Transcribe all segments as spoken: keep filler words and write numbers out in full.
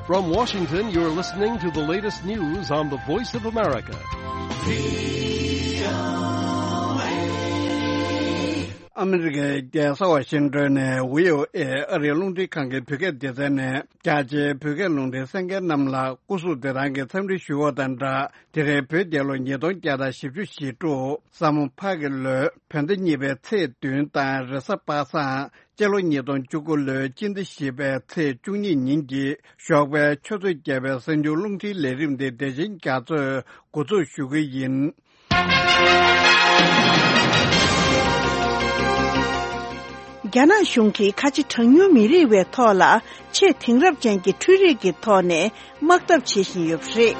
From Washington, you're listening to the latest news on the Voice of America. ཨ་མི་རི་ཀའི་རྒྱལ་ས་ཝ་ཤིང་ཏོན་ནས་ཝི་ཨོ་ཨེ་ཨ་རིའི་རླུང་འཕྲིན་ཁང་གི་བོད་སྐད་སྡེ་ཚན་ནས་རྒྱ་ཆེའི་བོད་སྐད་རླུང་འཕྲིན་གསན་མཁན་རྣམས་ལ་སྐུ་གཟུགས་བདེ་ཐང་གི་འཚམས་འདྲི་ཞུ་བ་དང་སྦྲགས། དེ་རིང་བོད་རྒྱལ་ལོ་ཉིས་སྟོང་བརྒྱ་དང་བཞི་བཅུ་ཞེ་དྲུག་ས་མོ་ཕག་གི་ལོའི་བོད་ཟླ་གཉིས་པའི་ཚེས་བདུན་དང་རེས་གཟའ་པ་སངས། སྤྱི་ལོ་ཉིས་སྟོང་བཅུ་དགུ་ལོའི་སྤྱི་ཟླ་བཞི་པའི་ཚེས་བཅུ་གཉིས་ཉིན་གྱི་ཞོགས་པའི་ཆུ་ཚོད་བརྒྱད་པའི་གསར་འགྱུར་རླུང་འཕྲིན་ལས་རིམ་འདི་བདེ་ཆེན་རྒྱ་མཚོས་འགོ་འཛུགས་ཞུ་གི་ཡིན། རྒྱ་ནག་གཞུང་གིས་ཁ་ཆེ་གྲངས་ཉུང་མི་རིགས་བའི་ཐོག་ལ་ཆེས་དེང་རབས་ཅན་གྱི་འཕྲུལ་རིག་གི་ཐོག་ནས་དམག་འཐབ་བྱེད་བཞིན་ཡོད་པ་རེད།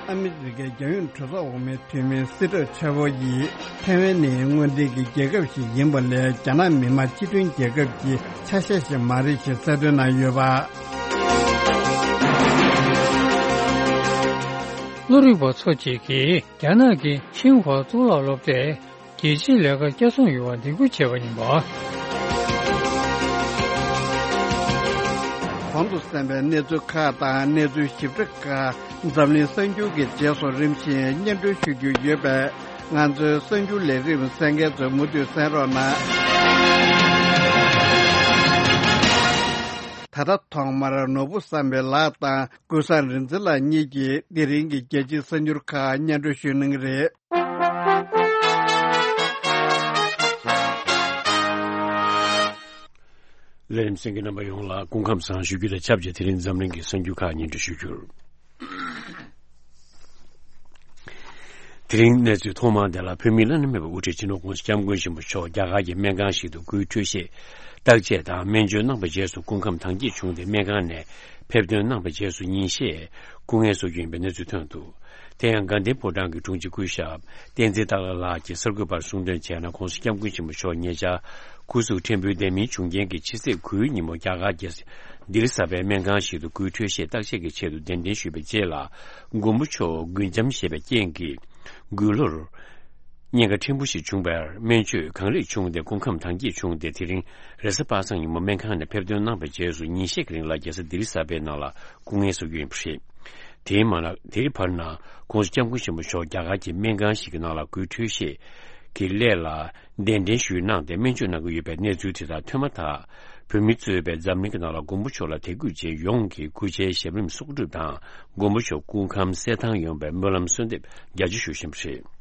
ཨ་མི་རི་ཀའི་རྒྱལ་ཡོངས་གྲོས་ཚོགས་འོག་མའི་འཐུས་མི་སི་ཏྲོ་ཆ་བོ་ཡིས་ཐའེ་ཝན་ནི་དངོས་འབྲེལ་གྱི་རྒྱལ་ཁབ་ཞིག་ཡིན་པ་ལས་རྒྱ་ནག་མི་དམངས་སྤྱི་མཐུན་རྒྱལ་ཁབ་ཀྱི་ཆ་ཤས་ཤིག་མ་རེད་ཞེས་གསལ་སྟོན་གནང་ཡོད་པ། བློ་རིག་པ་ཚོ་གཅིག་གིས་རྒྱ་ནག་གི་ཆིང་ཧྭ་གཙུག་ལག་སློབ་གྲྭས་རྒྱལ་སྤྱིའི་ལས་ཀར་བསྐྱར་སྲུང་ཡོང་བར་འདེད་སྐུལ་བྱས་པ་ཡིན་པ། གོང་དུ་གསན་པའི་གནས་ཚུལ་ཁག་དང་གནས་ཚུལ་ཞིབ་ཕྲ་ཁག་འཛམ་གླིང་གསར་འགྱུར་གྱི་རྗེས་སུ་རིམ་བཞིན་སྙན་སྒྲོན་ཞུ་རྒྱུ་ཡོད་པས། ང་ཚོའི་གསར་འགྱུར་ལས་རིམ་གསན་མཁན་ཚོས་མུ་མཐུད་གསན་རོགས་གནང་། ད་ལྟ་ཐོག་མར་ནོར་བུ་བསམ་འཕེལ་ལགས་དང་ཀུན་བཟང་རིག་འཛིན་ལགས་གཉིས་ཀྱིས་དེ་རིང་གི་རྒྱལ་སྤྱིའི་གསར་འགྱུར་ཁག་སྙན་སྒྲོན་ཞུ་གནང་གི་རེད། ལས་རིམ་གསན་མཁན་རྣམ་པ་ཡོངས་ལ་སྐུ་ཁམས་བཟང་ཞུ་རྒྱུ་དང་ཆབས་ཅིག་དེ་རིང་འཛམ་གླིང་གི་གསར་འགྱུར་ཁག་སྙན་སྒྲོན་ཞུ་རྒྱུར། དེ་རིང་གནས་ཚུལ་ཐོག་མར་དེ་ལ་བོད་མིའི་བླ་ན་མེད་པའི་དབུ་ཁྲིད་སྤྱི་ནོར་༸གོང་ས་༸སྐྱབས་མགོན་ཆེན་པོ་མཆོག་རྒྱ་གར་གྱི་སྨན་ཁང་ཞིག་ཏུ་སྐུའི་འཕྲོད་བཞེས་བརྟག་དཔྱད་དང་སྨན་བཅོས་གནང་བའི་རྗེས་སུ་སྐུ་ཁམས་དྭངས་སྐྱེད་བྱུང་སྟེ་སྨན་ཁང་ནས་ཕེབས་ཐོན་གནང་བའི་རྗེས་སུ་ཉིན་ཤས་སྐུ་ངལ་གསོ་རྒྱུ་ཡིན་པའི་གནས་ཚུལ་ཐོན་འདུག་དེ་ཡང་དགའ་ལྡན་ཕོ་བྲང་གི་དྲུང་ཆེ་སྐུ་ཞབས་བསྟན་འཛིན་སྟག་ལྷ་ལགས་ཀྱིས་གསར་འགོད་པར་གསུངས་དོན་བྱས་ན། ༸གོང་ས་༸སྐྱབས་མགོན་ཆེན་པོ་མཆོག་ཉེ་ཆར་སྐུ་གཟུགས་ཕྲན་བུ་ལྡེ་མིག་བྱུང་རྐྱེན་གྱིས་ཕྱི་ཚེས་དགུའི་ཉིན་མོ་རྒྱ་གར་གྱི་ལྡི་ལི་གསར་པའི་སྨན་ཁང་ཞིག་ཏུ་སྐུའི་འཕྲོད་བཞེས་བརྟག་དཔྱད་ཀྱི་ཆེད་དུ་གདན་འདྲེན་ཞུས་པའི་རྗེས་ལ། མགོན་པོ་མཆོག་མགུལ་ཆམ་བཞེས་པའི་རྐྱེན་གྱིས་མགུལ་ལོར་གཉན་ཁ་ཕྲན་བུ་ཞིག་བྱུང་བར་སྨན་བཅོས་གང་ལེགས་བྱུང་སྟེ་སྐུ་ཁམས་དྭངས་སྐྱེད་བྱུང་སྟེ། དེ་རིང་རེས་གཟའ་པ་སངས་ཉིན་མོ་སྨན་ཁང་ནས་ཕེབས་ཐོན་གནང་བའི་རྗེས་སུ་ཉིན་ཤས་ཀྱི་རིང་ལ་རྒྱལ་ས་ལྡི་ལི་གསར་པའི་ནང་ལ་སྐུ་ངལ་གསོ་རྒྱུ་ཡིན་པ་རེད། དེའི་མ་ལ་དེའི་བར་ན་༸གོང་ས་༸སྐྱབས་མགོན་ཆེན་པོ་མཆོག་རྒྱ་གར་གྱི་སྨན་ཁང་ཞིག་གི་ནང་ལ་སྐུའི་འཕྲོད་བཞེས་ཀྱི་སླད་ལ་གདན་འདྲེན་ཞུས་གནང་སྟེ་སྨན་བཅོས་གནང་གི་ཡོད་པའི་གནས་ཚུལ་དེ་དག་ཐོན་མ་ཐག་བོད་མི་གཙོས་པའི་འཛམ་གླིང་གི་ནང་ལ་མགོན་པོ་མཆོག་ལ་དད་གུས་ཅན་ཡོངས་ཀྱིས་སྐུ་ཕྱྭའི་ཞབས་རིམ་གསོག་སྒྲུབ་དང་མགོན་པོ་མཆོག་སྐུ་ཁམས་གསལ་ཐང་ཡོང་བའི་སྨོན་ལམ་གསོལ་འདེབས་རྒྱ་ཆེ་ཞུ་བཞིན་པ་རེད།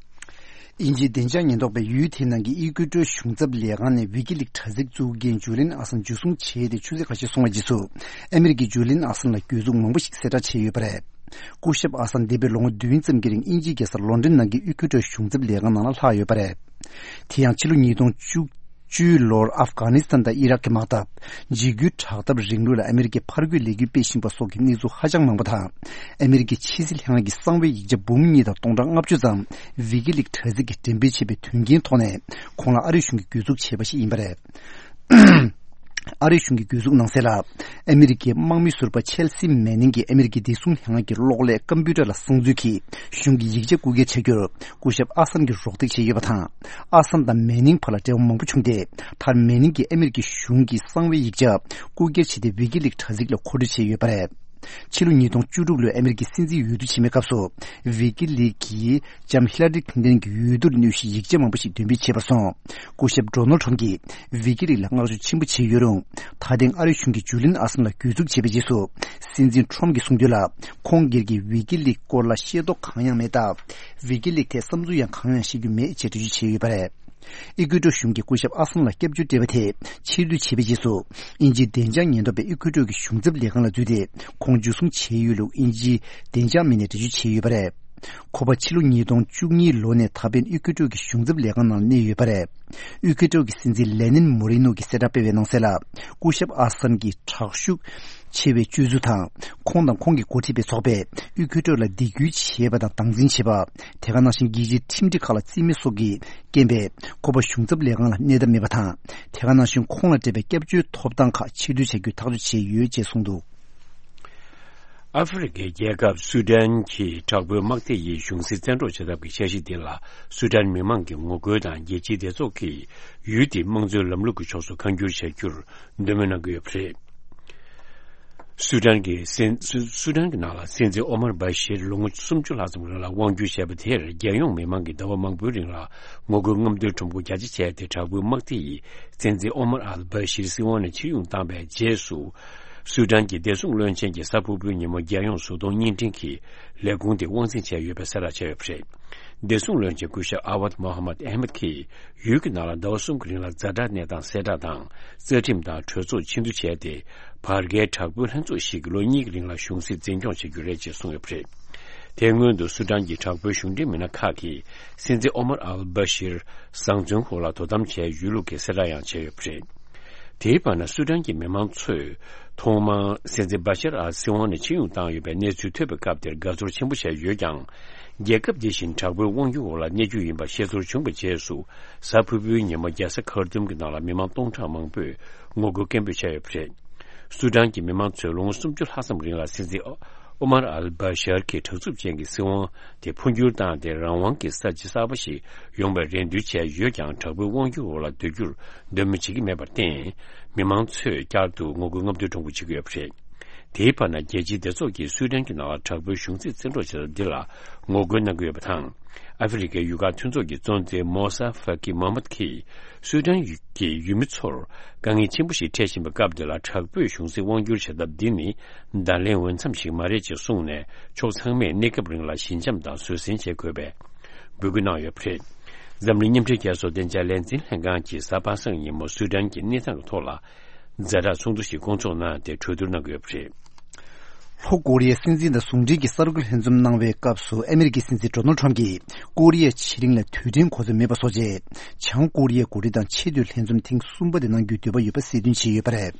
དབྱིན་ཇིའི་བདེ་འཇགས་ཉེན་རྟོག་པས་ཡུལ་དེའི་ནང་གི་ཨི་ཀུའེ་ཏྲོའི་གཞུང་ཚབ་ལས་ཁང་ནས་ཝི་ཀི་ལིག་དྲ་ཚིགས་བཙུགས་མཁན་ཇུ་ལིན་ཨ་སན་འཇུ་བཟུང་བྱས་ཏེ་ཆུ་ཚོད་ཁ་ཤས་སོང་བའི་རྗེས་སུ། ཨ་མི་རི་ཀས་ཇུ་ལིན་ཨ་སན་ལ་གྱོད་འཛུགས་མང་པོ་ཞིག་གསལ་བསྒྲགས་བྱས་ཡོད་པ་རེད། སྐུ་ཞབས་ཨ་སན་འདས་པའི་ལོ་ངོ་བདུན་ཙམ་གྱི་རིང་དབྱིན་ཇིའི་རྒྱལ་ས་ལོན་ཌོན་ནང་གི་ཨི་ཀུའེ་ཏྲོའི་གཞུང་ཚབ་ལས་ཁང་ནང་ལ་ལྷག་ཡོད་པ་རེད། དེ་ཡང་ཕྱི་ལོ་ཉིས་སྟོང་བཅུ་བཅུའི་ལོར་ཨབ་གྷ་ནི་སི་ཐན་དང་ཨི་རག་གི་དམག་འཐབ། འཇིགས་སྐུལ་དྲག་འཐབ་རིང་ལུགས་ལ་ཨ་མི་རི་ཀས་ཕར་རྒོལ་ལས་འགུལ་སྤེལ་བཞིན་པ་སོགས་ཀྱི་གནས་ཚུལ་ཧ་ཅང་མང་པོ་དང་། ཨ་མི་རི་ཀའི་ཕྱི་སྲིད་ལྷན་ཁང་གི་གསང་བའི་ཡིག་ཆ་འབུམ་གཉིས་དང་སྟོང་ཕྲག་ལྔ་བཅུ་ཙམ་ཝི་ཀི་ལིག་དྲ་ཚིགས་ཀྱིས་འགྲེམས་སྤེལ་བྱས་པའི་དོན་རྐྱེན་ཐོག་ནས་ཁོང་ལ་ཨ་རིའི་གཞུང་གིས་གྱོད་འཛུགས་བྱས་པ་ཞིག་ཡིན་པ་རེད། ཨ་རིའི་གཞུང་གིས་གྱོད་འཛུགས་གནང་གསལ་ལ། ཨ་མི་རི་ཀའི་དམག་མི་ཟུར་པ་ཆེལ་སི་མེ་ནིང་གིས་ཨ་མི་རི་ཀའི་བདེ་སྲུང་ལྷན་ཁང་གི་གློག་ཀླད་ཀམ་པུའུ་ཊར་ལ་སང་ཚུལ་གྱིས་གཞུང་གི་ཡིག་ཆ་རྐུ་འཁྱེར་བྱ་རྒྱུར་སྐུ་ཞབས་ཨ་སན་གྱིས་རོགས་འདེགས་བྱས་ཡོད་པ་དང་། ཨ་སན་དང་མེ་ནིང་བར་ལ་འབྲེལ་བ་མང་པོ་བྱུང་སྟེ། མཐར་མེ་ནིང་གིས་ཨ་མི་རི་ཀའི་གཞུང་གི་གསང་བའི་ཡིག་ཆ་རྐུ་འཁྱེར་བྱས་ཏེ་ཝི་ཀི་ལིག་དྲ་ཚིགས་ལ་མཁོ་སྤྲོད་བྱས་ཡོད་པ་རེད། ཕྱི་ལོ་ཉིས་སྟོང་བཅུ་དྲུག་ལོའི་ཨ་མི་རི་ཀའི་སྲིད་འཛིན་འོས་བསྡུ་ཆེན་མོའི་སྐབས་སུ། ཝི་ཀི་ལིག་གིས་ལྕམ་ཧི་ལ་རི་ཁིན་ཏན་གྱི་འོས་བསྡུར་གནོད་གཞིའི་ཡིག་ཆ་མང་པོ་ཞིག་འདོན་སྤེལ་བྱས་པར་སོང་། སྐུ་ཞབས་ཌོ་ནལ་ཁྲམ་གྱིས་ཝི་ཀི་ལིག་ལ་བསྔགས་བརྗོད་ཆེན་པོ་བྱས་ཡོད་རུང་། ད་ཐེངས་ཨ་རིའི་གཞུང་གིས་ཇུ་ལིན་ཨ་སན་ལ་གྱོད་འཛུགས་བྱས་པའི་རྗེས་སུ། སྲིད་འཛིན་ཁྲོམ་གྱིས་གསུངས་དོན་ལ། ཁོང་སྒེར་གྱིས་ཝི་ཀི་ལིག་སྐོར་ལ་ཤེས་རྟོགས་གང་ཡང་མེད་སྟབས། ཝི་ཀི་ལིག་ཐད་བསམ་ཚུལ་ཡང་གང་ཡང་བཤད་རྒྱུ་མེད་ཅེས་འགྲེལ་བརྗོད་བྱས་ཡོད་པ་རེད། ཨི་ཀུའེ་ཏྲོ་གཞུང་གིས་སྐུ་ཞབས་ཨ་སན་ལ་སྐྱབས་བཅོལ་སྤྲད་པ་དེ་ཕྱིར་བསྡུ་བྱས་པའི་རྗེས་སུ། དབྱིན་ཇིའི་བདེ་འཇགས་ཉེན་རྟོག་པས་ཨི་ཀུའེ་ཏྲོ་གི་གཞུང་ཚབ་ལས་ཁང་ལ་འཛུལ་ཏེ། ཁོང་འཇུ་བཟུང་བྱས་ཡོད་ལུགས་དབྱིན་ཇིའི་བདེ་འཇགས་མི་སྣས་འགྲེལ་བརྗོད་བྱས་ཡོད་པ་རེད། ཁོ་པ་ཕྱི་ལོ་ཉིས་སྟོང་བཅུ་གཉིས་ལོ་ནས་ད་ཕན་ཨི་ཀུའེ་ཏྲོ་གི་གཞུང་ཚབ་ལས་ཁང་ནང་གནས་ཡོད་པ་རེད། ཨི་ཀུའེ་ཏྲོ་གི་སྲིད་འཛིན་ལེ་ནིན་མོ་རི་ནོ་གིས་གསལ་བསྒྲགས་སྤེལ་བའི་ནང་གསལ་ལ། སྐུ་ཞབས་ཨ་སན་གྱི་དྲག་ཤུགས་ཆེ་བའི་སྤྱོད་ཚུལ་དང་། ཁོང་དང་ཁོང་གིས་འགོ་ཁྲིད་པའི་ཚོགས་པས་ཨི་ཀུའེ་ཏྲོ་ལ་སྡིགས་སྐུལ་བྱས་པ་དང་སྟངས་འཛིན་བྱས་པ། དེ་ག་ནང་བཞིན་རྒྱལ་སྤྱིའི་ཁྲིམས་སྒྲིག་ཁག་ལ་རྩིས་མེད་སོགས་ཀྱི་རྐྱེན་པས་ཁོ་པ་གཞུང་ཚབ་ལས་ཁང་ལ་གནས་ཐབས་མེད་པ་དང་། དེ་ག་ནང་བཞིན་ཁོང་ལ་སྤྲད་པའི་སྐྱབས་བཅོལ་ཐོབ་ཐང་ཁག་ཕྱིར་བསྡུ་བྱ་རྒྱུའི་ཐག་གཅོད་བྱས་ཡོད་ཅེས་གསུངས་འདུག། ཨ་ཧྥེ་རི་ཁའི་རྒྱལ་ཁབ་སུ་ཏན་གྱི་དྲག་པོའི་དམག་སྡེ་ཡིས་གཞུང་སྲིད་བཙན་འཕྲོག་བྱེད་ཐབས་ཀྱི་འཆར་གཞི་འདི་ལ་སུ་ཏན་མི་མང་གིས་ངོ་རྒོལ་དང་རྒྱལ་སྤྱིའི་སྡེ་ཚོགས་ཀྱིས་ཡུལ་དེའི་དམངས་གཙོའི་ལམ་ལུགས་ཀྱི་ཕྱོགས་སུ་ཁ་འགྱུར་བྱ་རྒྱུར་འདོད་མོས་གནང་གི་ཡོད་པ་རེད། སུ་ཏན་གྱི་སྲིད་སུ་སུ་ཏན་གྱི་ནང་ལ་སྲིད་འཛིན་ཨོ་མར་བྷ་ཤིར་ལོ་ངོ་སུམ་ཅུ་ལྷག་ཙམ་རིང་ལ་དབང་སྒྱུར་བྱས་པ་དེར་རྒྱལ་ཡོངས་མི་མང་གིས་ཟླ་བ་མང་པོའི་རིང་ལ་ངོ་རྒོལ་རྔམ་སྟོན་ཁྲོམ་སྐོར་རྒྱ་ཆེ་བྱས་ཏེ། དྲག་པོའི་དམག་སྡེ་ཡིས་སྲིད་འཛིན་ཨོ་མར་ཨལ་བྷ་ཤིར་སྲིད་དབང་ནས་ཕྱིར་དབྱུང་བཏང་པའི་རྗེས་སུ། སུ་ཏན་གྱི་བདེ་སྲུང་བློན་ཆེན་གྱིས་གཟའ་ཕུར་བུའི་ཉིན་མོ་རྒྱལ་ཡོངས་བཟོ་ཚོང་བརྙན་འཕྲིན་གྱི་ལས་ཁུངས་དེ་དབང་འཛིན་བྱས་ཡོད་པའི་གསལ་བསྒྲགས་བྱས་ཡོད་པ་རེད། བདེ་སྲུང་བློན་ཆེན་སྐུ་ཞབས་ཨ་ཝད་མོ་ཧ་མད་ཨེ་མད་ཀྱིས་ཡུལ་གྱི་ནང་ལ་ཟླ་བ་གསུམ་གྱི་རིང་ལ་ཛ་དྲག་གནས་སྟངས་གསལ་བསྒྲགས་དང་། རྩ་ཁྲིམས་དང་གྲོས་ཚོགས་ཕྱིར་བསྡུ་བྱས་ཏེ། བར་བརྒལ་དྲག་པོའི་ལྷན་ཚོགས་ཤིག་གིས་ལོ་གཉིས་ཀྱི་རིང་ལ་གཞུང་སྲིད་འཛིན་སྐྱོང་བྱེད་རྒྱུ་རེད་ཅེས་གསུངས་ཡོད་པ་རེད། དེ་སྔོན་དུ་སུ་ཏན་གྱི་དྲག་པོའི་གཞུང་འབྲེལ་མི་སྣ་ཁག་གིས་སྲིད་འཛིན་ཨོ་མར་ཨལ་བྷ་ཤིར་བཟང་བཙོན་འོག་ལ་དོ་དམ་བྱས་ཡོད་ལུགས་ཀྱི་གསལ་བསྒྲགས་ཡང་བྱས་ཡོད་པ་རེད། དེའི་བར་ན་སུ་ཏན་གྱི་མི་མང་ཚོས་ཐོག་མར་སྲིད་འཛིན་བྷ་ཤར་ཨལ་སྲིད་དབང་ནས་ཕྱིར་དབྱུང་བཏང་ཡོད་པའི་གནས་ཚུལ་ཐོས་པའི་སྐབས་དེར་དགའ་ཚོར་ཆེན་པོ་བྱས་ཡོད་ཀྱང་། རྒྱལ་ཁབ་འདི་བཞིན་དྲག་པོའི་དབང་སྒྱུར་འོག་ལ་གནས་རྒྱུ་ཡིན་པ་ཤེས་ཚོར་བྱུང་བའི་རྗེས་སུ། གཟའ་ཕུར་བུའི་ཉིན་མོ་རྒྱལ་ས་ཁར་ཏུམ་གྱི་ནང་ལ་མི་མང་སྟོང་ཕྲག་མང་པོས་ངོ་རྒོལ་སྐད་འབོད་བྱས་ཡོད་པ་རེད། སུ་ཏན་གྱི་མི་མང་ཚོས་ལོ་ངོ་སུམ་ཅུ་ལྷག་ཙམ་རིང་ལ་སྲིད་འཛིན་ཨོ་མར་ཨལ་བྷ་ཤར་གྱི་དྲག་རྩུབ་ཅན་གྱི་སྲིད་དབང་དེ་འཕོ་འགྱུར་བཏང་སྟེ། རང་དབང་གི་ས་ཆ་གསར་པ་ཞིག་ཡོང་བའི་རེ་འདུན་བྱས་ཡོད་ཀྱང་། དྲག་པོའི་དབང་སྒྱུར་འོག་ལ་སྡོད་རྒྱུར་འདོད་མོས་བྱེད་ཀྱི་མེད་པར་བརྟེན། མི་མང་ཚོས་བསྐྱར་དུ་ངོ་རྒོལ་རྔམ་སྟོན་ཁྲོམ་སྐོར་བྱེད་ཀྱི་ཡོད་པ་རེད། དེའི་བར་ན་རྒྱལ་སྤྱིའི་སྡེ་ཚོགས་ཀྱིས་སུའེ་ཏན་གྱི་ནང་ལ་དྲག་པོའི་གཞུང་སྲིད་བཙན་འཕྲོག་བྱེད་ཐབས་འདི་ལ་ངོ་རྒོལ་གནང་གི་ཡོད་པ་དང་། ཨ་ཧྥེ་རི་ཁའི་ཡུལ་ཁག་མཐུན་ཚོགས་ཀྱི་གཙོ་འཛིན་མོ་ས་ཧྥ་ཀི་མོ་ཧམ་མད་ཀྱིས་སུའེ་ཏན་གྱི་ཡུལ་མི་ཚོར་དཀའ་ངལ་ཆེན་པོ་ཞིག་འཕྲད་བཞིན་པའི་སྐབས་འདི་ལ། དྲག་པོས་གཞུང་སྲིད་དབང་བསྒྱུར་བྱེད་ཐབས་འདི་ནི་བརྡ་ལན་འོས་འཚམ་ཞིག་མ་རེད་ཅེས་གསུངས་ནས། ཕྱོགས་ཚང་མས་གནས་སྐབས་རིང་ལ་ཞི་འཇམ་དང་བཟོད་བསྲན་བྱེད་དགོས་པའི་འབོད་སྐུལ་གནང་ཡོད་པ་རེད། འཛམ་གླིང་མཉམ་འབྲེལ་རྒྱལ་ཚོགས་བདེ་འཇགས་ལས་འཛིན་ལྷན་ཁང་གིས་གཟའ་པ་སངས་ཉིན་མོ་སུའེ་ཏན་གྱི་གནས་སྟངས་ཀྱི་ཐོག་ལ། ཛ་དྲག་ཚོགས་འདུ་ཞིག་བསྐོང་ཚོགས་གནང་སྟེ་གྲོས་བསྡུར་གནང་གི་ཡོད་པ་རེད། ལྷོ་ཀོ་རི་ཡའི་སྲིད་འཛིན་དང་ཟུང་འབྲེལ་གྱི་གསར་འགོད་ལྷན་འཛོམས་གནང་བའི་སྐབས་སུ། ཨ་མི་རི་ཀའི་སྲིད་འཛིན་ཌོ་ནལ་ཁྲམ་གྱིས་ཀོ་རི་ཡའི་ཕྱེད་གླིང་ལ་དུས་དྲན་གོ་སྐབས་མེད་པ་བཟོ་ཆེད། བྱང་ཀོ་རི་ཡའི་འགོ་ཁྲིད་དང་ཆེས་མཐོའི་ལྷན་འཛོམས་ཐེངས་གསུམ་པ་དེ་གནང་རྒྱུའི་འདོད་པ་ཡོད་པ་གསལ་སྟོན་བྱས་ཡོད་པ་རེད།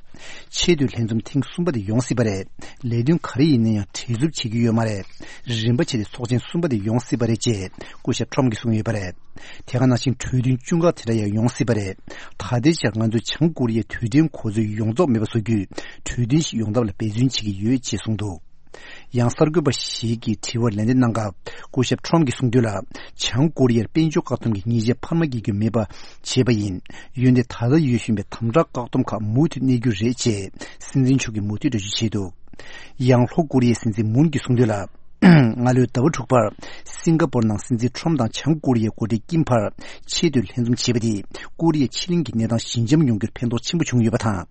ཆེས་མཐོའི་ལྷན་འཛོམས་ཐེངས་གསུམ་པ་དེ་ཡོང་སྲིད་པ་རེད། ལས་དོན་ག་རེ་ཡིན་ན་ཡང་བྲེལ་འཚུབ་བྱེད་ཀྱི་ཡོད་མ་རེད། རིམ་པ་བྱས་ཏེ་ཚོགས་ཆེན་གསུམ་པ་དེ་ཡོང་སྲིད་པ་རེད་ཅེས་སྐུ་ཞབས་ཁྲམ་གྱིས་གསུངས་ཡོད་པ་རེད། དེ་ག་ནང་བཞིན་གྲོས་མཐུན་བཅུ་ཁག་དེ་འདྲ་ཡང་ཡོང་སྲིད་པ་རེད། ད་ལྟའི་ཆར་ང་ཚོས་བྱང་ཀོ་རི་ཡའི་དུས་དྲན་གོ་སྐབས་ཡོངས་རྫོགས་མེད་པ་བཟོ་རྒྱུའི་གྲོས་མཐུན་ཞིག་ཡོང་ཐབས་ལ་འབད་བརྩོན་བྱེད་ཀྱི་ཡོད་ཅེས་གསུངས་འདུག། ཡང་གསར་འགོད་པ་ཞིག་གིས་དྲི་བར་ལན་འདེབས་གནང་སྐབས། སྐུ་ཞབས་ཁྲོམ་གྱིས་གསུངས་དོན་ལ། བྱང་ཀོ་རི་ཡར་དཔལ་འབྱོར་བཀག་སྡོམ་གྱི་ཉེས་ཆད་འཕར་མ་བརྒྱབ་རྒྱུ་མེད་པ་བྱས་པ་ཡིན། འོན་ཏེ་ད་ལྟ་ཡོད་བཞིན་པའི་དམ་དྲག་བཀག་སྡོམ་ཁག་མུ་མཐུད་གནས་རྒྱུ་རེད་ཅེས་སྲིད་འཛིན་མཆོག་གིས་མུ་མཐུད་འགྲེལ་བརྗོད་བྱས་འདུག། ཡང་ལྷོ་ཀོ་རི་ཡའི་སྲིད་འཛིན་མུན་གྱིས་གསུངས་དོན་ལ། སྔ་ལོའི་ཟླ་བ་དྲུག་པར་སིང་ག་པོར་ནང་སྲིད་འཛིན་ཁྲོམ་དང་བྱང་ཀོ་རི་ཡའི་འགོ་ཁྲིད་ཀིམ་བར་ཆེས་མཐོའི་ལྷན་འཛོམས་བྱས་པ་དེས་ཀོ་རི་ཡའི་ཕྱེད་གླིང་གི་གནས་སྟངས་ཞི་འཇམ་ཡོང་རྒྱུར་ཕན་ཐོགས་ཆེན་པོ་བྱུང་ཡོད་པ་དང་།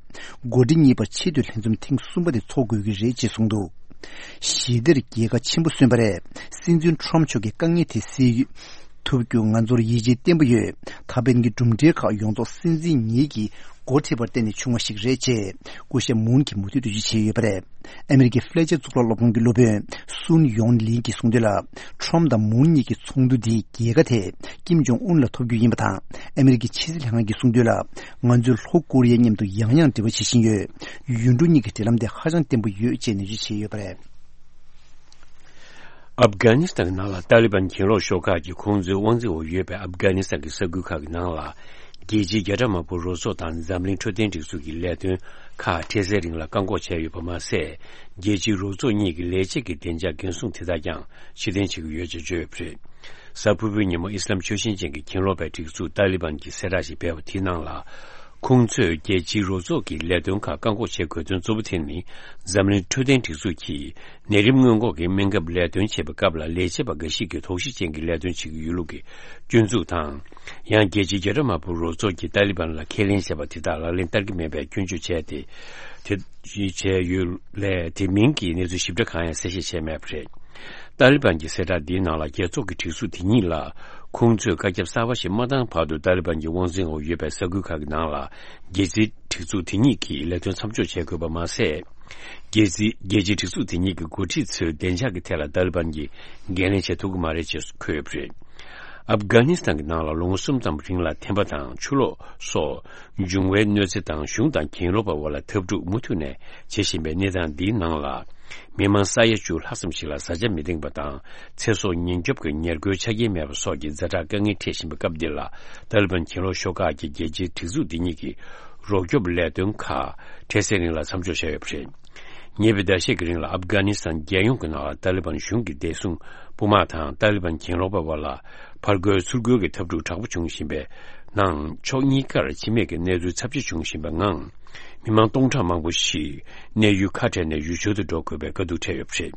འགོ་ཁྲིད་གཉིས་བར་ཆེས་མཐོའི་ལྷན་འཛོམས་ཐེངས་གསུམ་པ་དེ་འཚོགས་དགོས་ཀྱི་རེད་ཅེས་གསུངས་འདུག། ཞི་བདེར་རྒྱལ་ཁ་ཆེན་པོ་སོན་པ་རེད། སྲིད་འཛིན་ཁྲོམ་མཆོག་གིས་དཀའ་ངལ་དེ་སེལ་ཐུབ་རྒྱུ་ང་ཚོར་ཡིད་ཆེས་བརྟན་པོ་ཡོད། ད་ཕན་གྱི་གྲུབ་འབྲས་ཁག་ཡོངས་རྫོགས་སྲིད་འཛིན་ཉིད་ཀྱིས་འགོ་ཁྲིད་པར་བརྟེན་ནས་བྱུང་བ་ཞིག་རེད་ཅེས་སྐུ་ཞབས་མུན་གྱིས་མུ་མཐུད་འགྲེལ་བརྗོད་བྱས་ཡོད་པ་རེད། ཨ་མི་རི་ཀའི་ཧྥི་ལེ་ཅར་གཙུག་ལག་སློབ་ཁང་གི་སློབ་དཔོན་སུན་ཡོང་ལིན་གྱིས་གསུངས་དོན་ལ། ཁྲོམ་དང་མུན་གཉིས་ཀྱི་ཚོགས་འདུ་འདིས་རྒྱལ་ཁ་དེ་ཀིམ་ཇོང་ཨུན་ལ་ཐོབ་རྒྱུ་ཡིན་པ་དང་། ཨ་མི་རི་ཀའི་ཕྱི་སྲིད་ལྷན་ཁང་གིས་གསུངས་དོན་ལ། ང་ཚོས་ལྷོ་ཀོ་རི་ཡ་མཉམ་དུ་ཡང་ཡང་འབྲེལ་བ་བྱེད་བཞིན་ཡོད། ཡུལ་གྲུ་གཉིས་ཀྱི་འབྲེལ་ལམ་དེ་ཧ་ཅང་བརྟན་པོ་ཡོད་ཅེས་ནན་བརྗོད་བྱས་ཡོད་པ་རེད། ཨབ་གྷ་ནི་སི་ཐན་གྱི་ནང་ལ་ཏཱ་ལི་བན་གྱེན་ལོག་ཤོག་ཁག་གིས་ཁོང་ཚོའི་དབང་འཛིན་འོག་ཡོད་པའི་ཨབ་གྷ་ནི་སི་ཐན་གྱི་ས་ཁུལ་ཁག་གི་ནང་ལ། རྒྱལ་སྤྱིའི་རྒྱལ་ཁྲིམས་དམག་དཔུང་རོགས་ཚོགས་དང་འཛམ་གླིང་འཕྲོད་བསྟེན་སྒྲིག་འཛུགས་ཀྱི་ལས་དོན་ཁག་འཕྲལ་སེལ་རིང་ལ་བཀག་འགོག་བྱས་ཡོད་པ་མ་ཟད། རྒྱལ་སྤྱིའི་རོགས་ཚོགས་གཉིས་ཀྱི་ལས་བྱེད་ཀྱི་བདེ་འཇགས་འགན་སྲུང་དེ་དག་ཀྱང་ཕྱིར་འཐེན་བྱེད་ཀྱི་ཡོད་ཅེས་བརྗོད་ཡོད་པ་རེད། གཟའ་ཕུར་བུའི་ཉིན་མོ་ཨི་སི་ལམ་ཆོས་བཞིན་ཅན་གྱི་གྱེན་ལོག་པའི་སྒྲིག་འཛུགས་ཏཱ་ལི་བན་གྱིས་གསལ་བསྒྲགས་ཤིག་སྤེལ་བ་དེའི་ནང་ལ། ཁོང་ཚོས་རྒྱལ་སྤྱིའི་རོགས་ཚོགས་ཀྱི་ལས་དོན་ཁག་བཀག་འགོག་བྱེད་དགོས་དོན་གཙོ་བོ་དེ་ནི། འཛམ་གླིང་འཕྲོད་བསྟེན་སྒྲིག་འཛུགས་ཀྱིས་ནད་རིམས་སྔོན་འགོག་གི་སྨན་ཁབ་ལས་དོན་བྱེད་པའི་སྐབས་ལ། ལས་བྱེད་པ་འགའ་ཞིག་གིས་དོགས་གཞི་ཅན་གྱི་ལས་དོན་བྱེད་ཀྱི་ཡོད་ལུགས་ཀྱི་སྐྱོན་འཛུགས་དང་། ཡང་རྒྱལ་སྤྱིའི་རྒྱལ་ཁྲིམས་དམག་དཔུང་རོགས་ཚོགས་ཀྱིས་ཏཱ་ལི་བན་ལ་ཁས་ལེན་བྱས་པ་དེ་དག་ལག་ལེན་བསྟར་གྱི་མེད་པའི་སྐྱོན་བརྗོད་བྱས་ཏེ། དེ་བྱས་ཡོད་ལས། དེ་མིན་གྱི་གནས་ཚུལ་ཞིབ་ཕྲ་གང་ཡང་གསལ་བཤད་བྱས་མེད་པ་རེད། ཏཱ་ལི་བན་གྱི་གསལ་བསྒྲགས་འདིའི་ནང་ལ། རྒྱལ་ཚོགས་ཀྱི་སྒྲིག་འཛུགས་དེ་ཉིད་ལ། ཁོང་ཚོས་བཀའ་ཁྱབ་གསར་པ་ཞིག་མ་བཏང་བར་དུ། ཏཱ་ལི་བན་གྱི་དབང་འཛིན་འོག་ཡོད་པའི་ས་ཁུལ་ཁག་གི་ནང་ལ། རྒྱལ་སྲིད་སྒྲིག་འཛུགས་དེ་ཉིད་ཀྱིས་ལས་དོན་མཚམས་འཇོག་བྱེད་དགོས་པ་མ་ཟད། རྒྱལ་སྲིད། རྒྱལ་སྤྱིའི་སྒྲིག་འཛུགས་དེ་ཉིད་ཀྱི་འགོ་ཁྲིད་ཚོའི་བདེ་འཇགས་ཀྱི་ཐད་ལ་ཏཱ་ལི་བན་གྱིས་འགན་ལེན་བྱེད་ཐུབ་ཀྱི་མ་རེད་ཅེས་འཁོད་ཡོད་པ་རེད། ཨབ་གྷ་ནི་སི་ཐན་གྱི་ནང་ལ་ལོ་ངོ་གསུམ་ཙམ་རིང་ལ་ཐན་པ་དང་ཆུ་ལོག་སོགས་འབྱུང་བའི་གནོད་འཚེ་དང་། གཞུང་དང་གྱེན་ལོག་པ་བར་ལ་འཐབ་འཁྲུག་མུ་མཐུད་ནས་བྱེད་བཞིན་པའི་གནས་སྟངས་འདིའི་ནང་ལ། མི་མང་ས་ཡ་བཅུ་ལྷག་ཙམ་ཞིག་ལ་བཟའ་བཅའ་མི་འདེང་པ་དང་། ཚེ་སྲོག་ཉེན་སྐྱོབ་ཀྱི་ཉེར་མཁོའི་ཆ་རྐྱེན་མེད་པ་སོགས་ཀྱི་ཛ་དྲག་དཀའ་ངལ་འཕྲད་བཞིན་པའི་སྐབས་འདི་ལ། ཏཱ་ལི་བན་གྱེན་ལོག་ཤོག་ཁག་གིས་རྒྱལ་སྤྱིའི་སྒྲིག་འཛུགས་འདི་ཉིད་ཀྱི་རོགས་སྐྱོབ་ལས་དོན་ཁག་འཕྲལ་སེལ་རིང་ལ་མཚམས་འཇོག་བྱས་ཡོད་པ་རེད། ཉེ་བའི་ཟླ་ཤས་ཀྱི་རིང་ལ་ཨབ་གྷ་ནི་སི་ཐན་རྒྱལ་ཡོངས་ཀྱི་ནང་ལ་ཏཱ་ལི་བན་གཞུང་གི་བདེ་སྲུང་དཔུང་དམག་དང་ཏཱ་ལི་བན་གྱེན་ལོག་པ་བར་ལ་ཕར་རྒོལ་ཚུར་རྒོལ་གྱི་འཐབ་འཁྲུག་དྲག་པོ་བྱུང་བཞིན་པའི་ནང་། ཕྱོགས་གཉིས་ཀར་འཆི་རྨས་ཀྱི་གནས་ཚུལ་ཚབས་ཆེ་བྱུང་བཞིན་པའི་ངང་། མི་མང་སྟོང་ཕྲག་མང་པོ་ཞིག་གནས་ཡུལ་ཁ་བྲལ་ནས་ཡུལ་ཕྱོགས་སུ་འགྲོ་དགོས་པའི་དཀའ་སྡུག་འཕྲད་ཡོད་པ་རེད།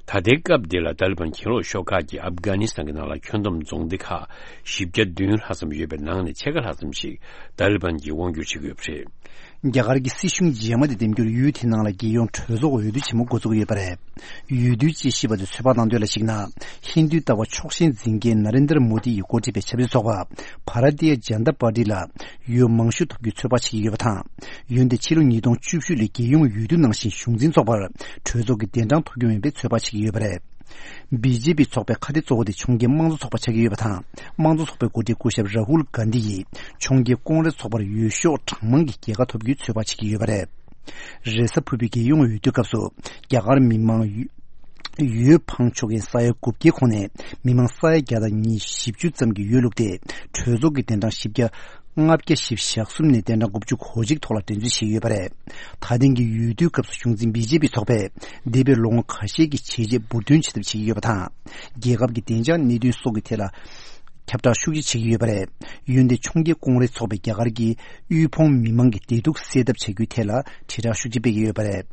ད་ལྟའི་སྐབས་འདི་ལ་ཏཱ་ལི་བན་གྱེན་ལོག་ཤོག་ཁག་གིས་ཨབ་གྷ་ནི་སི་ཐན་གྱི་ནང་ལ་ཁྱོན་བསྡོམས་རྫོང་སྡེ་ཁག་བཞི་བརྒྱ་བདུན་ལྷག་ཙམ་ཡོད་པའི་ནང་ནས་ཕྱེད་ཀ་ལྷག་ཙམ་ཞིག་ཏཱ་ལི་བན་གྱིས་དབང་སྒྱུར་བྱེད་ཀྱི་ཡོད་པ་རེད། རྒྱ་གར་གྱི་སྲིད་གཞུང་རྗེས་མ་དེ་འདེམས་རྒྱུར་ཡུལ་དེའི་ནང་ལ་རྒྱལ་ཡོངས་གྲོས་ཚོགས་འོས་བསྡུ་ཆེན་མོ་འགོ་འཛུགས་ཡོད་པ་རེད། འོས་བསྡུའི་དཔྱད་ཞིབ་པ་ཚོས་ཚོད་དཔག་གནང་དོན་ལ་གཞིགས་ན། ཧིན་རྡུའི་ལྟ་བ་ཕྱོགས་ཞེན་འཛིན་མཁན་ན་རེན་དར་མོ་དི་ཡིས་འགོ་ཁྲིད་པའི་ཆབ་སྲིད་ཚོགས་པ་བྷ་ར་ཏི་ཡ་ཇན་ད་པར་ཏི་ལ་འོས་མང་ཤོས་ཐོབ་རྒྱུའི་ཚོད་དཔག་བྱེད་ཀྱི་ཡོད་པ་དང་། འོན་ཏེ་ཕྱི་ལོ་ཉིས་སྟོང་བཅུ་བཞི་ལོའི་རྒྱལ་ཡོངས་འོས་བསྡུ་ནང་བཞིན་གཞུང་འཛིན་ཚོགས་པར་གྲོས་ཚོགས་ཀྱི་གདན་གྲངས་ཐོབ་རྒྱུ་མིན་པའི་ཚོད་དཔག་བྱེད་ཀྱི་ཡོད་པ་རེད། བི་ཇེ་པི་ཚོགས་པའི་ཁ་གཏད་གཙོ་བོ་དེ་ཕྱོགས་འགལ་དམངས་གཙོ་ཚོགས་པ་ཆགས་ཀྱི་ཡོད་པ་དང་། དམངས་གཙོ་ཚོགས་པའི་འགོ་ཁྲིད་སྐུ་ཞབས་རཱ་ཧུལ་གྷན་དྷི་ཡིས་ཕྱོགས་འགལ་ཀོང་རེས་ཚོགས་པར་འོས་ཤོག་གྲངས་མང་གི་རྒྱལ་ཁ་ཐོབ་རྒྱུའི་ཚོད་དཔག་བྱེད་ཀྱི་ཡོད་པ་རེད། རེས་གཟའ་ཕུར་བུའི་རྒྱལ་ཡོངས་འོས་བསྡུའི་སྐབས་སུ་རྒྱ་གར་མི་མང་འོས་འཕངས་ཆོག་མཁན་ས་ཡ་དགུ་བརྒྱའི་ཁོངས་ནས་མི་མང་ས་ཡ་བརྒྱ་དང་ཉི་ཤུ་བཅུ་ཙམ་གྱིས་འོས་བླུགས་ཏེ། གྲོས་ཚོགས་ཀྱི་གདན་གྲངས་བཞི་བརྒྱ་ལྔ་བརྒྱ་བཞི་བཅུ་ཞེ་གསུམ་ནས་གདན་གྲངས་དགུ་བཅུ་གོ་གཅིག་ཐོག་ལ་འགྲན་རྩོད་བྱས་ཡོད་པ་རེད། ད་ཐེངས་ཀྱི་འོས་བསྡུའི་སྐབས་སུ་གཞུང་འཛིན་བི་ཇེ་པི་ཚོགས་པས་འདས་པའི་ལོ་ངོ་ཁ་ཤས་ཀྱི་བྱས་རྗེས་འབུར་འདོན་བྱེད་ཐབས་བྱེད་ཀྱི་ཡོད་པ་དང་། རྒྱལ་ཁབ་ཀྱི་བདེ་འཇགས་གནད་དོན་སོགས་ཀྱི་ཐད་ལ་ཁྱབ་བསྒྲགས་ཤུགས་ཆེ་བྱེད་ཀྱི་ཡོད་པ་རེད། འོན་ཏེ་ཕྱོགས་འགལ་ཀོང་རེས་ཚོགས་པས་རྒྱ་གར་གྱི་དབུལ་ཕོངས་མི་མང་གི་བདེ་སྡུག་སེལ་ཐབས་བྱ་རྒྱུའི་ཐད་ལ་དྲིལ་བསྒྲགས་ཤུགས་ཆེ་སྤེལ་གྱི་ཡོད་པ་རེད།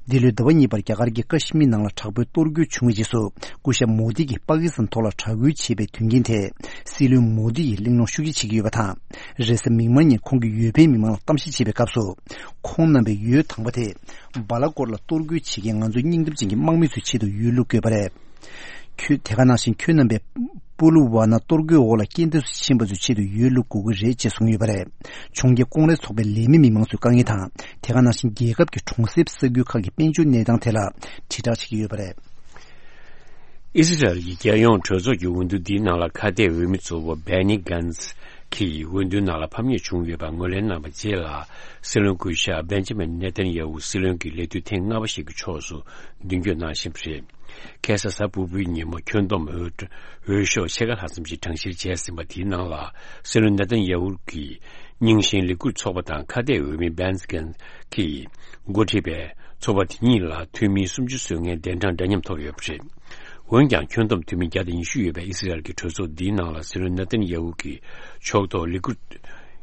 འདི་ལོའི་ཟླ་བ་གཉིས་པར་རྒྱ་གར་གྱི་ཀ་ཤི་མིར་ནང་ལ་དྲག་པོའི་གཏོར་རྒོལ་བྱུང་བའི་རྗེས་སུ། སྐུ་ཞབས་མོ་དི་གིས་པ་ཀི་སི་ཐན་ཐོག་ལ་དྲག་རྒོལ་བྱས་པའི་དོན་རྐྱེན་ཐད་སྲིད་བློན་མོ་དི་ཡིས་གླེང་སློང་ཤུགས་ཆེ་བྱེད་ཀྱི་ཡོད་པ་དང་། རེས་གཟའ་མིག་དམར་ཉིན་ཁོང་གིས་འོས་འཕེན་མི་མང་ལ་གཏམ་བཤད་བྱེད་པའི་སྐབས་སུ། ཁོང་རྣམ་པའི་འོས་དང་པོ་དེ་སྦ་ལ་ཀོར་ལ་གཏོར་རྒོལ་བྱེད་མཁན་ང་ཚོའི་སྙིང་སྟོབས་ཅན་གྱི་དམག་མི་ཚོའི་ཆེད་དུ་འོས་བླུག་དགོས་པ་རེད། ཁྱོད་དེ་ག་ནང་བཞིན་ཁྱོད་རྣམ་པས་པུ་ལུ་ཝ་ན་གཏོར་རྒོལ་འོག་ལ་རྐྱེན་འདས་སུ་ཕྱིན་པ་ཚོའི་ཆེད་དུ་འོས་བླུག་དགོས་ཀྱི་རེད་ཅེས་གསུངས་ཡོད་པ་རེད། ཕྱོགས་འགལ་ཀོང་རེས་ཚོགས་པའི་ལས་མི་མི་མང་ཚོའི་དཀའ་ངལ་དང་། དེ་ག་ནང་བཞིན་རྒྱལ་ཁབ་ཀྱི་གྲོང་གསེབ་ས་ཁུལ་ཁག་གི་དཔལ་འབྱོར་གནས་སྟངས་ཐད་ལ་དྲིལ་བསྒྲགས་བྱེད་ཀྱི་ཡོད་པ་རེད། ཨི་སི་རལ་གྱི་རྒྱལ་ཡོངས་གྲོས་ཚོགས་ཀྱི་འོས་བསྡུ་འདིའི་ནང་ལ་ཁ་གཏད་འོས་མི་གཙོ་བོ་བྷེ་ནི་གྷན་ཛི་གིས་འོས་བསྡུའི་ནང་ལ་ཕམ་ཉེས་བྱུང་ཡོད་པར་ངོས་ལེན་གནང་བའི་རྗེས་ལ། སྲིད་བློན་སྐུ་ཞབས་བེན་ཇི་མིན་ནེ་ཐན་ཡ་ཧུ་སྲིད་བློན་གྱི་ལས་དུས་ཐེངས་ལྔ་པ་ཞིག་གི་ཕྱོགས་སུ་མདུན་སྐྱོད་གནང་བཞིན་པ་རེད། ཁ་སང་གཟའ་ཕུར་བུའི་ཉིན་མོ་ཁྱོན་བསྡོམས་འོས། འོས་ཤོག་ཕྱེད་ཀ་ལྷག་ཙམ་ཞིག་གྲངས་བཤེར་བྱས་ཟིན་པ་དེའི་ནང་ལ། སྲིད་བློན་ནེ་ཐན་ཡ་ཧུ་གིས་རྙིང་ཞེན་ལས་འགུལ་ཚོགས་པ་དང་ཁ་གཏད་འོས་མི་བེན་ཛི་གྷན་གྱིས་འགོ་ཁྲིད་པའི་ཚོགས་པ་དེ་གཉིས་ལ་འཐུས་མི་སུམ་ཅུ་སོན་མཁན་གདན་གྲངས་འདྲ་མཉམ་ཐོབ་ཡོད་པ་རེད། འོན་ཀྱང་ཁྱོན་བསྡོམས་འཐུས་མི་བརྒྱ་དང་ཉི་ཤུ་ཡོད་པའི་ཨི་སི་རལ་གྱི་གྲོས་ཚོགས་འདིའི་ནང་ལ་སྲིད་བློན་ནེ་ཐན་ཡ་ཧུ་གི་ཕྱོགས་གཏོགས་ལས་འགུལ་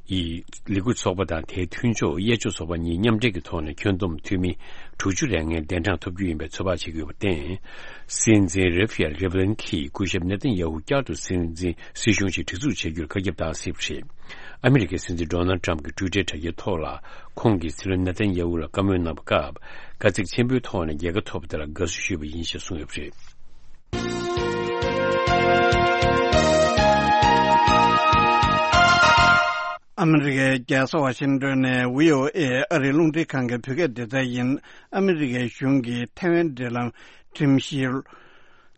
ཡི་ལས་འགུལ་ཚོགས་པ་དང་དེའི་མཐུན་ཕྱོགས་གཡས་ཕྱོགས་ཚོགས་པ་གཉིས་མཉམ་འབྲེལ་གྱི་ཐོག་ནས་ཁྱོན་བསྡོམས་འཐུས་མི་དྲུག་ཅུ་རེ་ལྔའི་གདན་གྲངས་ཐོབ་རྒྱུ་ཡིན་པའི་ཚོད་དཔག་བྱེད་ཀྱི་ཡོད་པར་བརྟེན། སྲིད་འཛིན་རེ་ཕི་ཡལ་རེ་བྷ་ལིན་གྱིས་སྐུ་ཞབས་ནེ་ཐན་ཡ་ཧུ་བསྐྱར་དུ་སྲིད་འཛིན་སྲིད་གཞུང་ཞིག་སྒྲིག་འཛུགས་བྱེད་རྒྱུར་བཀའ་ཁྱབ་བཏང་སྲིད་པ་རེད། ཨ་མི་རི་ཀའི་སྲིད་འཛིན་ཌོ་ནལ་ཊམ་གྱིས་ཊུའི་ཊར་དྲ་རྒྱའི་ཐོག་ལ་ཁོང་གིས་སྲིད་བློན་ནེ་ཐན་ཡ་ཧུ་ལ་བཀའ་མོལ་གནང་བའི་སྐབས། དཀའ་ཚེགས་ཆེན་པོའི་ཐོག་ནས་རྒྱལ་ཁ་ཐོབ་པ་དེ་ལ་དགའ་བསུ་ཞུས་པ་ཡིན་ཞེས་གསུངས་ཡོད་པ་རེད། ཨ་མི་རི་ཀའི་རྒྱལ་ས་ཝ་ཤིང་ཏོན་ནས་བྷི་ཨོ་ཨེ་ཨ་རིའི་རླུང་འཕྲིན་ཁང་གི་བོད་སྐད་སྡེ་ཚན་ཡིན། ཨ་མི་རི་ཀའི་གཞུང་གིས་ཐའེ་ཝན་འབྲེལ་ལམ་ཁྲིམས་གཞི་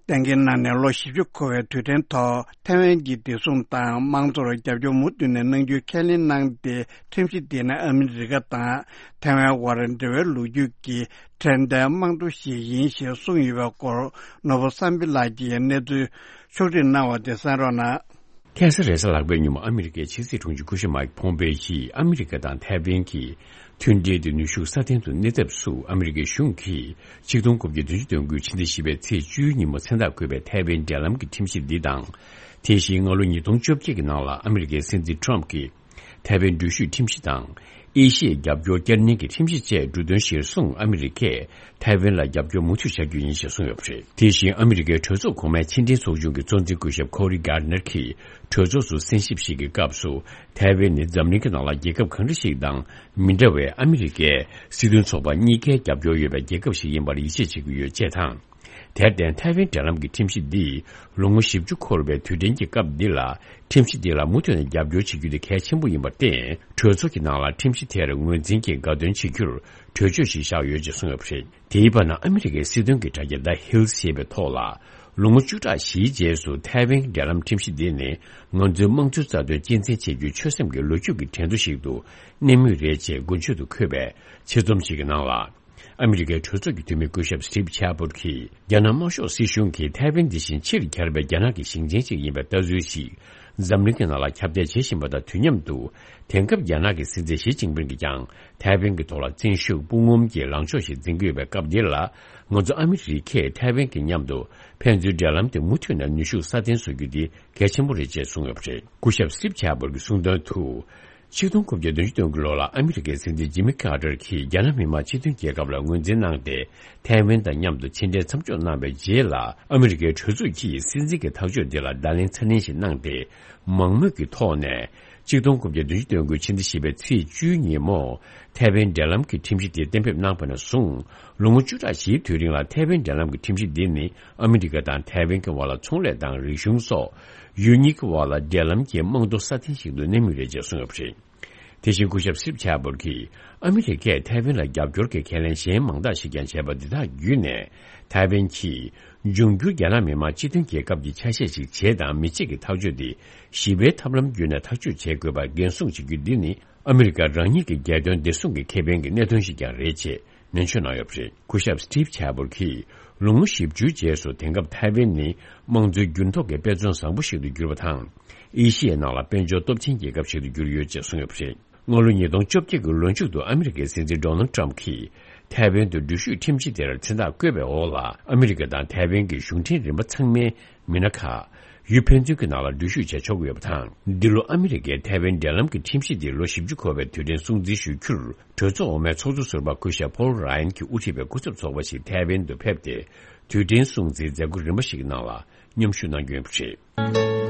གཏན་འཁེལ་གནང་ནས་ལོ་བཞི་བཅུ་འཁོར་བའི་དུས་དྲན་ཐོག་ཐའེ་ཝན་གྱི་བདེ་སྲུང་དང་དམངས་གཙོར་རྒྱབ་སྐྱོར་མུ་མཐུད་ནས་གནང་རྒྱུའི་ཁས་ལེན་གནང་སྟེ། ཁྲིམས་གཞི་འདི་ནི་ཨ་མི་རི་ཀ་དང་ཐའེ་ཝན་དབར་འབྲེལ་བའི་ལོ་རྒྱུས་ཀྱི་དྲན་རྟེན་རྨང་བརྟན་ཞིག་ཡིན་ཞེས་གསུངས་ཡོད་པའི་སྐོར། ནོར་བུ་བསམ་འཕེལ་ལགས་ཀྱིས་གནས་ཚུལ་ཕྱོགས་སྒྲིག་གནང་བ་དེ་གསན་རོགས་གནང་། ཁ་སང་རེས་གཟའ་ལྷག་པའི་ཉིན་མོ་ཨ་མི་རི་ཀའི་ཕྱི་སྲིད་དྲུང་ཆེ་སྐུ་ཞབས་མའིག་ཕོམ་པེ་ཡིས་ཨ་མི་རི་ཀ་དང་ཐའེ་ཝན་གྱི་མཐུན་འབྲེལ་དེ་ནུས་ཤུགས་སྲ་བརྟན་དུ་གནས་ཐབས་སུ། ཨ་མི་རི་ཀའི་གཞུང་གིས་ཆིག་སྟོང་དགུ་བརྒྱ་བདུན་ཅུ་དོན་དགུའི་ཕྱི་ཟླ་བཞི་པའི་ཚེས་བཅུའི་ཉིན་མོ་མཚན་རྟགས་བཀོད་པའི་ཐའེ་ཝན་འབྲེལ་ལམ་གྱི་ཁྲིམས་གཞི་འདི་དང་། དེ་བཞིན་སྔ་ལོ་ཉིས་སྟོང་བཅོ་བརྒྱད་ཀྱི་ནང་ལ་ཨ་མི་རི་ཀའི་སྲིད་འཛིན་ཊམ་གྱིས་ཐའེ་ཝན་འགྲུལ་བཞུད་ཁྲིམས་གཞི་དང་། ཨེ་ཤི་ཡའི་རྒྱབ་སྐྱོར་བསྐྱར་ནན་གྱི་ཁྲིམས་གཞི་བཅས་འབྲུ་དོན་གཞིར་བཟུང་ཨ་མི་རི་ཀས་ཐའེ་ཝན་ལ་རྒྱབ་སྐྱོར་མུ་མཐུད་བྱ་རྒྱུ་ཡིན་ཞེས་གསུངས་ཡོད་པ་རེད། དེ་བཞིན་ཨ་མི་རི་ཀའི་གྲོས་ཚོགས་གོང་མའི་ཕྱི་འབྲེལ་ཚོགས་ཆུང་གི་གཙོ་འཛིན་སྐུ་ཞབས་ཁོ་རི་གྷར་ནར་གྱིས་གྲོས་ཚོགས་སུ་གསན་ཞིབ་ཞིག་གི་སྐབས་སུ། ཐའེ་ཝན་ནི་འཛམ་གླིང་གི་ནང་ལ་རྒྱལ་ཁབ་གང་འདྲ་ཞིག་དང་མི་འདྲ་བའི་ཨ་མི་རི་ཀའི་སྲིད་དོན་ཚོགས་པ་གཉིས་ཀའི་རྒྱབ་སྐྱོར་ཡོད་པའི་རྒྱལ་ཁབ་ཞིག་ཡིན་པར་ཡིད་ཆེས་བྱེད་ཀྱི་ཡོད་ཅེས་དང་། དེར་བརྟེན་ཐའེ་ཝན་འབྲེལ་ལམ་གྱི་ཁྲིམས་གཞི་འདིས་ལོ་ངོ་བཞི་བཅུ་འཁོར་བའི་དུས་དྲན་གྱི་སྐབས་འདི་ལ་ཁྲིམས་གཞི་འདི་ལ་མུ་མཐུད་ནས་རྒྱབ་སྐྱོར་བྱེད་རྒྱུ་དེ་གལ་ཆེན་པོ་ཡིན་པར་བརྟེན། གྲོས་ཚོགས་ཀྱི་ནང་ལ་ཁྲིམས་གཞི་དེར་ངོས་འཛིན་གྱིས་དགའ་སྟོན་བྱེད་རྒྱུར་གྲོས་ཆོད་ཞིག་བཞག་ཡོད་ཅེས་གསུངས་ཡོད་པ་རེད། དེའི་བར་ན་ཨ་མི་རི་ཀའི་སྲིད་དོན་གྱི་དྲ་རྒྱ་The Hill ཞེས་པའི་ཐོག་ལ། ལོ་ངོ་བཅུ་ཕྲག་བཞིའི་རྗེས་སུ་ཐའེ་ཝན་གྱི་འབྲེལ་ལམ་ཁྲིམས་གཞི་འདི་ནི་ང་ཚོའི་དམངས་གཙོའི་རྩ་དོན་གཅེས་འཛིན་བྱེད་རྒྱུའི་ཆོད་སེམས་ཀྱི་ལོ་རྒྱུས་ཀྱི་དྲན་གདུང་ཞིག་ཏུ་གནས་མུས་རེད་ཅེས་མགོན་ཆེད་དུ་འཁོད་པའི་ཆེད་རྩོམ་ཞིག་གི་ནང་ལ། ཨ་མི་རི་ཀའི་གྲོས་ཚོགས་ཀྱི་འཐུས་མི་སྐུ་ཞབས་སི་ཊིབ་ཆེ་པོར་གྱིས། རྒྱ་ནག་དམར་ཤོག་སྲིད་གཞུང་གིས་ཐའེ་ཝན་འདི་བཞིན་ཕྱིར་གྱར་བའི་རྒྱ་ནག་གི་ཞིང་ཆེན་ཞིག་ཡིན་པའི་ལྟ་ཚུལ་ཞིག་ འཛམ་གླིང་གི་ནང་ལ་ཁྱབ་གདལ་བྱེད་བཞིན་པ་དང་དུས་མཉམ་དུ། དེང་སྐབས་རྒྱ་ནག་གི་སྲིད་འཛིན་ཞི་ཅིན་ཕིང་གིས་ཀྱང་ཐའེ་ཝན་གྱི་ཐོག་ལ་བཙན་ཤུགས་དཔུང་ངོམ་གྱི་ལངས་ཕྱོགས་ཤིག་འཛིན་གྱི་ཡོད་པའི་སྐབས་འདི་ལ། ང་ཚོ་ཨ་མི་རི་ཁས་ཐའེ་ཝན་གྱི་མཉམ་དུ་ཕན་ཚུན་འབྲེལ་ལམ་དེ་མུ་མཐུད་ནས་ནུས་ཤུགས་སྲ་བརྟན་བཟོ་རྒྱུ་འདི་གལ་ཆེན་པོ་རེད་ཅེས་གསུངས་ཡོད་པ་རེད། སྐུ་ཞབས་སི་ཊིབ་ཆེ་བོར་གྱིས་གསུངས་དོན་དུ། ཆིག་སྟོང་དགུ་བརྒྱ་བདུན་ཅུ་དོན་དགུ་ལོ་ལ་ཨ་མི་རི་ཀའི་སྲིད་འཛིན་ཇི་མི་ཀར་ཏར་གྱིས་རྒྱ་ནག་མི་དམངས་སྤྱི་མཐུན་རྒྱལ་ཁབ་ལ་ངོས་འཛིན་གནང་སྟེ། ཐའེ་ཝན་དང་མཉམ་དུ་ཕྱི་འབྲེལ་མཚམས་འཇོག་གནང་བའི་རྗེས་ལ། ཨ་མི་རི་ཀའི་གྲོས་ཚོགས་ཀྱིས་སྲིད་འཛིན་གྱི་ཐག་གཅོད་དེ་ལ་བརྡ་ལན་ཚ་ནན་ཞིག་གནང་སྟེ། མང་མོས་ཀྱི་ཐོག་ནས། ཆིག་སྟོང་དགུ་བརྒྱ་བདུན་ཅུ་དོན་དགུ་ཕྱི་ཟླ་བཞི་པའི་ཚེས་བཅུའི་ཉིན་མོ། ཐའེ་ཝན་འབྲེལ་ལམ་གྱི་ཁྲིམས་གཞི་དེ་གཏན་འབེབས་གནང་བ་ནས་བཟུང་། ལོ་ངོ་བཅུ་ཕྲག་བཞིའི་དུས་རིང་ལ་ཐའེ་ཝན་འབྲེལ་ལམ་གྱི་ཁྲིམས་གཞི་འདི་ནི། ཨ་མི་རི་ཀ་དང་ཐའེ་ཝན་གྱི་བར་ལ་ཚོང་ལས་དང་རིག་གཞུང་སོགས། ཡུལ་གཉིས་ཀྱི་བར་ལ་འབྲེལ་ལམ་གྱི་རྨང་རྡོ་སྲ་བརྟན་ཞིག་ཏུ་གནས་མུས་རེད་ཅེས་གསུངས་ཡོད་པ་རེད། དེ་བཞིན་སྐུ་ཞབས་སི་ཊིབ་ཆེ་བོར་གྱིས། ཨ་མི་རི་ཀས་ཐའེ་ཝན་ལ་རྒྱབ་སྐྱོར་གྱི་ཁས་ལེན་གཞན་མང་དག་ཞིག་ཀྱང་བྱས་པ་འདི་དག་བརྒྱུད་ནས། ཐའེ་ཝན་གྱིས་འབྱུང་འགྱུར་རྒྱ་ནག་མི་དམངས་སྤྱི་མཐུན་རྒྱལ་ཁབ་ཀྱི་ཆ་ཤས་ཤིག་བྱེད་དང་མི་བྱེད་ཀྱི་ཐག་གཅོད་དེ་ཞི་བའི་ཐབས་ལམ་བརྒྱུད་ནས་ཐག་གཅོད་བྱེད་དགོས་པར་འགན་སྲུང་བྱེད་རྒྱུ་འདི་ནི། ཨ་མི་རི་ཀ་རང་ཉིད་ཀྱི་རྒྱལ་དོན་བདེ་སྲུང་གི་ཁེ་ཕན་གྱི་གནད་དོན་ཞིག་ཀྱང་རེད་ཅེས་ནན་བརྗོད་གནང་ཡོད་པ་རེད། སྐུ་ཞབས་སི་ཊིབ་ཆེ་བོར་གྱིས། ལོ་ངོ་བཞི་བཅུའི་རྗེས་སུ་དེང་སྐབས་ཐའེ་ཝན་ནི་དམངས་གཙོའི་འགྱུར་ལྡོག་གི་དཔེ་མཚོན་བཟང་པོ་ཞིག་ཏུ་གྱུར་པ་དང་། ཨེ་ཤི་ཡའི་ནང་ལ་དཔལ་འབྱོར་སྟོབས་ཆེན་རྒྱལ་ཁབ་ཞིག་ཏུ་གྱུར་ཡོད་ཅེས་གསུངས་ཡོད་པ་རེད། སྔ་ལོ་ཉིས་སྟོང་བཅོ་བརྒྱད་ཀྱི་ལོ་མཇུག་ཏུ་ཨ་མི་རི་ཀའི་སྲིད་འཛིན་ཌོ་ནལ་ཊམ་གྱིས་ཐའེ་ཝན་དུ་འགྲུལ་བཞུད་ཁྲིམས་གཞི་དེར་མཚན་རྟགས་བཀོད་པའི་འོག་ལ། ཨ་མི་རི་ཀ་དང་ཐའེ་ཝན་གྱི་གཞུང་འབྲེལ་རིམ་པ་ཚང་མའི་མི་སྣ་ཁག་ཡུལ་ཕན་ཚུན་གྱི་ནང་ལ་འགྲུལ་བཞུད་བྱེད་ཆོག་གི་ཡོད་པ་དང་། འདི་ལོ་ཨ་མི་རི་ཀའི་ཐའེ་ཝན་འབྲེལ་ལམ་གྱི་ཁྲིམས་གཞི་འདི་ལོ་བཞི་བཅུ་འཁོར་བའི་དུས་དྲན་སྲུང་བརྩི་ཞུ་རྒྱུར། གྲོས་ཚོགས་འོག་མའི་ཚོགས་གཙོ་ཟུར་པ་སྐུ་ཞབས་ཕོལ་ར་ཡན་གྱིས་དབུ་ཁྲིད་པའི་སྐུ་ཚབ་ཚོགས་པ་ཞིག་ཐའེ་ཝན་དུ་ཕེབས་ཏེ། དུས་དྲན་སྲུང་བརྩིའི་མཛད་སྒོ་རིམ་པ་ཞིག་གི་ནང་ལ་མཉམ་ཞུགས་གནང་རྒྱུ་ཡིན་པ་རེད།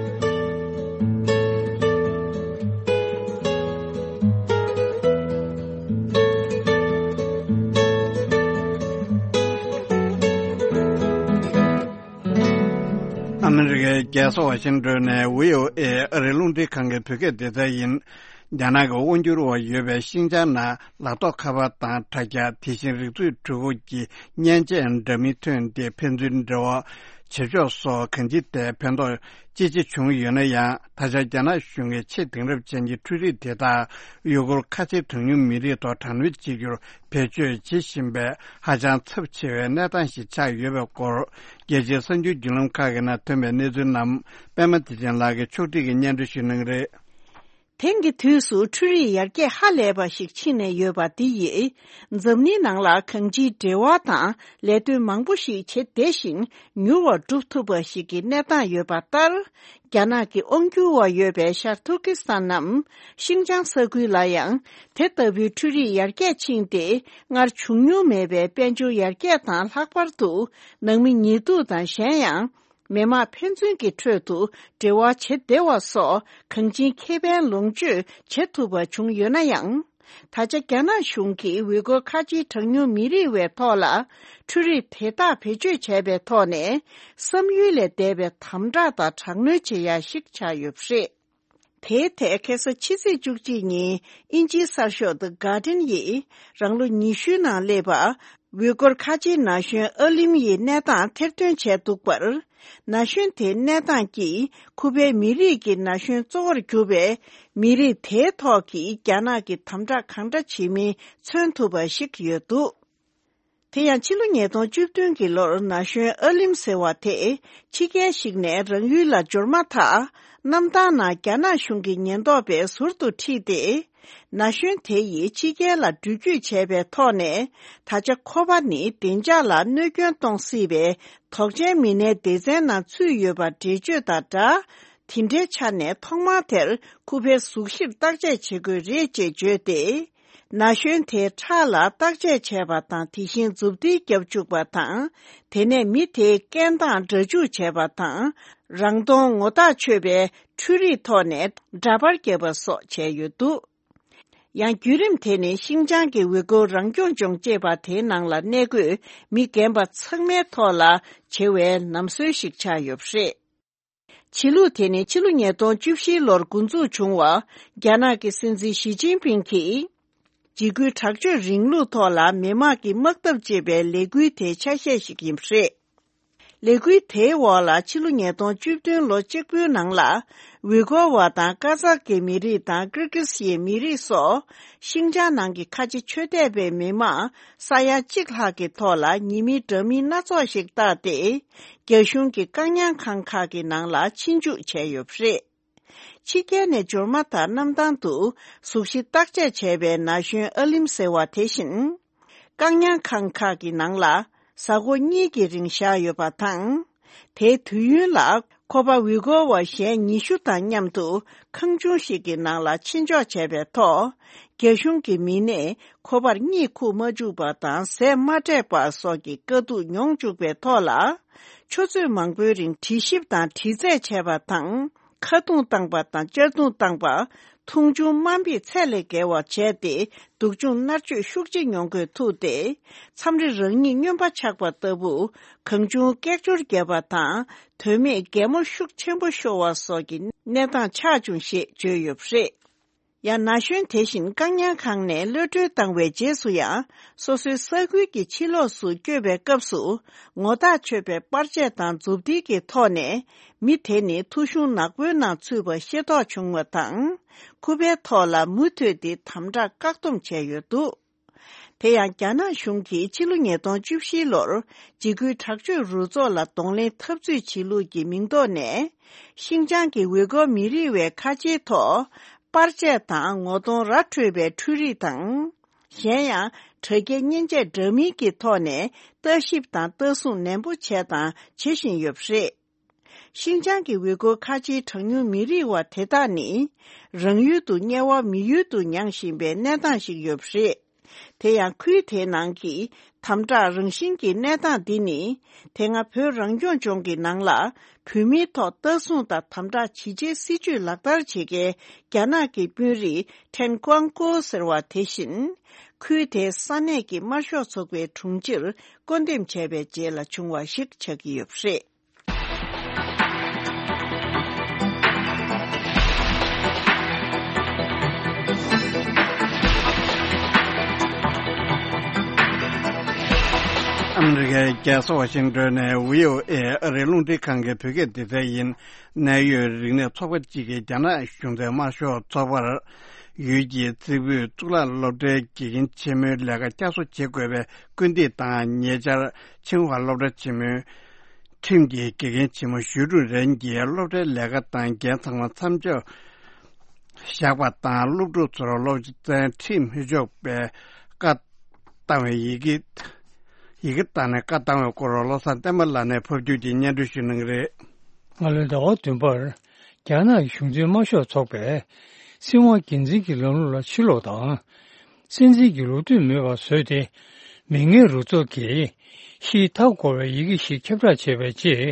ཨ་མི་རི་ཀའི་རྒྱལ་ས་ཝ་ཤིང་ཏོན་ནས་བྷི་ཨོ་ཨེ་ཨ་རིའི་རླུང་འཕྲིན་ཁང་གི་བོད་སྐད་སྡེ་ཚན་ཡིན། རྒྱ་ནག་གི་དབང་སྒྱུར་འོག་ཡོད་པའི་ཤིན་ཅང་ནང་ལག་ཐོགས་ཁ་པར་དང་དྲ་རྒྱ། དེ་བཞིན་རིག་མཛོད་འཕྲུལ་འཁོར་གྱི་མཉེན་ཆས་འདྲ་མིན་ཐོན་ཏེ་ཕན་ཚུན་འབྲེལ་བ་བྱེད་ཕྱོགས་སོགས་གང་ཅིའི་ཐད་ཕན་ཐོགས་ཅི་ཆེ་བྱུང་ཡོད་ན་ཡང་། ད་ཆ་རྒྱ་ནག་གཞུང་གིས་ཆེས་དེང་རབས་ཅན་གྱི་འཕྲུལ་རིག་དེ་དག་ཡུ་གུར་ཁ་ཆེ་གྲངས་ཉུང་མི་རིགས་ཐོག་དྲག་གནོན་བྱེད་རྒྱུར་བེད་སྤྱོད་བྱེད་བཞིན་པའི་ཧ་ཅང་ཚབས་ཆེ་བའི་གནས་སྟངས་ཤིག་ཆགས་ཡོད་པའི་སྐོར། རྒྱལ་སྤྱིའི་གསར་འགྱུར་བརྒྱུད་ལམ་ཁག་གི་ནང་ཐོན་པའི་གནས་ཚུལ་རྣམས་པད་མ་བདེ་ཆེན་ལགས་ཀྱིས་ཕྱོགས་སྒྲིག་གིས་སྙན་སྒྲོན་ཞུ་གནང་གི་རེད། དེང་གི་དུས་སུ་འཕྲུལ་རིག་ཡར་རྒྱས་ཧ་ལས་པ་ཞིག་ཕྱིན་ནས་ཡོད་པ་འདི་ཡིས། འཛམ་གླིང་ནང་ལ་གང་ཅིའི་འབྲེལ་བ་དང་ལས་དོན་མང་པོ་ཞིག་བྱེད་བདེ་ཞིང་མྱུར་བར་འགྲུབ་ཐུབ་པ་ཞིག་གི་གནས་སྟངས་ཡོད་པ་ལྟར། རྒྱ་ནག་གི་དབང་སྒྱུར་འོག་ཡོད་པའི་ཤར་ཐུར་ཀི་སི་ཐན་ནམ་ཤིན་ཅང་ས་ཁུལ་ལ་ཡང་དེ་ལྟ་བུའི་འཕྲུལ་རིག་ཡར་རྒྱས་ཕྱིན་ཏེ། སྔར་བྱུང་མྱོང་མེད་པའི་དཔལ་འབྱོར་ཡར་རྒྱས་དང་། ལྷག་པར་དུ་ནང་མི་ཉེས་འཛུགས་དང་གཞན་ཡང་། མི་དམངས་ཕན་ཚུན་གྱི་ཁྲོད་དུ་འབྲེལ་བ་བྱེད་བདེ་བ་སོགས་གང་ཅིའི་ཁེ་ཕན་ལོངས་སྤྱོད་བྱེད་ཐུབ་པ་བྱུང་ཡོད་ན་ཡང་། ད་ཆ་རྒྱ་ནག་གཞུང་གིས་ཝུའི་གོར་ཁ་ཆེའི་གྲངས་ཉུང་མི་རིགས་བའི་ཐོག་ལ་འཕྲུལ་རིག་དེ་དག་བེད་སྤྱོད་བྱས་པའི་ཐོག་ནས། བསམ་ཡུལ་ལས་འདས་པའི་དམ་དྲག་དང་དྲག་གནོན་བྱེད་ཡ་ཞིག་ཆགས་ཡོད་པ་རེད། དེའི་ཐད་ཁ་སང་ཕྱི་ཚེས་བཅུ་གཅིག་ཉིན་དབྱིན་ཇིའི་གསར་ཤོག་The Guardian ཡིས་རང་ལོ་ཉི་ཤུའི་ནང་སླེབས་པ། ཝུའི་གོར་ཁ་ཆེའི་ན་གཞོན་ཨ་ལིམ་ཡི་གནས་སྟངས་ཐེར་འདོན་བྱས་འདུག་པར། ན་གཞོན་དེའི་གནས་སྟངས་ཀྱིས་ཁུ་པའི་མི་རིགས་ཀྱི་ན་གཞོན་གཙོ་བོར་གྱུར་པའི་མི་རིགས་དེའི་ཐོག་གི་རྒྱ་ནག་གི་དམ་དྲག་གང་འདྲ་བྱེད་མིན་མཚོན་ཐུབ་པ་ཞིག་ཡོད་འདུག་དེ་ཡང་ཕྱི་ལོ་ཉིས་སྟོང་བཅུ་བདུན་གྱི་ལོར་ན་གཞོན་ཨ་ལིམ་ཟེར་བ་དེ་ཕྱི་རྒྱལ་ཞིག་ནས་རང་ཡུལ་ལ་འབྱོར་མ་ཐག་གནམ་ཐང་ནང་རྒྱ་ནག་གཞུང་གི་ཉེན་རྟོག་པས་ཟུར་དུ་ཁྲིད་དེ། ན་གཞོན་དེ་ཡིས་ཕྱི་རྒྱལ་ལ་འགྲུལ་སྐྱོད་བྱས་པའི་ཐོག་ནས། ད་ཆ་ཁོ་པ་ནི་བདེ་འཇགས་ལ་གནོད་སྐྱོན་གཏོང་སྲིད་པའི་དོགས་ཅན་མི་སྣའི་སྡེ་ཚན་ནང་ཚུད་ཡོད་པ་འགྲེལ་བརྗོད་དང་སྦྲགས། དེ་འདྲའི་ཆ་ནས་ཐོག་མར་དེར་ཁུ་པའི་གཟུགས་གཞིར་བརྟག་དཔྱད་བྱེད་དགོས་རེད་ཅེས་བརྗོད་དེ། ན་གཞོན་དེའི་ཁྲག་ལ་བརྟག་དཔྱད་བྱས་པ་དང་། དེ་བཞིན་མཛུབ་ཐེལ་བརྒྱབ་བཅུག་པ་དང་། དེ་ནས་མི་དེའི་སྐད་གདངས་སྒྲ་འཇུག་བྱས་པ་དང་། རང་མཐོང་ངོ་རྟགས་ཆོད་པའི་འཕྲུལ་རིག་ཐོག་ནས་འདྲ་པར་བརྒྱབ་པ་སོགས་བྱས་ཡོད་འདུག་ཡང་བརྒྱུད་རིམ་དེ་ནི་ཤིན་ཅང་གི་ཝུའི་གོར་རང་སྐྱོང་ལྗོངས་ཅེས་པ་དེའི་ནང་ལ་གནས་འཁོད་མི་རྒན་པ་ཚང་མའི་ཐོག་ལ་བྱེད་པའི་ལམ་སྲོལ་ཞིག་ཆགས་ཡོད་པ་རེད། བྱེད་ལུགས་དེ་ནི་ཕྱི་ལོ་ཉིས་སྟོང་བཅུ་བཞི་ལོར་འགོ་འཛུགས་བྱུང་བ། རྒྱ་ནག་གི་སྲིད་འཛིན་ཞི་ཅིན་ཕིང་གིས། འཇིགས་སྐུལ་དྲག་སྤྱོད་རིང་ལུགས་ཐོག་ལ་མི་དམངས་ཀྱི་དམག་འཐབ་ཅེས་པའི་ལས་འགུལ་དེའི་ཆ་ཤས་ཤིག་ཡིན་པ་རེད། ལས་འགུལ་དེའི་འོག་ལ་ཕྱི་ལོ་ཉིས་སྟོང་བཅུ་བདུན་ལོ་གཅིག་པུའི་ནང་ལ། ཝུའི་གོར་བ་དང་ཀ་ཛག་གི་མི་རིགས་དང་ཀིར་ཀིས་ཡའི་མི་རིགས་སོགས། ཤིང་ཅང་ནང་གི་ཁ་ཆེ་ཆོས་དད་པའི་མི་མང་ས་ཡ་གཅིག་ལྷག་གི་ཐོག་ལ་ཉེས་མིང་འདྲ་མིན་སྣ་ཚོགས་ཤིག་བཏགས་ཏེ། རྒྱ་གཞུང་གི་བཀག་ཉར་ཁང་ཁག་གི་ནང་ལ་ཕྱིན་འཇུག་བྱས་ཡོད་པ་རེད། ཕྱི་རྒྱལ་ནས་འབྱོར་མ་ཐག་གནམ་ཐང་དུ་གཟུགས་གཞི་བརྟག་དཔྱད་བྱས་པའི་ན་གཞོན་ཨ་ལིམ་ཟེར་བ་དེ་བཞིན། བཀག་ཉར་ཁང་ཁག་གི་ནང་ལ་གཟའ་འཁོར་གཉིས་ཀྱི་རིང་བཞག་ཡོད་པ་དང་། དེའི་དུས་ཡུན་ལ་ཁོ་པ་ཝི་གོ་བ་གཞན་ཉི་ཤུ་དང་མཉམ་དུ་ཁང་ཆུང་ཞིག་གི་ནང་ལ་ཕྱིན་འཇོག་བྱས་པའི་ཐོག་རྒྱ་གཞུང་གི་མི་སྣས་ཁོ་པར་གཉིད་ཁུག་མ་བཅུག་པ་དང་ཟས་མ་སྤྲད་པ་སོགས་ཀྱི་དཀའ་སྡུག་མྱོང་བཅུག་པའི་ཐོག་ལ། ཆུ་ཚོད་མང་པོའི་རིང་དྲི་ཞིབ་དང་དྲི་རྩད་བྱས་པ་དང་། ཁ་རྡུང་བཏང་པ་དང་གཅར་རྡུང་བཏང་པ། མཐོང་ཆུང་དམའ་འབེབས་ཚད་ལས་བརྒལ་བ་བྱས་ཏེ། སྡུག་སྦྱོང་མནར་གཅོད་ཤུགས་ཆེ་མྱོང་དགོས་ཐུག་སྟེ། མཚམས་རེ་རང་ཉིད་སྨྱོན་པ་ཆགས་པ་ལྟ་བུ། གང་བྱུང་སྐད་ཅོར་བརྒྱབ་པ་དང་། དོན་མེད་གད་མོ་ཤུགས་ཆེན་པོ་ཤོར་བ་སོགས་ཀྱི་གནས་སྟངས་ཆགས་བྱུང་ཞེས་བརྗོད་ཡོད་པ་རེད། ཡང་ན་གཞོན་དེ་བཞིན་བཀག་ཉར་ཁང་ནས་གློད་གྲོལ་བཏང་བའི་རྗེས་སུ་ཡང་། སོ་སོའི་ས་ཁུལ་གྱི་ཕྱི་ལོགས་སུ་བསྐྱོད་པའི་སྐབས་སུ། ངོ་ཐག་ཆོད་པའི་པར་ཆས་དང་མཛུབ་ཐེལ་གྱི་ཐོག་ནས། མི་དེ་ནི་ཐོ་གཞུང་ནག་པོའི་ནང་ཚུད་པ་ཤེས་རྟོགས་བྱུང་བ་དང་། ཁུ་པའི་ཐོག་ལ་མུ་མཐུད་དེ་དམ་དྲག་བཀག་སྡོམ་བྱས་ཡོད་འདུག་དེ་ཡང་རྒྱ་ནག་གཞུང་གིས་ཕྱི་ལོ་ཉིས་སྟོང་བཅུ་བཞི་ལོར་འཇིགས་སྐུལ་དྲག་སྤྱོད་རུ་ཚོགས་ལ་གདོང་ལེན་འཐབ་རྩོད་བྱེད་ལུགས་ཀྱི་མིང་ཐོག་ནས། ཤིན་ཅང་གི་ཝེ་གོ་མི་རིགས་བའི་ཁ་ཆེའི་ཐོག་པར་ཆས་དང་ངོ་གདོང་ར་འཕྲོད་པའི་འཕྲུལ་རིག་དང་། གཞན་ཡང་། དྲ་རྒྱའི་མཉེན་ཆས་འདྲ་མིན་གྱི་ཐོག་ནས་ལྟ་ཞིབ་དང་ལྟ་སྲུང་ནན་པོ་བྱས་དང་བྱེད་བཞིན་ཡོད་པ་རེད། ཤིན་ཅང་གི་ཝེ་གོ་ཁ་ཆེའི་གྲངས་ཉུང་མི་རིགས་བ་དེ་དག་ནི། རང་ཡུལ་དུ་དམྱལ་བ་མི་ཡུལ་དུ་མྱངས་བཞིན་པའི་གནས་སྟངས་ཤིག་ཡོད་པ་རེད། དེ་ཡང་ཁུལ་དེའི་ནང་གི་དམ་དྲག་རང་བཞིན་གྱི་གནས་སྟངས་འདི་ནི། དེ་སྔ་བོད་རང་སྐྱོང་ལྗོངས་ཀྱི་ནང་ལ་བོད་མིའི་ཐོག་ལྟ་སྲུང་དང་དམ་དྲག་ཇི་བྱེད་སྲིད་ཇུས་ལག་བསྟར་བྱེད་མཁན་རྒྱ་ནག་གི་དཔོན་རིགས་ཁྲེན་ཀོང་ཀོ་ཟེར་བ་དེ་བཞིན། ཁུལ་དེའི་ས་གནས་ཀྱི་དམར་ཤོག་ཚོགས་པའི་དྲུང་ཆེར་བསྐོ་འདེམས་བྱས་པའི་རྗེས་ལ་བྱུང་བ་ཞིག་ཆགས་ཀྱི་ཡོད་པ་རེད། ཨ་མི་རི་ཀའི་རྒྱལ་ས་ཝ་ཤིང་ཏོན་ནས་བྷི་ཨོ་ཨེ་ཨ་རིའི་རླུང་འཕྲིན་ཁང་གི་བོད་སྐད་སྡེ་ཚན་ཡིན། གནད་ཡོད་རིག་གནས་ཚོགས་པ་གཅིག་གིས་རྒྱ་ནག་གཞུང་འཛིན་དམར་ཤོག་ཚོགས་པར་ཡུལ་གྱི་རྩེ་ཕུད་གཙུག་ལག་སློབ་གྲྭའི་དགེ་རྒན་ཆེན་མོའི་ལས་ཀ་བསྐྱར་གསོ་བྱེད་དགོས་པའི་སྐུལ་འདེད་དང་། ཉེ་ཆར་ཆིང་ཧྭ་སློབ་གྲྭ་ཆེན་མོའི་ཁྲིམས་ཀྱི་དགེ་རྒན་ཆེན་མོ་ཞུས་ཀྲུང་རེན་གྱིས་སློབ་གྲྭའི་ལས་ཀ་དང་འགན་ཚང་མ་མཚམས་འཇོག་བཞག་པ་དང་། སློབ་ཕྲུག་ཚོར་སློབ་ཚན་ཁྲིད་མི་ཆོག་པའི་བཀའ་བཏང་བའི་ཡི་གེ། ཡི་གེ་བཏང་ནས་བཀའ་བཏང་བའི་སྐོར་བློ་བཟང་བསྟན་པ་ལགས་ནས་ཕབ་བསྒྱུར་གྱིས་སྙན་སྒྲོན་ཞུ་གནང་གི་རེད། སྔ་ལོའི་ཟླ་བ་བདུན་པར། རྒྱ་ནག་གི་གཞུང་འཛིན་དམར་ཤོག་ཚོགས་པས། སྲིད་དབང་སྒེར་འཛིན་གྱི་ལམ་ལུགས་ལ་ཕྱིར་ལོག་དང་། སྲིད་འཛིན་གྱི་ལོ་དུས་མེད་པར་བཟོས་ཏེ། མི་ངན་རུ་ཚོགས་ཀྱིས་ཕྱིའི་མཐའ་བསྐོར་བའི་ཡི་གེ་ཞིག་ཁྱབ་བསྒྲགས་བྱས་པའི་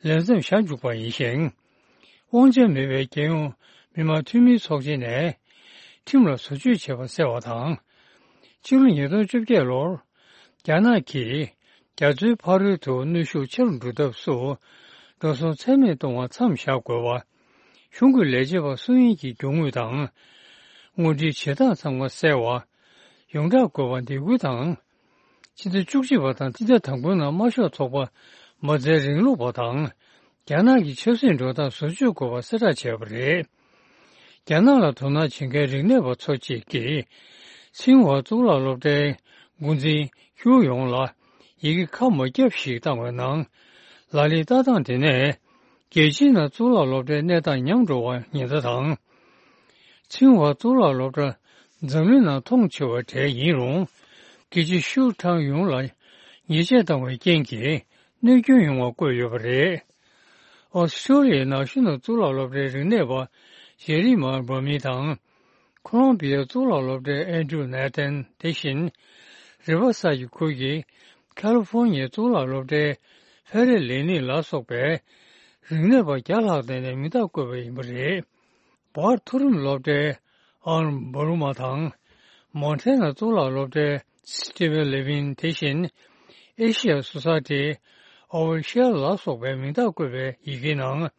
རྗེས། ལས་མཚམས་བཞག་འཇུག་པ་ཡིན་ཞིང་། དབང་ཆ་མེད་པའི་རྒྱལ་ཡོངས་མི་དམངས་འཐུས་མིའི་ཚོགས་ཆེན་ནས་ཁྲིམས་ལ་བཟོ་བཅོས་བྱས་པ་གསལ་བ་དང་། ཕྱི་ལོ་ཉིས་སྟོང་བཅོ་བརྒྱད་ལོར་རྒྱ་ནག་གིས་རྒྱ་མཚོའི་ཕ་རོལ་དུ་གནོན་ཤུགས་ཆེ་རུ་འགྲོ་ཐབས་སུ་འགྲོ་སོང་ཚད་མེད་གཏོང་བར་མཚམས་བཞག་དགོས་པ། གཞུང་གི་ལས་བྱེད་པ་སུ་ཡིན་གྱི་རྒྱུ་དངོས་དང་། དངོས་འབྲེལ་བྱེད་སྟངས་ཚང་མ་གསལ་བ། ཡོངས་གྲགས་དགོས་པ་འདེད་སྐུལ་དང་། ཕྱི་ཟླ་བཅུ་གཅིག་པ་དང་ཕྱི་ཟླ་དང་པོའི་ནང་དམར་ཤོག་ཚོགས་པ་མ་རྩའི་རིང་ལུགས་པ་དང་། རྒྱ་ནག་གི་ཆབ་སྲིད་འགྲོ་སྟངས་བཟོ་བཅོས་དགོས་པ་གསལ་བསྒྲགས་བྱས་པ་རེད། རྒྱ་ནག་ལ་དོ་སྣང་བྱེད་མཁན་རིག་གནས་པ་ཚོ་གཅིག་གིས། ཚིང་ཧྭ་གཙུག་ལག་སློབ་གྲྭའི་འགོ་འཛིན་ཧུའུ་ཡོང་ལ་ཡི་གེ་ཁ་མ་བརྒྱབ་ཞིག་བཏང་བའི་ནང་། ལ་ལས་ལྟ་སྟངས་དེ་ནས། རྒྱལ་སྤྱིའི་ནང་གཙུག་ལག་སློབ་གྲྭའི་གནས་སྟངས་ཉམས་འགྲོ་བར་ཉེན་བརྡ་དང་། ཚིང་ཧྭ་གཙུག་ལག་སློབ་གྲྭ་འཛམ་གླིང་ནང་མཐོང་ཆེ་བ་གྲས་ཡིན་རུང་། དགེ་བཅུ་ཤུ་ཁྲང་ཡུང་ལ་ཉེས་ཆད་བཏང་བའི་རྐྱེན་གྱིས་གནོད་སྐྱོན་ཡོང་བ་བཀོད་ཡོད་པ་རེད། ཨོ་སི་ཀྲོ་ལི་ཡའི་ནང་ཤུ་ནང་གཙུག་ལག་སློབ་གྲྭའི་རིག་གནས་པ་ཇེ་རི་མ་འབར་མི་དང་། ཁོ་ལོམ་བི་ཡའི་གཙུག་ལག་སློབ་གྲྭའི་ཨན་ཌྲུ་ནེ་ཐན། དེ་བཞིན། རི་ཝར་སའིཌ་ཁུལ་གྱི་ཁ་ལི་ཧྥོར་ནི་ཡའི་གཙུག་ལག་སློབ་གྲྭའི་ཧྥེ་རེ་ལེ་ནི་ལ་སོགས་པའི་རིག་གནས་པ་བརྒྱ་ལྷག་བསྡད་ནས་མིང་རྟགས་བཀོད་པ་ཡིན་པ་རེད། བར་མཐོ་རིམ་སློབ་གྲྭའི་ཨར་བྷ་རུ་མ་དང་། མོན་ཊེ་ན་གཙུག་ལག་སློབ་གྲྭའི་སི་ཊི་ཝེན་ལེ་ཝིན། དེ་བཞིན། ཨེ་ཤི་ཡ་སོ་སའི་ཊི་ཨོ་ཝར་ཤེལ་ལ་སོགས་པའི་མིང་རྟགས་བཀོད་པའི་ཡི་གེའི་ནང་།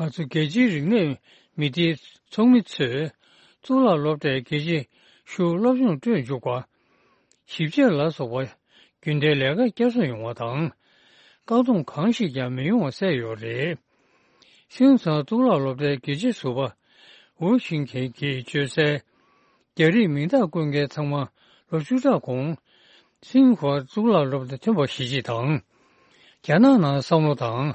ང་ཚོ་རྒྱལ་སྤྱིའི་རིག་གནས་མི་སྡེའི་ཚོགས་མི་ཚོས་གཙུག་ལག་སློབ་གྲྭའི་དགེ་བཅུ་ཤུ་སློབ་སྦྱོང་སྤྲོད་འཇུག་པ། ཞིབ་དཔྱད་ལ་སོགས་པ་རྒྱུན་ལྡན་ལས་ཀ་བསྐྱར་གསོ་ཡོང་བ་དང་། བཀག་སྡོམ་གང་ཞིག་ཀྱང་མི་ཡོང་བ་གསལ་ཡོད་རེད། ཤིན་ཚང་གཙུག་ལག་སློབ་གྲྭའི་དགེ་བཅུའི་ཟུར་པ་ཝུ་ཤིང་ཁེན་གྱིས་བརྗོད་གསལ། རྒྱ་རིགས་མིང་རྟགས་བཀོད་མཁན་ཚང་མ་ལོ་བཅུ་ཕྲག་གོང་། ཚིང་ཧྭ་གཙུག་ལག་སློབ་གྲྭ་ཐོན་པ་གཞིས་བྱེས་དང་། རྒྱ་ནག་ནང་བསམ་བློ་དང་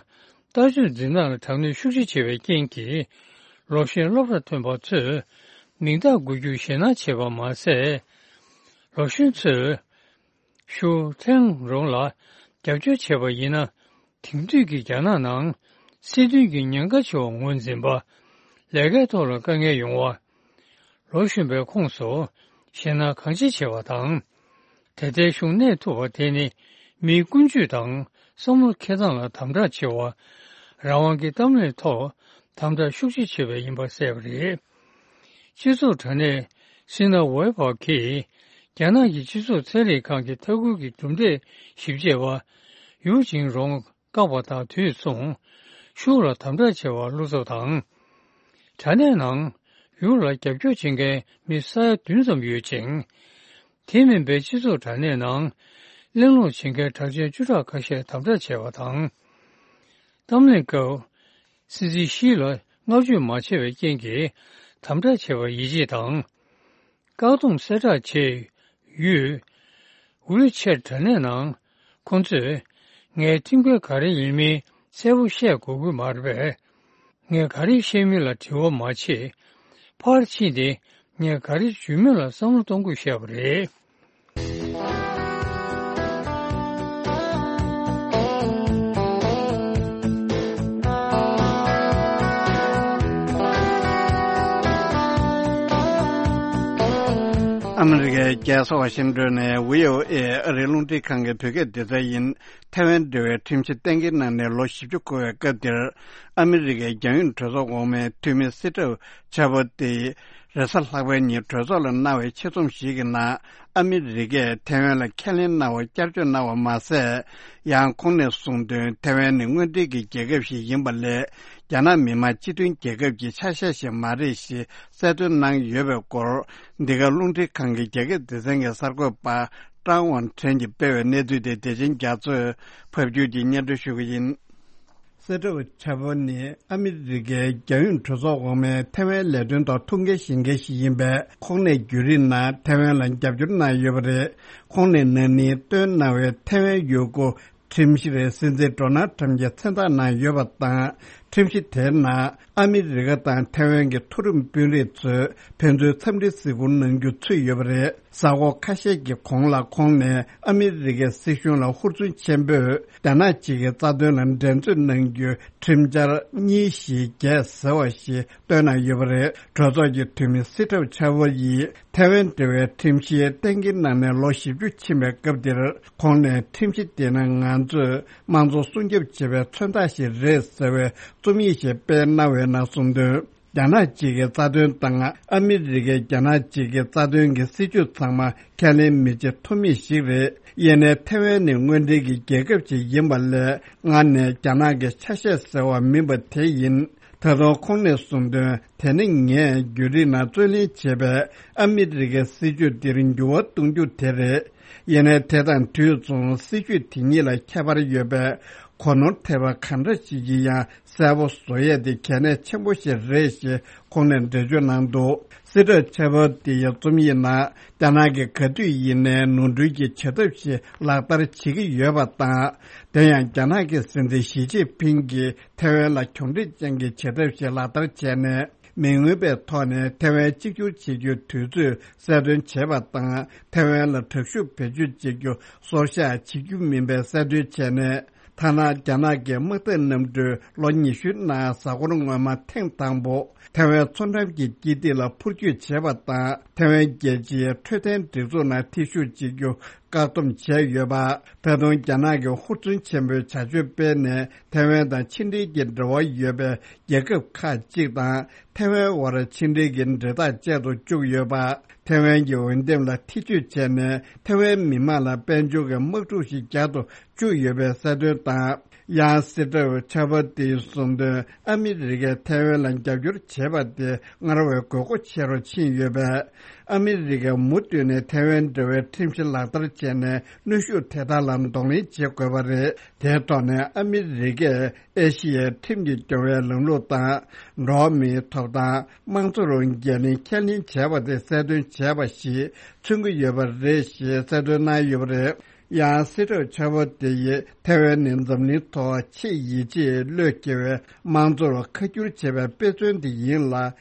ལྟ་སྤྱོད་འཛིན་སྟངས་ལ་དྲག་གནོན་ཤུགས་ཆེ་བྱས་པའི་རྐྱེན་གྱིས། ལོ་གཞོན་སློབ་གྲྭ་ཐོན་པ་ཚོས་མིང་རྟགས་འགོད་རྒྱུར་ཞེད་སྣང་བྱེད་པ་མ་ཟད། ལོ་གཞོན་ཚོས་ཤུགས་ཐེངས་རུང་ལ་རྒྱབ་སྐྱོར་བྱས་པ་ཡིན་ན། དེང་དུས་ཀྱི་རྒྱ་ནག་ནང་སྲིད་དོན་གྱི་ཉེན་ཁ་ཆེ་བ་ངོས་འཛིན་པ། ལས་ཀའི་ཐོག་ལ་དཀའ་ངལ་ཡོང་བ། ལོ་གཞོན་པའི་ཁོངས་སུ་ཞེད་སྣང་གང་ཆེ་ཆེ་བ་དང་། དེ་ལྟའི་གཞུང་གནས་ཐུབ་པ་དེ་ནི་མིའི་ཀུན་སྤྱོད་དང་བསམ་བློ་འཁྱེར་སྟངས་ལ་དམ་དྲག་ཆེ་བ། རང་དབང་གི་གཏམ་གླེང་ཐོག་དམ་དྲག་ཤུགས་ཆེ་བྱས་པ་ཡིན་པ་གསལ་པ་རེད། སྤྱི་ཚོགས་དྲ་གནས་སི་ན་ཝེ་བྷག་གིས་རྒྱ་ནག་གི་སྤྱི་ཚོགས་ཚན་རིག་ཁང་གི་ལྟ་སྐུལ་གྱི་གྲུབ་འབྲས་ཞིབ་དཔྱད་པ་ཡུའུ་ཅིང་རོང་བཀག་པ་དང་དུས་མཚུངས་ཤུགས་ལ་དམ་དྲག་བྱས་པ་བློ་འཚབ་དང་། དྲ་གནས་ནང་ཡུ་ལ་རྒྱབ་སྐྱོར་བྱེད་མཁན་མི་ས་ཡ་བདུན་ཙམ་ཡོད་ཅིང་། དེ་མིན་པའི་སྤྱི་ཚོགས་དྲ་གནས་ནང་གླེང་སློང་བྱེད་མཁན་གྲགས་ཅན་བཅུ་ཕྲག་ཁ་ཤས་དམ་དྲག་བྱས་པ་དང་། གཏམ་གླེང་སྐབས་སྲིད་འཛིན་ཞི་ལ་བསྔགས་བརྗོད་མ་བྱས་པའི་རྐྱེན་གྱིས་དམ་དྲག་བྱས་པར་ཡིད་ཆེས་དང་། བཀག་སྡོམ་གསལ་བསྒྲགས་བྱས་ཡོད། ཝི་ཆེ་ཊི་དྲ་གནས་ནང་ཁོང་ཚོས་ངས་ཁྲིམས་འགལ་ག་རེ་ཡིན་མིན་གསལ་པོ་བཤད་དགོས་ཀྱི་མ་རེད་པས། ངས་ག་རེ་བཤད་མིན་ལ་དྲི་བ་མ་བྱེད། ཕར་ཕྱིན་ཏེ་ངས་ག་རེ་ཞུ་མིན་ལ་བསམ་བློ་གཏོང་དགོས་བཤད་པ་རེད། ཨ་མི་རི་ཀའི་རྒྱལ་ས་ཝ་ཤིང་ཏོན་ནས་བྷི་ཨོ་ཨེ་ཨ་རིའི་རླུང་འཕྲིན་ཁང་གི་བོད་སྐད་སྡེ་ཚན་ཡིན། ཐའེ་ཝན་འབྲེལ་བའི་ཁྲིམས་གཞི་གཏན་འཁེལ་གནང་ནས་ལོ་བཞི་བཅུ་འཁོར་བའི་སྐབས་འདིར། ཨ་མི་རི་ཀའི་རྒྱལ་ཡོངས་གྲོས་ཚོགས་འོག་མའི་འཐུས་མི་སི་ཏྲབ་ཆ་བོ་ཏི་རེས་གཟའ་ལྷག་པའི་ཉིན་གྲོས་ཚོགས་ལ་གནང་བའི་ཆེད་རྩོམ་ཞིག་གི་ནང་། ཨ་མི་རི་ཀས་ཐའེ་ཝན་ལ་ཁས་ལེན་གནང་བར་བསྐྱར་བཅོས་གནང་བ་མ་ཟད། ཡང་ཁོང་ནས་གསུངས་དོན། ཐའེ་ཝན་ནི་དངོས་འབྲེལ་གྱི་རྒྱལ་ཁབ་ཞིག་ཡིན་པ་ལས། རྒྱ་ནག་མི་དམངས་སྤྱི་མཐུན་རྒྱལ་ཁབ་ཀྱི་ཆ་ཤས་ཤིག་མ་རེད་ཞེས་གསལ་སྟོན་གནང་ཡོད་པའི་སྐོར། འདི་ག་རླུང་འཕྲིན་ཁང་གི་རྒྱ་སྐད་སྡེ་ཚན་གྱི་གསར་འགོད་པ་ཀྲང་ཝང་ཁྲེན་གྱིས་སྤེལ་བའི་གནས་ཚུལ་དེ། བདེ་ཆེན་རྒྱ་མཚོས་ཕབ་སྒྱུར་གྱིས་སྙན་སྒྲོན་ཞུ་གི་ཡིན། སེ་ཏྲོ་ཆ་བོ་ནི་ཨ་མི་རི་ཀའི་རྒྱལ་ཡོངས་གྲོས་ཚོགས་འོག་མའི་ཐའེ་ཝན་ལས་དོན་ཐོག་ཐུགས་འགན་བཞེས་མཁན་ཞིག་ཡིན་པས། ཁོང་ནས་བརྒྱུད་རིམ་ནང་ཐའེ་ཝན་ལ་རྒྱབ་སྐྱོར་གནང་ཡོད་པ་རེད། ཁོང་ནས་ན་ནིང་བཏོན་གནང་བའི་ཐའེ་ཝན་ཡུལ་སྐོར་ཁྲིམས་གཞི་རེད། སྲིད་འཛིན་ཌོ་ནལ་ཁྲམ་གྱིས་མཚན་རྟགས་གནང་ཡོད་པ་དང་། ཁྲིམས་གཞི་དེའི་ནང་ཨ་མི་རི་ཀ་དང་ཐའེ་ཝན་གྱི་མཐོ་རིམ་དཔོན་རིགས་ཚོས་ཕན་ཚུན་འཚམས་འདྲིའི་གཟིགས་སྐོར་གནང་རྒྱུ་ཚུད་ཡོད་པ་རེད། གཟའ་འཁོར་ཁ་ཤས་ཀྱི་གོང་ལ་ཁོང་ནས་ཨ་མི་རི་ཀའི་སྲིད་གཞུང་ལ་ཧུར་བརྩོན་ཆེན་པོས་རྒྱ་ནག་གཅིག་གི་རྩ་དོན་ལ་འགྲན་རྩོད་གནང་རྒྱུའི་ཁྲིམས་འཆར་གཉིས་བཞི་བརྒྱད་ཟེར་བ་ཞིག་བཏོན་གནང་ཡོད་པ་རེད། གྲོས་ཚོགས་ཀྱི་འཐུས་མི་སི་ཏྲབ་ཆ་བོ་ཡིས་ཐའེ་ཝན་འབྲེལ་བའི་ཁྲིམས་གཞི་གཏན་འཁེལ་གནང་ནས་ལོ་བཞི་བཅུ་ཕྱིན་པའི་སྐབས་འདིར། ཁོང་ནས་ཁྲིམས་གཞི་དེ་ནི་ང་ཚོས་དམངས་གཙོ་སྲུང་སྐྱོབ་བྱེད་པའི་མཚོན་རྟགས་ཤིག་རེད་ཟེར་བའི་རྩོམ་ཡིག་ཞིག་སྤེལ་གནང་བའི་ནང་གསུངས་དོན། རྒྱ་ནག་གཅིག་གི་རྩ་དོན་དང་ཨ་མི་རི་ཀས་རྒྱ་ནག་གཅིག་གི་རྩ་དོན་གྱི་སྲིད་ཇུས་ཚང་མ་ཁས་ལེན་མི་བྱེད་ཐུབ་མེད་ཞིག་རེད། ཡིན་ནའི་ཐའེ་ཝན་ནི་དངོས་འབྲེལ་གྱི་རྒྱལ་ཁབ་ཅིག་ཡིན་པ་ལས། སྔར་ནས་རྒྱ་ནག་གི་ཆ་ཤས་ཟེར་བ་མིན་པ་དེ་ཡིན། ད་དུང་ཁོང་ནས་གསུངས་དོན། དེ་ནི་ངས་བརྒྱུད་རིམ་ནང་རྩོད་ལེན་བྱས་པའི་ཨ་མི་རི་ཀའི་སྲིད་ཇུས་འདིར་འགྱུར་བ་གཏོང་རྒྱུ་དེ་རེད། ཡིན་ནའི་དེ་དང་དུས་མཚུངས་སྲིད་ཇུས་དེ་གཉིས་ལ་ཁྱད་པར་ཡོད་པས། གོ་ནོར་ཐེབས་པ་གང་འདྲ་ཞིག་གིས་ཡང་གསལ་པོ་བཟོ་ཡས་དེ་གལ་གནད་ཆེན་པོ་ཞིག་རེད་ཞེས་ཁོང་ནས་འགྲེལ་བརྗོད་གནང་འདུག་སི་ཏྲབ་ཆ་བོ་ཏི་ཡི་རྩོམ་ཡིག་ནང་། རྒྱ་ནག་གིས་ག་དུས་ཡིན་ནའི་ནོར་འཁྲུལ་གྱི་བྱེད་ཐབས་ཤིག་ལག་བསྟར་བྱེད་ཀྱི་ཡོད་པ་དང་། དེ་ཡང་རྒྱ་ནག་གི་སྲིད་འཛིན་ཞི་ཅིན་ཕིང་གིས་ཐའེ་ཝན་ལ་གྱོང་འཕྲུག་ཅན་གྱི་བྱེད་ཐབས་ཤིག་ལག་བསྟར་བྱས་ནས། མི་མངོན་པའི་ཐོག་ནས་ཐའེ་ཝན་གཅིག་གྱུར་བྱེད་རྒྱུའི་དུས་ཚོད་གསལ་སྟོན་བྱས་པ་དང་། ཐའེ་ཝན་ལ་དྲག་ཤུགས་བེད་སྤྱོད་བྱེད་རྒྱུ་སོར་བཞག་བྱེད་རྒྱུ་མིན་པའི་གསལ་སྟོན་བྱས་ནས། ཐ་ན་རྒྱ་ནག་གི་དམག་འཐབ་གནམ་གྲུས་ལོ་ཉི་ཤུའི་ནང་གཟའ་འཁོར་སྔོན་མ་ཐེངས་དང་པོ་ཐའེ་ཝན་མཚོ་འགྲམ་གྱི་དཀྱིལ་སྟེགས་ལ་འཕུར་སྐྱོད་བྱས་པ་དང་། ཐའེ་ཝན་རྒྱལ་སྤྱིའི་འཕྲོད་བསྟེན་སྒྲིག་འཛུགས་ནང་ཐེ་ཞུགས་བྱེད་རྒྱུ་བཀག་སྡོམ་བྱས་ཡོད་པ། ད་དུང་རྒྱ་ནག་གིས་ཧུར་བརྩོན་ཆེན་པོས་བྱ་སྤྱོད་སྤེལ་ནས། ཐའེ་ཝན་དང་ཕྱི་འབྲེལ་གྱི་འབྲེལ་བ་ཡོད་པའི་རྒྱལ་ཁབ་ཁག་ཅིག་དང་། ཐའེ་ཝན་དབར་ཕྱི་འབྲེལ་གྱི་འབྲེལ་ཐག་བཅད་དུ་བཅུག་ཡོད་པ། ཐའེ་ཝན་གྱི་འོས་འདེམས་ལ་ཐེ་བྱུས་བྱས་ནས། ཐའེ་ཝན་མི་དམངས་ལ་དཔལ་འབྱོར་གྱི་དམག་འཁྲུག་ཞིག་རྒྱག་ཏུ་བཅུག་ཡོད་པའི་གསལ་སྟོན་དང་། ཡང་སི་ཏྲབ་ཆ་བོ་ཏིའི་གསུངས་དོན། ཨ་མི་རི་ཀས་ཐའེ་ཝན་ལ་རྒྱབ་སྐྱོར་བྱེད་པ་དེ་སྔར་བས་དགོས་མཁོ་ཆེ་རུ་ཕྱིན་ཡོད་པས། ཨ་མི་རི་ཀས་མུ་མཐུད་ནས་ཐའེ་ཝན་འབྲེལ་བའི་ཁྲིམས་གཞི་ལག་བསྟར་བྱས་ནས། གནོན་ཤུགས་དེ་དག་ལ་གདོང་ལེན་བྱེད་དགོས་པ་རེད། དེའི་ཐོག་ནས་ཨ་མི་རི་ཀས་ཨེ་ཤི་ཡའི་ཁྲིམས་ཀྱིས་སྐྱོང་བའི་ལམ་ལུགས་དང་། འགྲོ་བ་མིའི་ཐོབ་ཐང་། དམངས་གཙོ་རང་འགན་ལེན་ཁས་ལེན་བྱས་པ་དེ་གསལ་སྟོན་བྱས་པ་ཞིག་མཚོན་གྱི་ཡོད་པ་རེད་ཞེས་གསལ་སྟོན་གནང་ཡོད་པ་རེད། ཡང་སྲིད་ཁྲིམས་ཆེན་པོ་དེ་ཡིས་ཐའེ་ཝན་ནི་འཛམ་གླིང་ཐོག་ཆེས་ཡིད་ཆེས་བློས་འཁེལ་བའི་དམངས་གཙོར་ཁ་བསྒྱུར་བྱེད་པའི་དཔེ་མཚོན་དེ་ཡིན་ལ།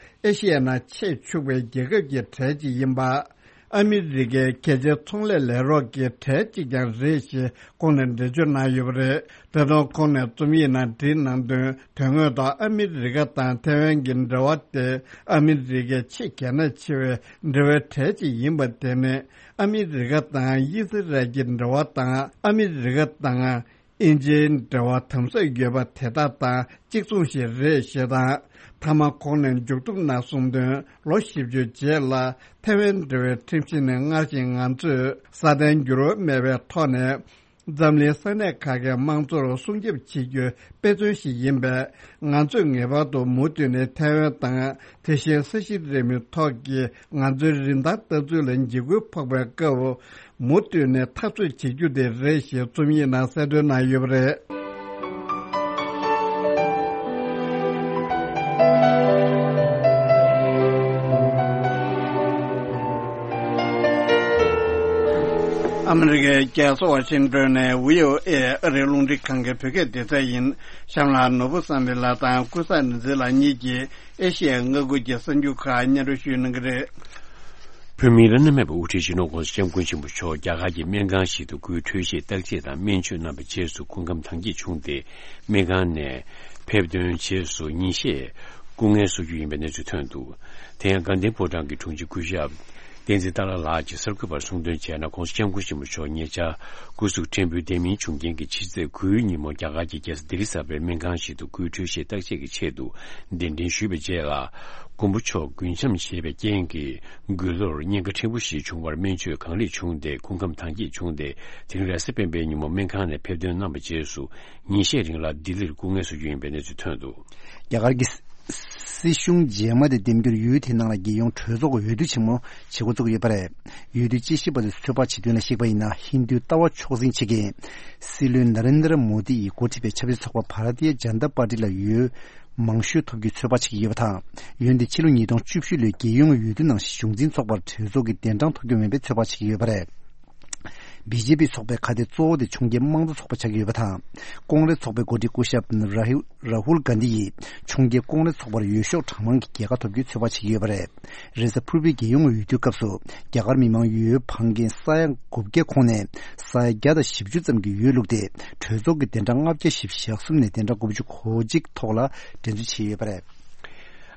ཨེ་ཤི་ཡའི་ནང་ཆེས་ཕྱུག་པའི་རྒྱལ་ཁབ་ཀྱི་གྲས་གཅིག་ཡིན་པ། ཨ་མི་རི་ཀའི་རྒྱལ་སྤྱིའི་ཚོང་ལས་ལས་རོགས་ཀྱི་གྲས་གཅིག་ཀྱང་རེད་ཞེས་ཁོང་ནས་འགྲེལ་བརྗོད་གནང་ཡོད་པ་རེད། ད་དུང་ཁོང་ནས་རྩོམ་ཡིག་ནང་བྲིས་གནང་དོན། དོན་དངོས་ཐོག་ཨ་མི་རི་ཀ་དང་ཐའེ་ཝན་གྱི་འབྲེལ་བ་དེ་ཨ་མི་རི་ཀའི་ཆེས་གལ་གནད་ཆེ་བའི་འབྲེལ་བའི་གྲས་གཅིག་ཡིན་པ་དེ་ནི། ཨ་མི་རི་ཀ་དང་དབྱི་སི་རལ་གྱི་འབྲེལ་བ་དང་། ཨ་མི་རི་ཀ་དང་དབྱིན་ཇིའི་འབྲེལ་བ་དམ་ཟབ་ཡོད་པ་དེ་དག་དང་གཅིག་མཚུངས་ཤིག་རེད་ཞེས་དང་། མཐའ་མ་ཁོང་ནས་མཇུག་བསྡོམས་ནང་གསུངས་དོན། ལོ་བཞི་བཅུ་རྗེས་ལ་ཐའེ་ཝན་འབྲེལ་བའི་ཁྲིམས་གཞི་ནི་སྔར་བཞིན་ང་ཚོས་སྲ་བརྟན་འགྱུར་བ་མེད་པའི་ཐོག་ནས། འཛམ་གླིང་ས་གནས་ཁག་གི་དམངས་གཙོར་སྲུང་སྐྱོབ་བྱེད་རྒྱུའི་དཔེ་མཚོན་ཞིག་ཡིན་པས། ང་ཚོས་ངེས་པར་དུ་མུ་མཐུད་ནས་ཐའེ་ཝན་དང་། དེ་བཞིན་ས་གཞི་རིལ་མོའི་ཐོག་གི་ང་ཚོའི་རིན་ཐང་ལྟ་ཚུལ་ལ་འཇིགས་སྐུལ་ཕོག་པའི་སྐབས། མུ་མཐུད་ནས་འཐབ་རྩོད་བྱེད་རྒྱུ་དེ་རེད་ཞེས་རྩོམ་ཡིག་ནང་གསལ་སྟོན་གནང་ཡོད་པ་རེད། ཨ་མི་རི་ཀའི་རྒྱལ་ས་ཝ་ཤིང་ཏོན་ནས་བྷི་ཨོ་ཨེ་ཨ་རིའི་རླུང་འཕྲིན་ཁང་གི་བོད་སྐད་སྡེ་ཚན་ཡིན། གཤམ་ལ་ནོར་བུ་བསམ་འཕེལ་ལགས་དང་ཀུན་བཟང་རིག་འཛིན་ལགས་གཉིས་ཀྱིས་ཨེ་ཤི་ཡའི་མངའ་ཁུལ་གྱི་གསར་འགྱུར་ཁག་སྙན་སྒྲོན་ཞུ་གནང་གི་རེད། བོད་མིའི་བླ་ན་མེད་པའི་དབུ་ཁྲིད་སྤྱི་ནོར་༸གོང་ས་༸སྐྱབས་མགོན་ཆེན་པོ་མཆོག་རྒྱ་གར་གྱི་སྨན་ཁང་ཞིག་ཏུ་སྐུའི་འཕྲོད་བཞེས་བརྟག་དཔྱད་དང་སྨན་བཅོས་གནང་བའི་རྗེས་སུ་སྐུ་ཁམས་དྭངས་སྐྱེད་བྱུང་སྟེ། སྨན་ཁང་ནས་ཕེབས་ཐོན་རྗེས་སུ་ཉིན་ཤས་སྐུ་ངལ་གསོ་རྒྱུ་ཡིན་པའི་གནས་ཚུལ་ཐོན་འདུག་དེ་ཡང་དགའ་ལྡན་ཕོ་བྲང་གི་དྲུང་ཆེ་སྐུ་ཞབས་བསྟན་འཛིན་ཏཱ་ལ་ལགས་ཀྱིས་གསར་འགོད་པར་གསུངས་དོན་བྱས་ན། ༸གོང་ས་༸སྐྱབས་མགོན་ཆེན་པོ་མཆོག་ཉེ་ཆར་སྐུ་གཟུགས་ཕྲན་བུ་བདེ་མིན་བྱུང་རྐྱེན་གྱིས་ཕྱི་ཚེས་དགུའི་ཉིན་མོ་རྒྱ་གར་གྱི་རྒྱལ་ས་ལྡི་ལི་གསར་པའི་སྨན་ཁང་ཞིག་ཏུ་སྐུའི་འཕྲོད་བཞེས་བརྟག་དཔྱད་ཀྱི་ཆེད་དུ་གདན་འདྲེན་ཞུས་པའི་རྗེས་ལ། མགོན་པོ་མཆོག་རྒུན་འབྱམས་བྱས་པའི་རྐྱེན་གྱིས་མགུལ་ལོར་གཉན་ཁ་ཕྲན་བུ་ཞིག་བྱུང་བར་སྨན་བཅོས་གང་ལེགས་བྱུང་སྟེ་སྐུ་ཁམས་དྭངས་སྐྱེད་བྱུང་སྟེ། དེ་རིང་རེས་གཟའ་སྤེན་པའི་ཉིན་མོ་སྨན་ཁང་ནས་ཕེབས་ཐོན་གནང་བའི་རྗེས་སུ་ཉིན་ཤས་རིང་ལ་ལྡི་ལིར་སྐུ་ངལ་གསོ་རྒྱུ་ཡིན་པའི་གནས་ཚུལ་ཐོན་འདུག་རྒྱ་གར་གྱི་སྲིད་གཞུང་རྗེས་མ་དེ་འདེམས་རྒྱུར་ཡུལ་དེའི་ནང་ལ་རྒྱལ་ཡོངས་གྲོས་ཚོགས་ཀྱི་འོས་བསྡུ་ཆེན་མོ་བྱེད་འགོ་བཙུགས་ཡོད་པ་རེད། འོས་བསྡུའི་དཔྱད་ཞིབ་པ་ཚོས་ཚོད་དཔག་བྱེད་དོན་ལ་གཞིགས་པ་ཡིན་ན། ཧིན་རྡུའི་ལྟ་བ་ཕྱོགས་འཛིན་བྱེད་མཁན་སྲིད་བློན་ནཱ་རེན་དྲ་མོ་དི་ཡིས་འགོ་ཁྲིད་པའི་ཆབ་སྲིད་ཚོགས་པ་བྷ་ར་ཏི་ཡ་ཇན་ཏ་པར་ཏི་ལ་འོས་མང་ཤོས་ཐོབ་རྒྱུའི་ཚོད་དཔག་བྱེད་ཀྱི་ཡོད་པ་དང་། འོན་ཏེ་ཕྱི་ལོ་ཉིས་སྟོང་བཅུ་བཞི་ལོའི་རྒྱལ་ཡོངས་འོས་བསྡུ་ནང་བཞིན་གཞུང་འཛིན་ཚོགས་པར་གྲོས་ཚོགས་ཀྱི་གདན་གྲངས་ཐོབ་རྒྱུ་མིན་པའི་ཚོད་དཔག་བྱེད་ཀྱི་ཡོད་པ་རེད། བི་ཇེ་པི་ཚོགས་པའི་ཁ་གཏད་གཙོ་བོ་དེ་ཕྱོགས་འགལ་དམངས་གཙོ་ཚོགས་པ་ཆགས་ཀྱི་ཡོད་པ་དང་། ཀོང་རེས་ཚོགས་པའི་འགོ་ཁྲིད་སྐུ་ཞབས་ར་ཧུ་ར་ཧུལ་གྷན་དྷི་ཡིས་ཕྱོགས་འགལ་ཀོང་རེས་ཚོགས་པར་འོས་ཤོག་གྲངས་མང་གི་རྒྱལ་ཁ་ཐོབ་རྒྱུའི་ཚོད་དཔག་བྱེད་ཀྱི་ཡོད་པ་རེད། རེས་གཟའ་ཕུར་བུའི་རྒྱལ་ཡོངས་འོས་བསྡུའི་སྐབས་སུ་རྒྱ་གར་མི་མང་འོས་འཕངས་མཁན་ས་ཡ་དགུ་བརྒྱ་ཁོངས་ནས་ས་ཡ་བརྒྱ་དང་བཞི་བཅུ་ཙམ་གྱིས་འོས་བླུགས་ཏེ། གྲོས་ཚོགས་ཀྱི་གདན་གྲངས་ལྔ་བརྒྱ་བཞི་བཅུ་ཞེ་གསུམ་ནས་གདན་གྲངས་དགུ་བཅུ་གོ་གཅིག་ཐོག་ལ་འགྲན་རྩོད་བྱས་ཡོད་པ་རེད།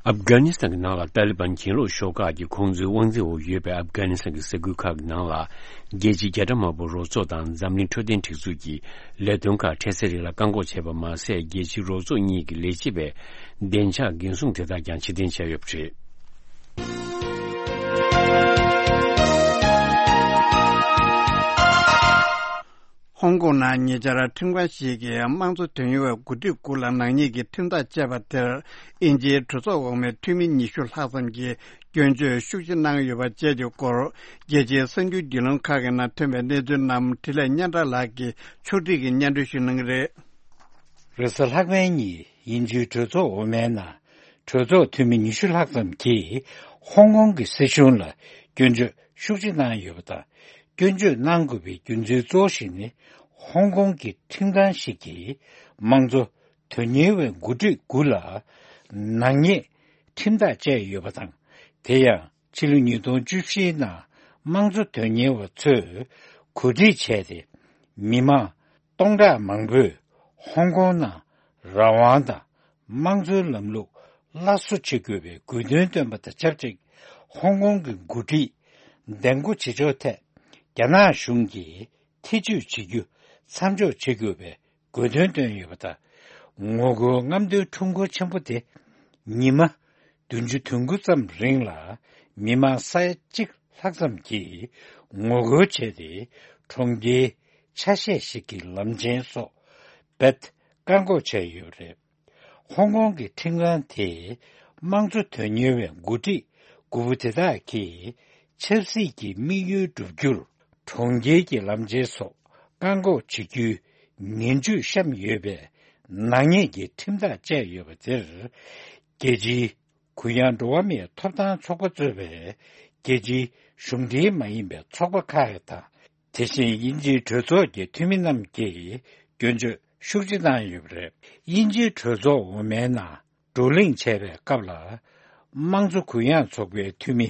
ཨབ་གྷ་ནི་སི་ཐན་གྱི་ནང་ལ་ཏཱ་ལི་བན་གྱེན་ལོག་ཤོག་ཁག་གིས་ཁོང་ཚོའི་དབང་འཛིན་འོག་ཡོད་པའི་ཨབ་གྷ་ནི་སི་ཐན་གྱི་ས་ཁུལ་ཁག་གི་ནང་ལ། རྒྱལ་སྤྱིའི་རྒྱལ་ཁྲིམས་དམར་པོ་རོགས་ཚོགས་དང་འཛམ་གླིང་འཕྲོད་བསྟེན་སྒྲིག་འཛུགས་ཀྱི་ལས་དོན་ཁག་འཕྲལ་སེལ་རིགས་ལ་བཀག་འགོག་བྱས་པ་མ་ཟད། རྒྱལ་སྤྱིའི་རོགས་ཚོགས་གཉིས་ཀྱི་ལས་བྱེད་པའི་བདེ་འཇགས་འགན་སྲུང་དེ་དག་ཀྱང་ཕྱིར་འཐེན་བྱས་ཡོད་པ་རེད། ཧོང་ཀོང་ནང་ཉེ་ཆར་ཁྲིམས་ཁང་ཞིག་གིས་དམངས་གཙོ་དོན་གཉེར་བའི་འགོ་ཁྲིད་དགུ་ལ་ནག་ཉེས་ཀྱི་ཁྲིམས་ཐག་བཅད་པ་དེར། དབྱིན་ཇིའི་གྲོས་ཚོགས་འོག་མའི་འཐུས་མི་ཉི་ཤུ་ལྷག་ཙམ་གྱིས་སྐྱོན་བརྗོད་ཤུགས་ཆེ་གནང་ཡོད་པ་བཅས་ཀྱི་སྐོར། རྒྱལ་སྤྱིའི་གསར་འགྱུར་བརྒྱུད་ལམ་ཁག་གི་ནང་ཐོན་པའི་གནས་ཚུལ་རྣམས་འཕྲིན་ལས་སྙན་གྲགས་ལགས་ཀྱིས་ཕྱོགས་སྒྲིག་གིས་སྙན་སྒྲོན་ཞུ་གནང་གི་རེད། རེས་གཟའ་ལྷག་པའི་ཉིན་དབྱིན་ཇིའི་གྲོས་ཚོགས་འོག་མའི་ནང་གྲོས་ཚོགས་འཐུས་མི་ཉི་ཤུ་ལྷག་ཙམ་གྱིས་ཧོང་ཀོང་གི་སྲིད་གཞུང་ལ་སྐྱོན་བརྗོད་ཤུགས་ཆེ་གནང་ཡོད་པ་དང་། སྐྱོན་བརྗོད་གནང་དགོས་པའི་རྒྱུ་མཚན་གཙོ་བོ་ཞིག་ནི། ཧོང་ཀོང་གི་ཁྲིམས་ཁང་ཞིག་གིས་དམངས་གཙོ་དོན་གཉེར་བའི་འགོ་ཁྲིད་དགུ་ལ་ནག་ཉེས་ཁྲིམས་ཐག་བཅད་ཡོད་པ་དང་། དེ་ཡང་ཕྱི་ལོ་ཉིས་སྟོང་བཅུ་བཞིའི་ནང་དམངས་གཙོ་དོན་གཉེར་བ་ཚོས་གོ་སྒྲིག་བྱས་ཏེ། མི་མང་སྟོང་ཕྲག་མང་པོས་ཧོང་ཀོང་ནང་རང་དབང་དང་དམངས་གཙོའི་ལམ་ལུགས་སླར་གསོ་བྱེད་དགོས་པའི་དགོས་འདུན་བཏོན་པ་དང་ཆབས་ཅིག་ཧོང་ཀོང་གི་འགོ་ཁྲིད་འདེམས་བསྐོ་བྱེད་ཕྱོགས་ཐད་རྒྱ་ནག་གཞུང་གིས་ཐེ་བྱུས་བྱེད་རྒྱུ་མཚམས་འཇོག་བྱེད་དགོས་པའི་དགོས་འདུན་བཏོན་ཡོད་པ་དང་། ངོ་རྒོལ་རྔམ་སྟོན་ཁྲོམ་སྐོར་ཆེན་པོ་དེ་ཉི་མ་བདུན་ཅུ་དོན་དགུ་ཙམ་རིང་ལ་མི་མང་ས་ཡ་གཅིག་ལྷག་ཙམ་གྱིས་ངོ་རྒོལ་བྱས་ཏེ། གྲོང་ཁྱེར་ཆ་ཤས་ཤིག་གི་ལམ་ཆེན་སོགས་རྦད་བཀག་འགོག་བྱས་ཡོད་རེད། ཧོང་ཀོང་གི་ཁྲིམས་ཁང་དེས་དམངས་གཙོ་དོན་གཉེར་བའི་འགོ་ཁྲིད་དགུ་པོ་དེ་དག་གིས་ཆབ་སྲིད་ཀྱི་དམིགས་ཡུལ་བསྒྲུབ་རྒྱུར་གྲོང་ཁྱེར་གྱི་ལམ་ཆེན་སོགས་བཀག་འགོག་བྱེད་རྒྱུའི་ངན་ཇུས་བཤམས་ཡོད་པའི་ནག་ཉེས་ཀྱི་ཁྲིམས་ཐག་བཅད་ཡོད་པ་དེར། རྒྱལ་སྤྱིའི་གུ་ཡངས་འགྲོ་བ་མིའི་ཐོབ་ཐང་ཚོགས་པ་གཙོས་པའི་རྒྱལ་སྤྱིའི་གཞུང་འབྲེལ་མ་ཡིན་པའི་ཚོགས་པ་ཁག་དང་ དེ་བཞིན་དབྱིན་ཇིའི་གྲོས་ཚོགས་ཀྱི་འཐུས་མི་རྣམས་ཀྱིས་སྐྱོན་བརྗོད་ཤུགས་ཆེ་བཏང་ཡོད་པ་རེད། དབྱིན་ཇིའི་གྲོས་ཚོགས་འོག་མའི་ནང་བགྲོ་གླེང་བྱས་པའི་སྐབས་ལ། དམངས་གཙོ་གུ་ཡངས་ཚོགས་པའི་འཐུས་མི་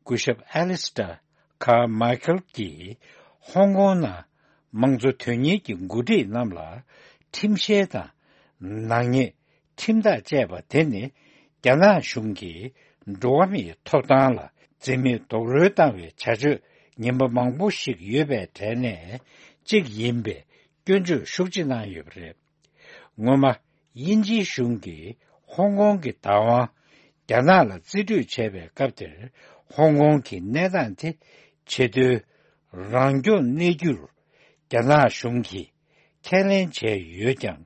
སྐུ་ཞབས་ཨེ་ལི་སི་ཏྲ་ཁ་མཱི་ཁལ་གྱིས། ཧོང་ཀོང་ནང་དམངས་གཙོ་དོན་གཉེར་གྱི་འགོ་ཁྲིད་རྣམས་ལ་ཁྲིམས་བཤེར་དང་ནག་ཉེས་ཁྲིམས་ཐག་བཅད་པ་དེ་ནི། རྒྱ་ནག་གཞུང་གིས་འགྲོ་བ་མིའི་ཐོབ་ཐང་ལ་འཛིན་མེད་རྡོག་རོལ་བཏང་བའི་བྱ་སྤྱོད་ངན་པ་མང་པོ་ཞིག་ཡོད་པའི་གྲས་ནས་གཅིག་ཡིན་པའི་སྐྱོན་བརྗོད་ཤུགས་ཆེ་གནང་ཡོད་པ་རེད། སྔོན་མ། དབྱིན་ཇིའི་གཞུང་གིས་ཧོང་ཀོང་གི་བདག་དབང་རྒྱ་ནག་ལ་རྩིས་སྤྲོད་བྱས་པའི་སྐབས་དེར། ཧོང་ཀོང་གི་གནས་སྟངས་དེ་ཆེས་མཐོའི་རང་སྐྱོང་གནས་རྒྱུར་རྒྱ་ནག་གཞུང་གིས་ཁས་ལེན་བྱས་ཡོད་ཀྱང་།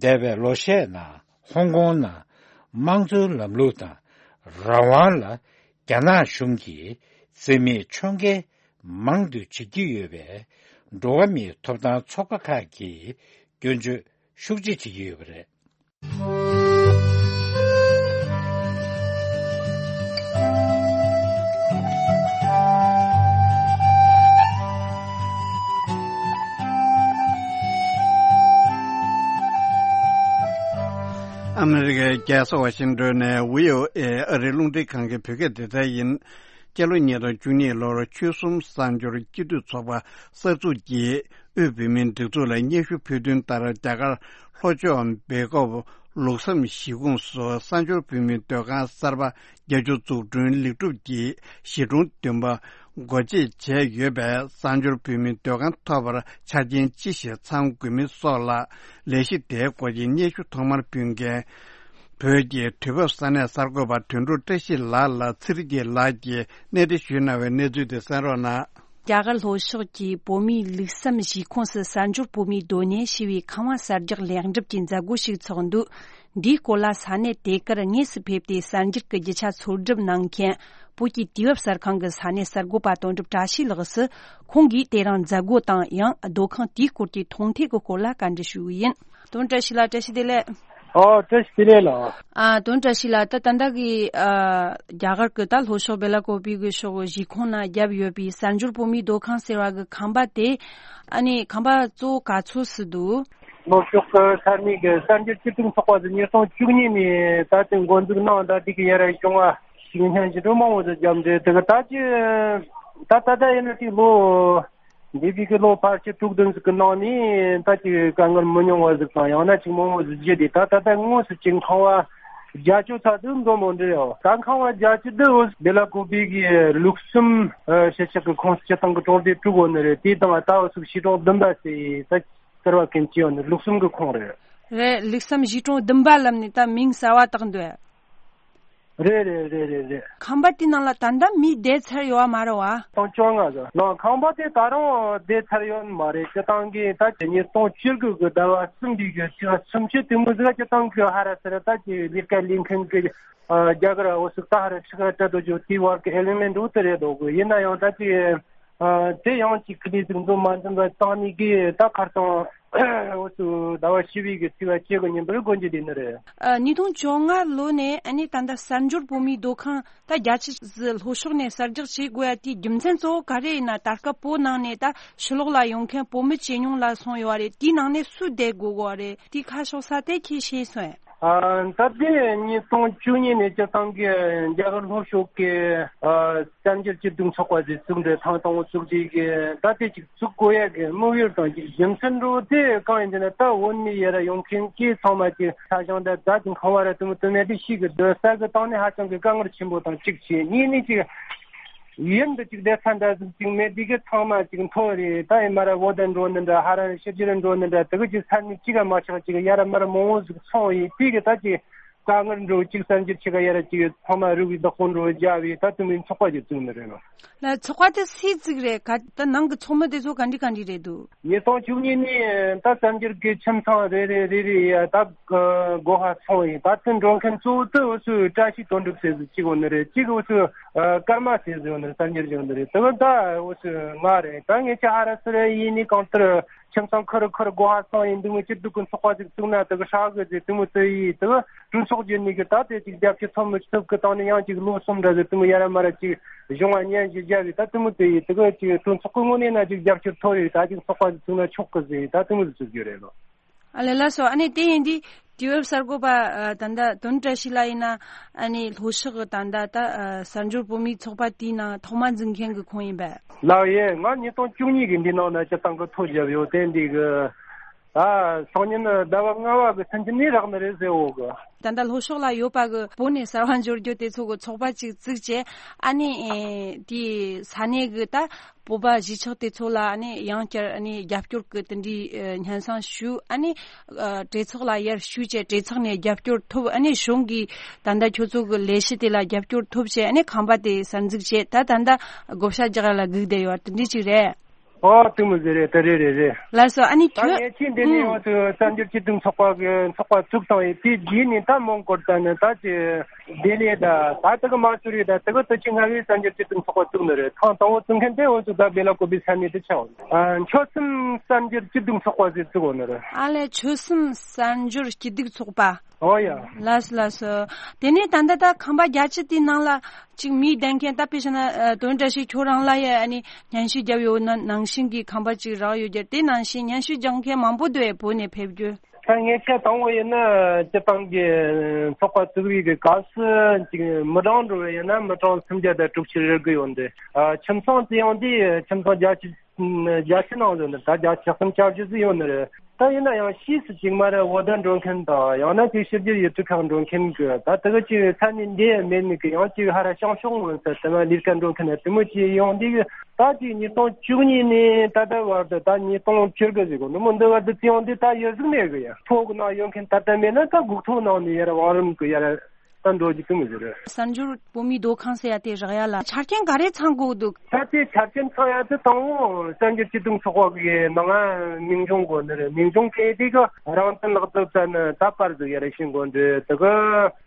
འདས་པའི་ལོ་ཤས་ནང་ཧོང་ཀོང་ནང་དམངས་གཙོའི་ལམ་ལུགས་དང་རང་དབང་ལ་རྒྱ་ནག་གཞུང་གིས་རྩིས་མེད་ཕྱོགས་འགལ་མང་དུ་བྱེད་ཀྱི་ཡོད་པས། འགྲོ་བ་མིའི་ཐོབ་ཐང་ཚོགས་པ་ཁག་གིས་སྐྱོན་བརྗོད་ཤུགས་ཆེ་བྱེད་ཀྱི་ཡོད་པ་རེད། ཨ་མི་རི་ཀའི་རྒྱལ་ས་ཝ་ཤིང་ཏོན་ནས་བྷི་ཨོ་ཨེ་ཨ་རིའི་རླུང་འཕྲིན་ཁང་གི་བོད་སྐད་སྡེ་ཚན་ཡིན། སྤྱི་ལོ་ཉིས་སྟོང་བཅུ་གཉིས་ལོར་ཆོལ་གསུམ་གསར་འབྱོར་སྤྱི་འཐུས་ཚོགས་པ་གསར་འཛུགས་ཀྱིས་དབུས་བོད་མིའི་སྒྲིག་འཛུགས་ལ་སྙན་ཞུ་ཕུལ་དོན་ལྟར། རྒྱ་གར་ལྷོ་ཕྱོགས་སྦེལ་ཀོབ་ལུགས་བསམ་གཞིས་ཁོངས་སུ་གསར་འབྱོར་བོད་མིའི་སྡོད་ཁང་གསར་པ་བརྒྱད་ཅུ་འཛུགས་སྐྲུན་ལེགས་གྲུབ་ཀྱིས་གཞིས་གྲོང་བདུན་པ་སྒོ་འབྱེད་བྱས་ཡོད་པས། གསར་འབྱོར་བོད་མིའི་སྡོད་ཁང་ཐོབ་པར་ཆ་རྐྱེན་ཅི་ཞིག་ཚང་དགོས་མིན་སོགས་ལ་ལས་གཞི་དེའི་སྐོར་གྱི་སྙན་ཞུ་ཐོག་མར་ཕུལ་མཁན། བོད་ཀྱི་དུས་བབ་ས་གནས་གསར་འགོད་པ་དོན་གྲུབ་བཀྲ་ཤིས་ལགས་ལ་ཚེ་རིང་སྐྱིད་ལགས་ཀྱིས་གནས་འདྲི་ཞུས་གནང་བའི་གནས་ཚུལ་དེ་གསན་རོགས་གནང་། རྒྱ་གར་ལྷོ་ཕྱོགས་ཀྱི་བོད་མིའི་ལུགས་བསམ་གཞིས་ཁོངས་སུ་གསར་འབྱོར་བོད་མིའི་སྡོད་གནས་ཞེས་པའི་ཁང་བ་གསར་རྒྱག་ལེགས་འགྲུབ་ཀྱི་མཛད་སྒོ་ཞིག་ཚོགས་འདུག་འདིའི་སྐོར་ལ་ས་གནས་དེ་གར་དངོས་སུ་ཕེབས་ཏེ་གསར་འགྱུར་གྱི་རྒྱུ་ཆ་འཚོལ་སྒྲུབ་གནང་མཁན་བོད་ཀྱི་དུས་བབ་གསར་ཁང་གི་ས་གནས་གསར་འགོད་པ་དོན་གྲུབ་བཀྲ་ཤིས་ལགས་སུ། ཁོང་གིས་དེ་རིང་མཛད་སྒོ་དང་ཡང་སྡོད་ཁང་དེའི་སྐོར་གྱི་མཐོང་ཐོས་ཀྱི་སྐོར་ལ་བཀའ་འདྲི་ཞུས་ཡིན། དོན་བཀྲ་ཤིས་ལགས། བཀྲ་ཤིས་བདེ་ལེགས། ཨོ། བཀྲ་ཤིས་བདེ་ལེགས་ལགས། ཨ། དོན་བཀྲ་ཤིས་ལགས། ད་ད་ལྟ་གི་ཨ་རྒྱ་གར་གྱི་ད་ལྷོ་ཕྱོགས་སྦེ་ལ་ཀོ་པི་གི་ཕྱོགས་གཞིས་ཁོངས་ན་བརྒྱབ་ཡོད་པའི་གསར་འབྱོར་བོད་མིའི་སྡོད་ཁང་ཟེར་བ་གི་ཁང་པ་དེ། ཨ་ནི་ཁང་པ་གཙོ་བོ་ག་ཚོད་ཙམ་འདུག་ལྷོ་ཕྱོགས་ཀྱི་ས་གནས་ཀྱི་གསར་འགྱུར་སྤྱི་ཚོགས་ཚོགས་པ་ཟེར་ཉིས་སྟོང་བཅུ་གཉིས་ནས་ད་ལྟའི་འགོ་འཛུགས་གནང་། ད་དེ་གི་ཡར་བྱུང་བ་ཞིག་སྙན་ཞུ་འདྲ་མང་བོ་ཟིག་བརྒྱབ་འདུག་དེ་གི་ད་ཅི་ད་ད་ལྟ་ཡིན་ན་ཅིག་ལོ་འདས་པའི་གི་ལོ་ཕལ་ཆེར་དྲུག་བདུན་ཟིག་གི་ནང་ནས་ད་ཅིག་དཀའ་ངལ་མི་ཉུང་བ་ཟིག་དང་། ཡང་ན་ཅིག་མང་བོ་ཟིག་བརྒྱུད་དེ། ད་ད་ལྟ་དངོས་སུ་ཅིག་ཁང་བ་བརྒྱད་ཅུ་ཙམ་ཟིག་འདུག་མོ་འདྲ་ཡོད། ད་ཁང་བ་བརྒྱད་ཅུ་འདི་འོ་སྦེ་ལ་ཀོ་པི་གི་ལུགས་གསུམ་ཨ་གཞིས་ཆགས་ཀྱི་ཁོངས་སུ་སྤྱིར་བཏང་གི་གྲོང་སྡེ་དྲུག་ཡོད་ནི་རེད། དེ་དང་ད་འོ་ཟུག་གཞིས་གྲོང་བདུན་པ་ཟེར་ད། ཟེར་བ་མཁན་ཅི་ཡོད་ནི་ལུགས་གསུམ་གྱི་ཁོངས་རེད། རེད། ལུགས་བསམ་གཞིས་གྲོང་བདུན་པ་ལབ་ནི་ད་མིང་གསར་བ་བཏགས་འདུག་རེད་རེད་རེད་རེད་རེད། ཁང་པ་དེ་ནང་ལ་ད་ལྟ་མི་བསྡད་ཚར་ཡོད་མ་རེད་བ། སྟོང་བཅོ་ལྔ་ཟེར་ནང་ཁང་པ་དེ་ད་རུང་བསྡད་ཚར་ཡོད་མ་རེད། སྤྱིར་བཏང་གི་ད་ཉིས་སྟོང་བཅུ་དགུ་གི་ཟླ་བ་གསུམ་པའི་གི་ཚེས་པ་སུམ་ཅུ་དེ་མོ་ཟིག་སྤྱིར་བཏང་གི་ཧ་ར་ས་ར་ད་ཀྱི་ལས་ཀ་ལས་མཁན་གི་རྒྱ་གར་འོ་ཟུག་ད་ཧ་ར་ཕྱི་ཁ་བྲལ་འགྲོ་རྒྱུ་དེ་བར་གི་ཨེ་ལི་མེན་འདུག་དེ་རེད་འདུག་གི། ཡིན་ན་ཡང་ད་ཀྱི། ཨ། དེ་ཡང་གཅིག་ཁི་ལི་ཟིག་འཛོམས་མ་འཛོམས་པ་བཏང་ནི་གི་ད་ཁར་སང་འོ་ཚོ་ཟླ་བ་བཞི་པའི་གི་ཚེས་པ་བཅུ་གི་ཉིན་པར་སྒོ་འབྱེད་དེ་ནི་རེད། ཨ། ཉིས་སྟོང་བཅོ་ལྔ་ལོ་ནས་ཨ་ནི་ད་ལྟ་གསར་འབྱོར་བོད་མིའི་སྡོད་ཁང་ད་རྒྱ་ཆེ་ཟི་ལྷོ་ཕྱོགས་ནས་གསར་རྒྱག་བྱེད་དགོས་ཡ་དེའི་རྒྱུ་མཚན་གཙོ་བོ་ག་རེ་ཡིན་ན། ད་སྐབས་བོད་ནང་ནས་ད་ཕྱི་ལོགས་ལ་ཡོང་མཁན་བོད་མི་ཇེ་ཉུང་ལ་སོང་ཡོད་རེད། དེའི་ནང་ནས་སུ་བསྡད་དགོས་གོ་རེད། དེའི་ཁ་ཕྱོགས་ས་དེ་ཁྱེད་ཤེས་སོང་ཡ། ཨ། ད་ལྟའི་ཉིས་སྟོང་བཅུ་གཉིས་ནས་སྤྱིར་བཏང་གི་རྒྱ་གར་ལྷོ་ཕྱོགས་ཀྱི་ཨ་གསར་འགྱུར་སྤྱི་འཐུས་ཚོགས་པ་ཟེར་ཚུགས་འདྲ་ཐང་དང་བོ་བཙུགས་རྗེས་ཀྱི་ད་ལྟའི་ཅིག་བཙུགས་དགོས་ཡ་གི་དམིགས་ཡུལ་དང་ཅིག་རྒྱུ་མཚན་འདྲ་བོ་དེ་གང་ཡིན་ཟེར་ན། ད་བོད་མི་ཡར་ཡོང་མཁན་གྱི་ཚང་མ་ཅིག་ས་ཞིང་དང་རྫ་ཅིག་ཁང་བ་ར་དུ་མི་དུ་མེད་དེ་ཤི་གི་སྡོད་ས་གི་སྟེང་ནས་ཧ་ཅང་གི་དཀའ་ངལ་ཆེན་པོ་དང་གཅིག་བྱས། གཉིས་ནས་ཅིག་ཡུན་དུ་ཅིག་བསྡད་ས་འདྲ་ཟིག་ཅིག་མེད་དུས་གི་ཚང་མ་ཅིག་མཐོ་རེད། ད་ཡིན་མ་ར་བོད་དུ་འགྲོ་ནི་འདྲ་ཧ་ར་ཕྱི་རྒྱལ་འགྲོ་ནི་འདྲ་དེ་གི་ཅིག་ས་གནས་གཅིག་ག་མ་ཆགས་ཅིག་ཡ་ར་མ་ར་མང་བོ་ཟིག་སོང་ཡིན་དུས་གི་ད་ཅིག་དཀའ་ངལ་འགྲོ་ཅིག་གསར་འགྱུར་ཆེ་ག་ཡ་ར་ཅིག་ཚང་མ་རུ་བའི་བདག་པོ་འགྲོ་རྒྱ་བའི་ད་དུ་མིན་ཚོགས་པ་ཅིག་བཙུགས་ནི་རེད་ལ། ལ་ཚོགས་པ་དེ་སུས་བཙུགས་རེད་ག། ད་ནང་གི་ཚོགས་མི་དེ་ཚོ་ག་འདྲི་ག་འདྲི་རེད་འདུག་ཉིས་སྟོང་བཅུ་གཉིས་ནས་ད་གསར་འགྱུར་གི་ཁྱིམ་ཚང་རེ་རེ་རེ་རེ་ཡ་ད་སྒོ་ཧ་སོང་ཡིན། ད་དུ་འགྲོ་མཁན་གཙོ་བོ་དུ་འུ་ཚོའི་བཀྲ་ཤིས་དོན་གྲུབ་ཟེར་ཟིག་གཅིག་འོ་ནི་རེད། གཅིག་འུ་ཚོའི་ ཨ་སྐར་མ་ཟེར་ཟེར་ཡོད་ནི་རེད། གསར་འགྱུར་ཡོད་ནི་རེད། དེ་ག་ད་འོ་ཚོད་ང་རེད། ད་ངས་ཅི་ཨ་ར་སི་ར་ཡིན་ནི་གང་ལྟར་ཁྱིམ་ཚང་ཁུར་ཁུར་སྒོ་ཧ་སང་ཡིན་འདུག་མི་སྐྱིད་སྡུག་གི་ཚོགས་པ་ཟིག་བཙུགས་ན་དེ་ག་ཧྲག་གི་ཟེར་དེ་མོ་དེ་ཡིན། དེ་ག་གྲོས་ཚོགས་བརྒྱུད་ནི་གི་ད་དེ་ཅིག་རྒྱབ་སྐྱོར་ཐོབ་མི་ཐུབ་གི་སྟེང་ནས་ཡང་ཅིག་ལོ་གསུམ་འདྲ་ཟིག་དེ་མོ་ཡ་ར་མ་ར་ཅིག་གཞུང་བ་ཉན་ཞིག་རྒྱབ་ཡིན། ད་དེ་མོ་དེ་ཡིན། དེ་ག་ཅིག་གྲོས་ཚོགས་གི་ངོས་ནས་ན་ཅིག་རྒྱབ་སྐྱོར་ཐོབ་ཡོད། ད་ཅིག་ཚོགས་པ་ཟིག་བཙུགས་ན་ཆོག་གི་ཟེར་ཡིན། ད་དེ་མོ་ཟིག་བཙུགས་རྒྱུ་རེད་ལོ། ཨ་ལས་ལགས་སོ། ཨ་ནི་དེ་ཡིན་དུས་དུས་བབ་གསར་འགོད་པ་ཨ་ད་ལྟ་དོན་བཀྲ་ཤིས་ལགས་ཡིན་ན་ཨ་ནི་ལྷོ་ཕྱོགས་ཀྱི་ད་ལྟ་ད་ཨ་གསར་འབྱོར་བོད་མིའི་ཚོགས་པ་དེའི་ནང་ཐོག་མ་འཛུགས་མཁན་གྱི་ཁོང་ཡིན་པས། ལགས་ཡེ། ང་ཉིས་སྟོང་བཅུ་གཉིས་ཀྱི་འདི་ནང་ན་སྤྱི་བཏང་གི་ཐོ་བརྒྱབ་ཡོད། དེ་འདི་གི་ད་སང་ཉིན་ཟླ་བ་ལྔ་བ་གི་ཚུན་ཆད་ནས་རག་ནི་རེད་ཟེར་འོ་གི། ད་ལྟ་ལྷོ་ཕྱོགས་ལ་ཡོད་པ་གི་བོད་ནས་གསར་བ་འབྱོར་རྒྱུ་དེ་ཚོ་གི་ཚོགས་པ་ཅིག་བཙུགས་བྱས་ཨ་ནི་ཨེ་དེའི་ས་གནས་གི་ད་བོད་པ་གཞིས་ཆགས་དེ་ཚོ་ལ་ཨ་ནི་ཡང་བསྐྱར་ཨ་ནི་རྒྱབ་སྐྱོར་གི་དེ་འདྲའི་ཨ་སྙན་སེང་ཞུ། ཨ་ནི་ཨ་གྲོས་ཚོགས་ལ་ཡར་ཞུས་བྱས་གྲོས་ཚོགས་ནས་རྒྱབ་སྐྱོར་ཐོབ། ཨ་ནི་གཞུང་གིས་ད་ལྟ་ཁྱོད་ཚོ་གི་ལས་གཞི་དེ་ལ་རྒྱབ་སྐྱོར་ཐོབ་བྱས་ཨ་ནི་ཁང་པ་དེ་གསར་འཛུགས་བྱས་ད་ད་ལྟ་བགོ་བཤའ་རྒྱག་ཡ་ལ་སྒུག་བསྡད་ཡོད་དེ་འདྲ་ཅིག་རེད། ཨོ་དེ་མོ་ཟེར་རེད། དེ་རེད་རེད་རེད། ལགས་སོ། ཨ་ནི་ད་ཁྱོད་ངས་ཁྱེད་འདི་ནས་ཨུམ། ཡོང་དུས་གསར་འགྱུར་སྤྱི་འཐུས་ཚོགས་པ་གི་ཚོགས་པ་བཙུགས་བཏང་ཡོད། དེ་རྗེས་ནས་ད་མོན་གྷོ་ད་ནི་ད་ཅི་ལྡི་ལི་ད་ད་དེ་གི་མ་སུ་རི་ད་དེ་གི་དུ་ཆི་ང་གི་གསར་འགྱུར་སྤྱི་འཐུས་ཚོགས་པ་བཙུགས་ནི་རེད། ཐེངས་དང་པོ་བཙུགས་མཁན་དེ་འོ་ཚོ་ད་བེ་ལ་ཀོ་བི་ས་གནས་དུ་ཆགས། ཨ་ཆོལ་གསུམ་གསར་འགྱུར་སྤྱི་འཐུས་ཚོགས་པ་ཟེར་བཙུགས་ཡོད་ནི་རེད། ཨ་ལས་ཆོལ་གསུམ་གསར་འགྱུར་སྐྱིད་སྡུག་ཚོགས་པ། ཨོ་ཡ། ལགས་སོ་ལགས་སོ། དེ་ནས་ད་ལྟ་ད་ཁང་པ་བརྒྱད་ཅུ་དེའི་ནང་ལ་ཅིག་མིའི་བདེན་མཁན་ད་དཔེ་བྱས་ན་ཨ་དོན་བཀྲ་ཤིས་ཁྱོད་རང་ལ་ཡ་ཨ་ནི་སྙན་ཞུ་བརྒྱབ་ཡོད་ན་ནང་བཞིན་གྱི་ཁང་པ་ཅིག་རག་ཡོད་རྒྱུ་དེ་ནང་བཞིན་སྙན་ཞུ་རྒྱག་མཁན་མང་པོ་འདུག་ཨེ་བོད་ནས་ཕེབས་རྒྱུ། ད་ངས་ཆ་དང་པོ་ཡིན་ན་སྤྱི་བཏང་གི་ཚོགས་པ་བཙུགས་རིགས་ཀྱི་སྐབས་སུ་ཅིག་མི་གྲངས་འགྲོ་བ་ཡིན་ན་མི་གྲངས་སུམ་བརྒྱ་དང་དྲུག་ཅུ་རེ་དགུ་ཡོད་འདུག་ཨ་ཁྱིམ་ཚང་དེ་ཡང་དེ་ཁྱིམ་ཚང་བརྒྱད་ཅུ་བརྒྱད་ཅུ་ནང་ཡོད་ནི་ད་བརྒྱ་ཆ་གསུམ་ཅུ་བཞི་ཟིན་ཡོད་ནི་རེད། ད་ཡིན་ན་ཡང་ཕྱིས་སུ་ཅིག་མ་རེད་འོ་ད་འགྲོ་མཁན་དང་ཡང་ན་ཅིག་ཕྱི་རྒྱལ་ཡུལ་གྲུ་ཁག་འགྲོ་མཁན་གི་ད་དེ་ག་ཅིག་ས་གནས་འདི་མེད་ནི་གི་ཡང་ཅིག་ཧ་ར་བྱང་ཕྱོགས་ངོས་སུ་དེ་མ་ལས་ཀ་འགྲོ་མཁན་དེ་མོ་ཅིག་ཡོང་འདི་གི་ད་ཅིག་ཉིས་སྟོང་བཅུ་གཉིས་ནས་ད་ལྟ་བར་དུ་ད་ཉིས་སྟོང་བཅུ་དགུ་ཟིག་གོ་ནི་མོ་འདི་བར་དུ་ཅི་ཡོང་འདི་ད་ཡོད་ཟིག་མེད་གི་ཡ་ཕོ་གི་ནང་ཡོད་མཁན་ད་ལྟ་མེད་ན་ད་སྒུག་ཐོག་ནང་ནས་ཡར་བང་རིམ་གི་ཡར། ད་འགྲོ་རྒྱུ་དེ་མི་ཟེར། གསར་འགྱུར་བོད་མིའི་སྡོད་ཁང་ཟེར་ཡ་དེ་རག་ཡ་ལ་ཆ་རྐྱེན་ག་རེ་ཚང་དགོས་འདུག་ད་དེ་ཆ་རྐྱེན་ཚང་ཡ་དེ་དང་པོ་གསར་འགྱུར་སྤྱི་འཐུས་ཚོགས་པ་གི་ནང་ང་མིང་རྐྱང་དགོས་ནི་རེད། མིང་རྐྱང་གལ་ཏེ་གི་རང་བཙན་ལག་དེབ་ཙམ་ནི་ད་པར་ཟིག་ཡ་རེ་ཤེས་དགོས་འདུག་དེ་གི་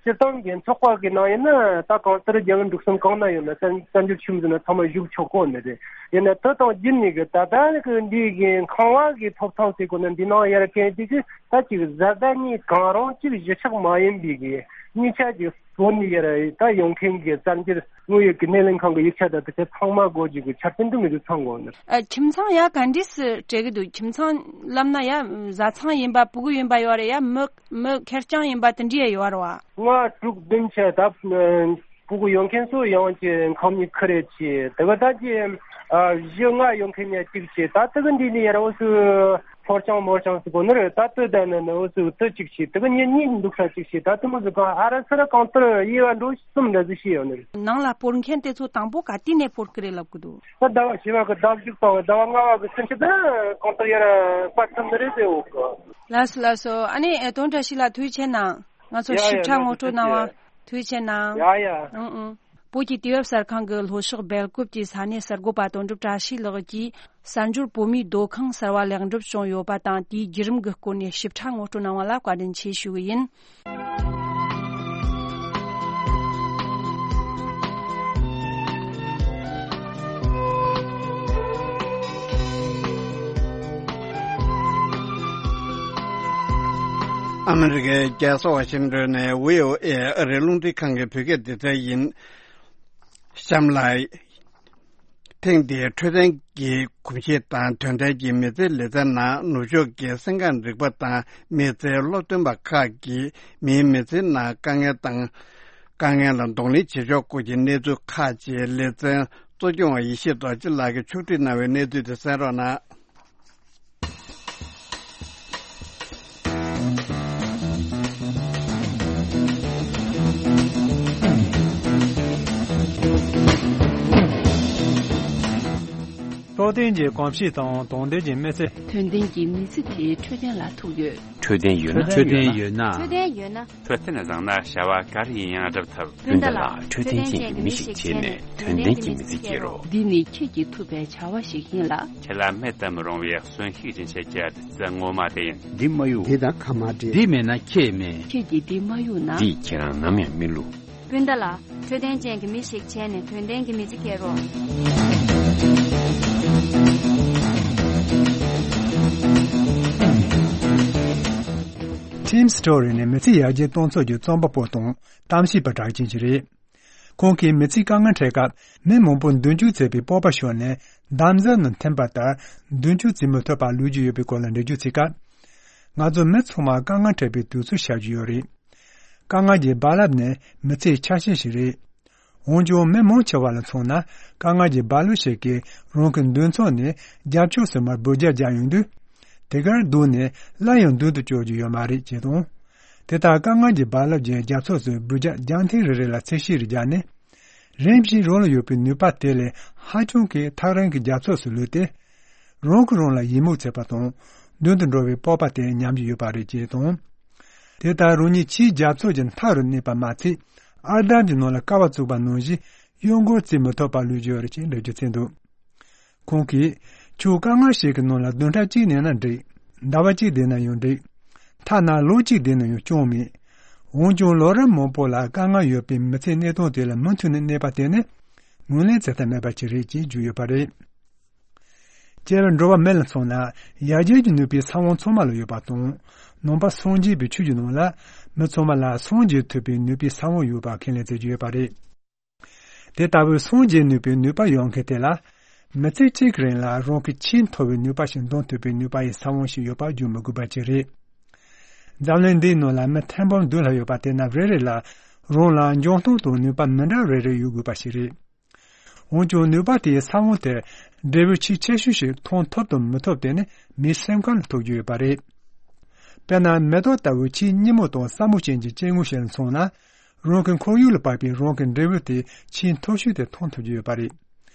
སྤྱིར་བཏང་གི་ཚོགས་པ་གི་ནང་ཡིན་ན་ད་གང་ལྟར་རྒྱལ་བུ་འབྲུག་གསུམ་གང་ན་ཡོད་ན་གསར་གསར་འགྱུར་ཆུམ་ཟིན་ན་ཚང་མ་བཞུགས་ཆོག་གོ་ནི་རེད། ཡིན་ན་དེ་དང་རྒྱུད་ནས་གི་ད་ལྟ་གི་འདི་གི་ཁང་བ་གི་ཐོབ་ཐང་ཟེར་གོ་ན་འདི་ནང་ཡ་རེ་གལ་ཏེ་གི་ད་ཅིག་བཟའ་ཟླ་གཉིས་གང་རུང་གཅིག་གཞིས་ཆགས་མ་ཡིན་པའི་གི་གཉིས་ཆ་གི་བོད་ནས་ཡར་ད་ཡོང་མཁན་གྱི་གསར་འགྱུར་དངོས་ཡོད་ཀྱི་སྣེ་ལེན་ཁང་གི་ཡིག་ཆ་དང་དེ་ཚོ་ཚང་མ་དགོས་རྒྱུ་གི་ཆ་རྐྱེན་དུ་མི་འདུག་ཚང་དགོས་ནི། ཨ་ཁྱིམ་ཚང་ཡ་ག་འདྲས་སུ་སྤྲད་གི་འདུག་ཁྱིམ་ཚང་ལབ་ན་ཡ་བཟའ་ཚང་ཡིན་པ་ཕྲུ་གུ་ཡིན་པ་ཡོད་རེད། ཡ་མི་མི་ཁེར་རྐྱང་ཡིན་པ་དེ་འདྲས་ཡ་ཡོད་རེད་བ། ང་དྲུག་བདུན་བྱས་ད་ཕྲུ་གུ་ཡོད་མཁན་ཚོ་ཡང་གི་ཁང་མིག་ཁུ་རེ་ཆེ་དེ་ག་ད་ཀྱི་བཞི་ལྔ་ཡོད་མཁན་ཡ་གཅིག་བྱས་ད་དེ་གི་འདི་ནས་ཡར་འོ་སུ། ཕོར་ཆང་མོར་ཆང་ཟེར་གོ་ནི་རེད། ད་ལྟོས་ད་ནི་ནི་འུ་ཚོས་ལྟོས་གཅིག་བྱས་དེ་གི་ཉིན་གཉིས་འདུག་ས་གཅིག་བྱས་ད་དེ་མོ་ཟིག་གང་ཨ་ར་སི་ར་གང་ལྟར་དབྱེ་བ་འགྲོ་གསུམ་འདྲ་ཟིག་བྱས་ཡོད་ནི་རེད། ནང་ལ་སྤོར་མཁན་དེ་ཚོ་དང་པོ་ག་དུས་ནས་སྤོར་གི་རེད་ལབ་གི་འདུག་ད་ཟླ་བ་བཞི་བ་གི་ཟླ་བ་བཅུ་དང་ཟླ་བ་ལྔ་བ་གི་ཚུན་ཆད་ད་གང་ལྟར་ཡར་སྤར་ཐུབ་ནི་རེད་ཟེར་འོ་གི། ལགས་སོ་ལགས་སོ། ཨ་ནི་དོན་བཀྲ་ཤིས་ལགས་ཐུགས་རྗེ་ཆེ་གནང་། ང་ཚོར་ཡ་ཡ། ཞིབ་ཕྲ་ཡ་ངོ་ཡ། སྤྲོད་གནང་བ་ཐུགས་རྗེ་ཆེ། ཐུགས་རྗེ་ཆེ་གནང་། ཡ་ཡ། ཨང་ཨང་། བོད་ཀྱི་དུས་བབ་གསར་ཁང་གི་ལྷོ་ཕྱོགས་སྦེལ་ཀོབ་ཀྱི་ས་གནས་གསར་འགོད་པ་དོན་གྲུབ་བཀྲ་ཤིས་ལགས་ཀྱིས་གསར་འབྱོར་བོད་མིའི་སྡོད་ཁང་གསར་བ་ལེགས་འགྲུབ་བྱུང་ཡོད་པ་དང་དེའི་བརྒྱུད་རིམ་གྱི་སྐོར་ནས་ཞིབ་ཕྲ་ངོ་སྤྲོད་གནང་བ་ལ་བཀའ་དྲིན་ཆེ་ཞུ་གི་ཡིན། ཨ་མི་རི་ཀའི་རྒྱལ་ས་ཝ་ཤིང་ཏོན་ནས་བྷི་ཨོ་ཨེ་ཨ་རིའི་རླུང་འཕྲིན་ཁང་གི་བོད་སྐད་སྡེ་ཚན་ཡིན། གཤམ་ལ། ཐེངས་འདིའི་འཕྲོད་བསྟེན་གྱི་གོམས་གཤིས་དང་དོན་ལྡན་གྱི་མི་ཚེའི་ལེ་ཚན་ནང་ནུབ་ཕྱོགས་ཀྱི་སེམས་ཁམས་རིག་པ་དང་མི་ཚེའི་སློབ་སྟོན་པ་ཁག་གིས་མིའི་མི་ཚེའི་ནང་དཀའ་ངལ་དང་། དཀའ་ངལ་ལ་གདོང་ལེན་བྱེད་ཕྱོགས་སྐོར་གྱི་གནས་ཚུལ་ཁག་ཅིག་ལེ་ཚན་གཙོ་སྐྱོང་བ་ཡེ་ཤེས་རྡོ་རྗེ་ལགས་ཀྱིས་ཕྱོགས་སྒྲིག་གནང་བའི་གནས་ཚུལ་དེ་གསན་རོགས་གནང་། འཕྲོད་བསྟེན་གྱི་གོམས་གཤིས་དང་དོན་ལྡན་གྱི་མི་ཚེ། དོན་ལྡན་གྱི་མི་ཚེ་དེའི་འཕྲོད་བསྟེན་ལ་ཐུག་ཡོད། འཕྲོད་བསྟེན་ཡོད་ན། འཕྲོད་བསྟེན་ཡོད་ན། འཕྲོད་བསྟེན་ཡོད་ན། འཕྲོད་བསྟེན་བཟང་ན་བྱ་བ་ག་རེ་ཡིན་ཡང་འགྲུབ་ཐུབ། སྤུན་ཟླ་ལགས་འཕྲོད་བསྟེན་ཅན་གྱི་མི་ཞིག་བྱས་ནས་དོན་ལྡན་གྱི་མི་ཚེ་སྐྱེལ་རོགས། འདི་ནི་ཁྱེད་ཀྱིས་ཐུབ་པའི་བྱ་བ་ཞིག་ཡིན་ལ། ཁྱེད་ལ་མེད་དུ་མི་རུང་བའི་གསོན་ཤུགས་སྦྱིན་བྱེད་ཀྱི་བདུད་རྩི་ངོ་མ་དེ་ཡིན། འདི་མ་གཡུག་འདི་དང་ཁ་མ་འབྲལ། འདི་མེད་ན་ཁྱེད་མེད། ཁྱེད་ཀྱིས་འདི་མ་གཡུག་ན། འདིས་ཁྱེད་རང་ནམ་ཡང་མི་བསླུ། སྤུན་ཟླ་ལགས། འཕྲོད་བསྟེན་ཅན་གྱི་མི་ཞིག་བྱས་ནས་དོན་ལྡན་གྱི་མི་ཚེ་སྐྱེལ་རོགས། Tim Story ནི་མི་ཚེ་ཡར་རྒྱས་གཏོང་ཕྱོགས་ཀྱི་རྩོམ་པ་པོ་དང་གཏམ་བཤད་པ་གྲགས་ཅན་ཞིག་རེད། ཁོང་གིས་མི་ཚེའི་དཀའ་ངལ་འཕྲད་སྐབས་མི་མང་པོ་མདུན་སྐྱོད་མཛད་པའི་སྤོབས་པ་ཤོར་ནས་འདམ་རྫབ་ནང་འཐིམ་པ་ལྟར་མདུན་སྐྱོད་བྱེད་མི་ཐུབ་པར་ལུས་ཀྱི་ཡོད་པའི་སྐོར་ལ་འགྲེལ་བརྗོད་བྱེད་སྐབས། ང་ཚོ་མི་ཚང་མར་དཀའ་ངལ་འཕྲད་པའི་དུས་ཚོད་ཤར་གྱི་ཡོད་རེད། དཀའ་ངལ་གྱི་རྦ་རླབས་ནི་མི་ཚེའི་ཆ་ཤས་ཤིག་རེད། འོན་ཀྱང་མི་མང་ཆེ་བ་ལ་མཚོན་ན་དཀའ་ངལ་གྱི་རྦ་རླབས་ཤིག་གིས་རང་གི་མདུན་ཚོགས་ནས་རྒྱབ་ཕྱོགས་སུ་མར་འབུད་རྒྱག་རྒྱག་ཡོང་དུས། དེ་གར་བསྡད་ནས་སླར་ཡང་མདུན་དུ་སྐྱོད་རྒྱུ་ཡོད་མ་རེད་ཅེས་དང་། དེ་ལྟར་དཀའ་ངལ་གྱི་རྦ་རླབས་ཀྱི་རྒྱབ་ཕྱོགས་སུ་འབུད་རྒྱག་རྒྱང་ཐེངས་རེ་རེ་ལ་ཚད་གཞི་རེ་བརྒྱབ་ནས། རིམ་བཞིན་རང་ལ་ཡོད་པའི་ནུས་པ་དེ་ལས་ཧ་ཅང་གི་ཐག་རིང་གི་རྒྱབ་ཕྱོགས་སུ་ལུས་ཏེ། རང་གིས་རང་ལ་ཡིད་མུག་བྱེད་པ་དང་། མདུན་དུ་འགྲོ་བའི་སྤོབས་པ་དེ་ཉམས་ཀྱི་ཡོད་པ་རེད་ཅེས་དང་། དེ་ལྟར་རང་ཉིད་ཕྱིའི་རྒྱབ་ཕྱོགས་ཀྱི་མཐའ་རུ་གནས་པ་མ་ཚད། ཨར་འདམ་གྱི་ནང་ལ་ཀ་བ་བཙུགས་པ་ནང་བཞིན་གཡོ་འགུལ་བྱེད་མི་ཐུབ་པར་ལུས་ཀྱི་ཡོད་རེད་ཅེས་འགྲེལ་བརྗོད་བྱས་འདུག་ཁོང་གིས། ཁྱོད་དཀའ་ངལ་ཞིག་གི་ནང་ལ་བདུན་ཕྲག་གཅིག་གནས་ན་འགྲིག་ཟླ་བ་གཅིག་བསྡད་ན་ཡང་འགྲིག་ཐ་ན་ལོ་གཅིག་བསྡད་ན་ཡང་སྐྱོན་མེད། འོན་ཀྱང་ལོ་རབས་མང་པོ་ལ་དཀའ་ངལ་ཡོད་པའི་མི་ཚེའི་གནས་སྟངས་དེ་ལ་མུ་མཐུད་ནས་གནས་པ་དེ་ནི་ངོས་ལེན་བྱེད་ཐབས་མེད་པ་ཞིག་རེད་ཅེས་བརྗོད་ཡོད་པ་རེད། སྐྱེ་བ་འགྲོ་བ་མི་ལ་མཚོན་ན་ཡར་རྒྱས་ཀྱི་ནུས་པའི་ས་བོན་ཚང་མ་ལ་ཡོད་པ་དང་། ནང་པ་སངས་རྒྱས་པའི་ཆོས་ཀྱི་ནང་ལ་མི་ཚང་མ་ལ་སངས་རྒྱས་ཐུབ་པའི་ནུས་པའི་ས་བོན་ཡོད་པ་ཁས་ལེན་བྱེད་ཀྱི་ཡོད་པ་རེད། དེ་ལྟ་བུའི་སངས་རྒྱས་ནུས་པའི་ནུས་པ་ཡོད་མཁན་དེ་ལ། མི་ཚེ་གཅིག་གི་རིང་ལ་རང་གི་ཆེས་མཐོ་བའི་ནུས་པ་ཞིག་འདོན་ཐུབ་པའི་ནུས་པ་ཡི་ས་བོན་ཞིག་ཡོད་པ་བརྗོད་མི་དགོས་པ་ཅིག་རེད། འཛམ་གླིང་འདིའི་ནང་ལ་མི་ཐེར་འབུམ་བདུན་ལྷག་ཡོད་པ་དེ་རྣམས་རེ་རེ་ལ་རང་ལ་འཇོན་ཐང་དང་ནུས་པ་མི་འདྲ་རེ་རེ་ཡོད་དགོས་པ་ཞིག་རེད། འོན་ཀྱང་ནུས་པ་དེའི་ས་བོན་དེར་འབྲས་བུ་ཆེས་ཆེ་ཤོས་ཤིག་ཐོན་ཐུབ་དང་མི་ཐུབ་དེ་ནི་མིའི་སེམས་ཁམས་ལ་ཐུག་རྒྱུ་ཡོད་པ་རེད། དཔེར་ན་མེ་ཏོག་ལྟ་བུའི་ཆེས་སྙན་མོ་དང་སྲ་མོ་ཅན་གྱི་སྐྱེ་དངོས་ཤིག་ལ་མཚོན་ན། རང་གི་ཁོར་ཡུག་ལ་བབས་པའི་རང་གི་འབྲས་བུ་དེ་ཆེས་མཐོ་ཤོས་དེ་ཐོན་ཐུབ་ཀྱི་ཡོད་པ་རེད།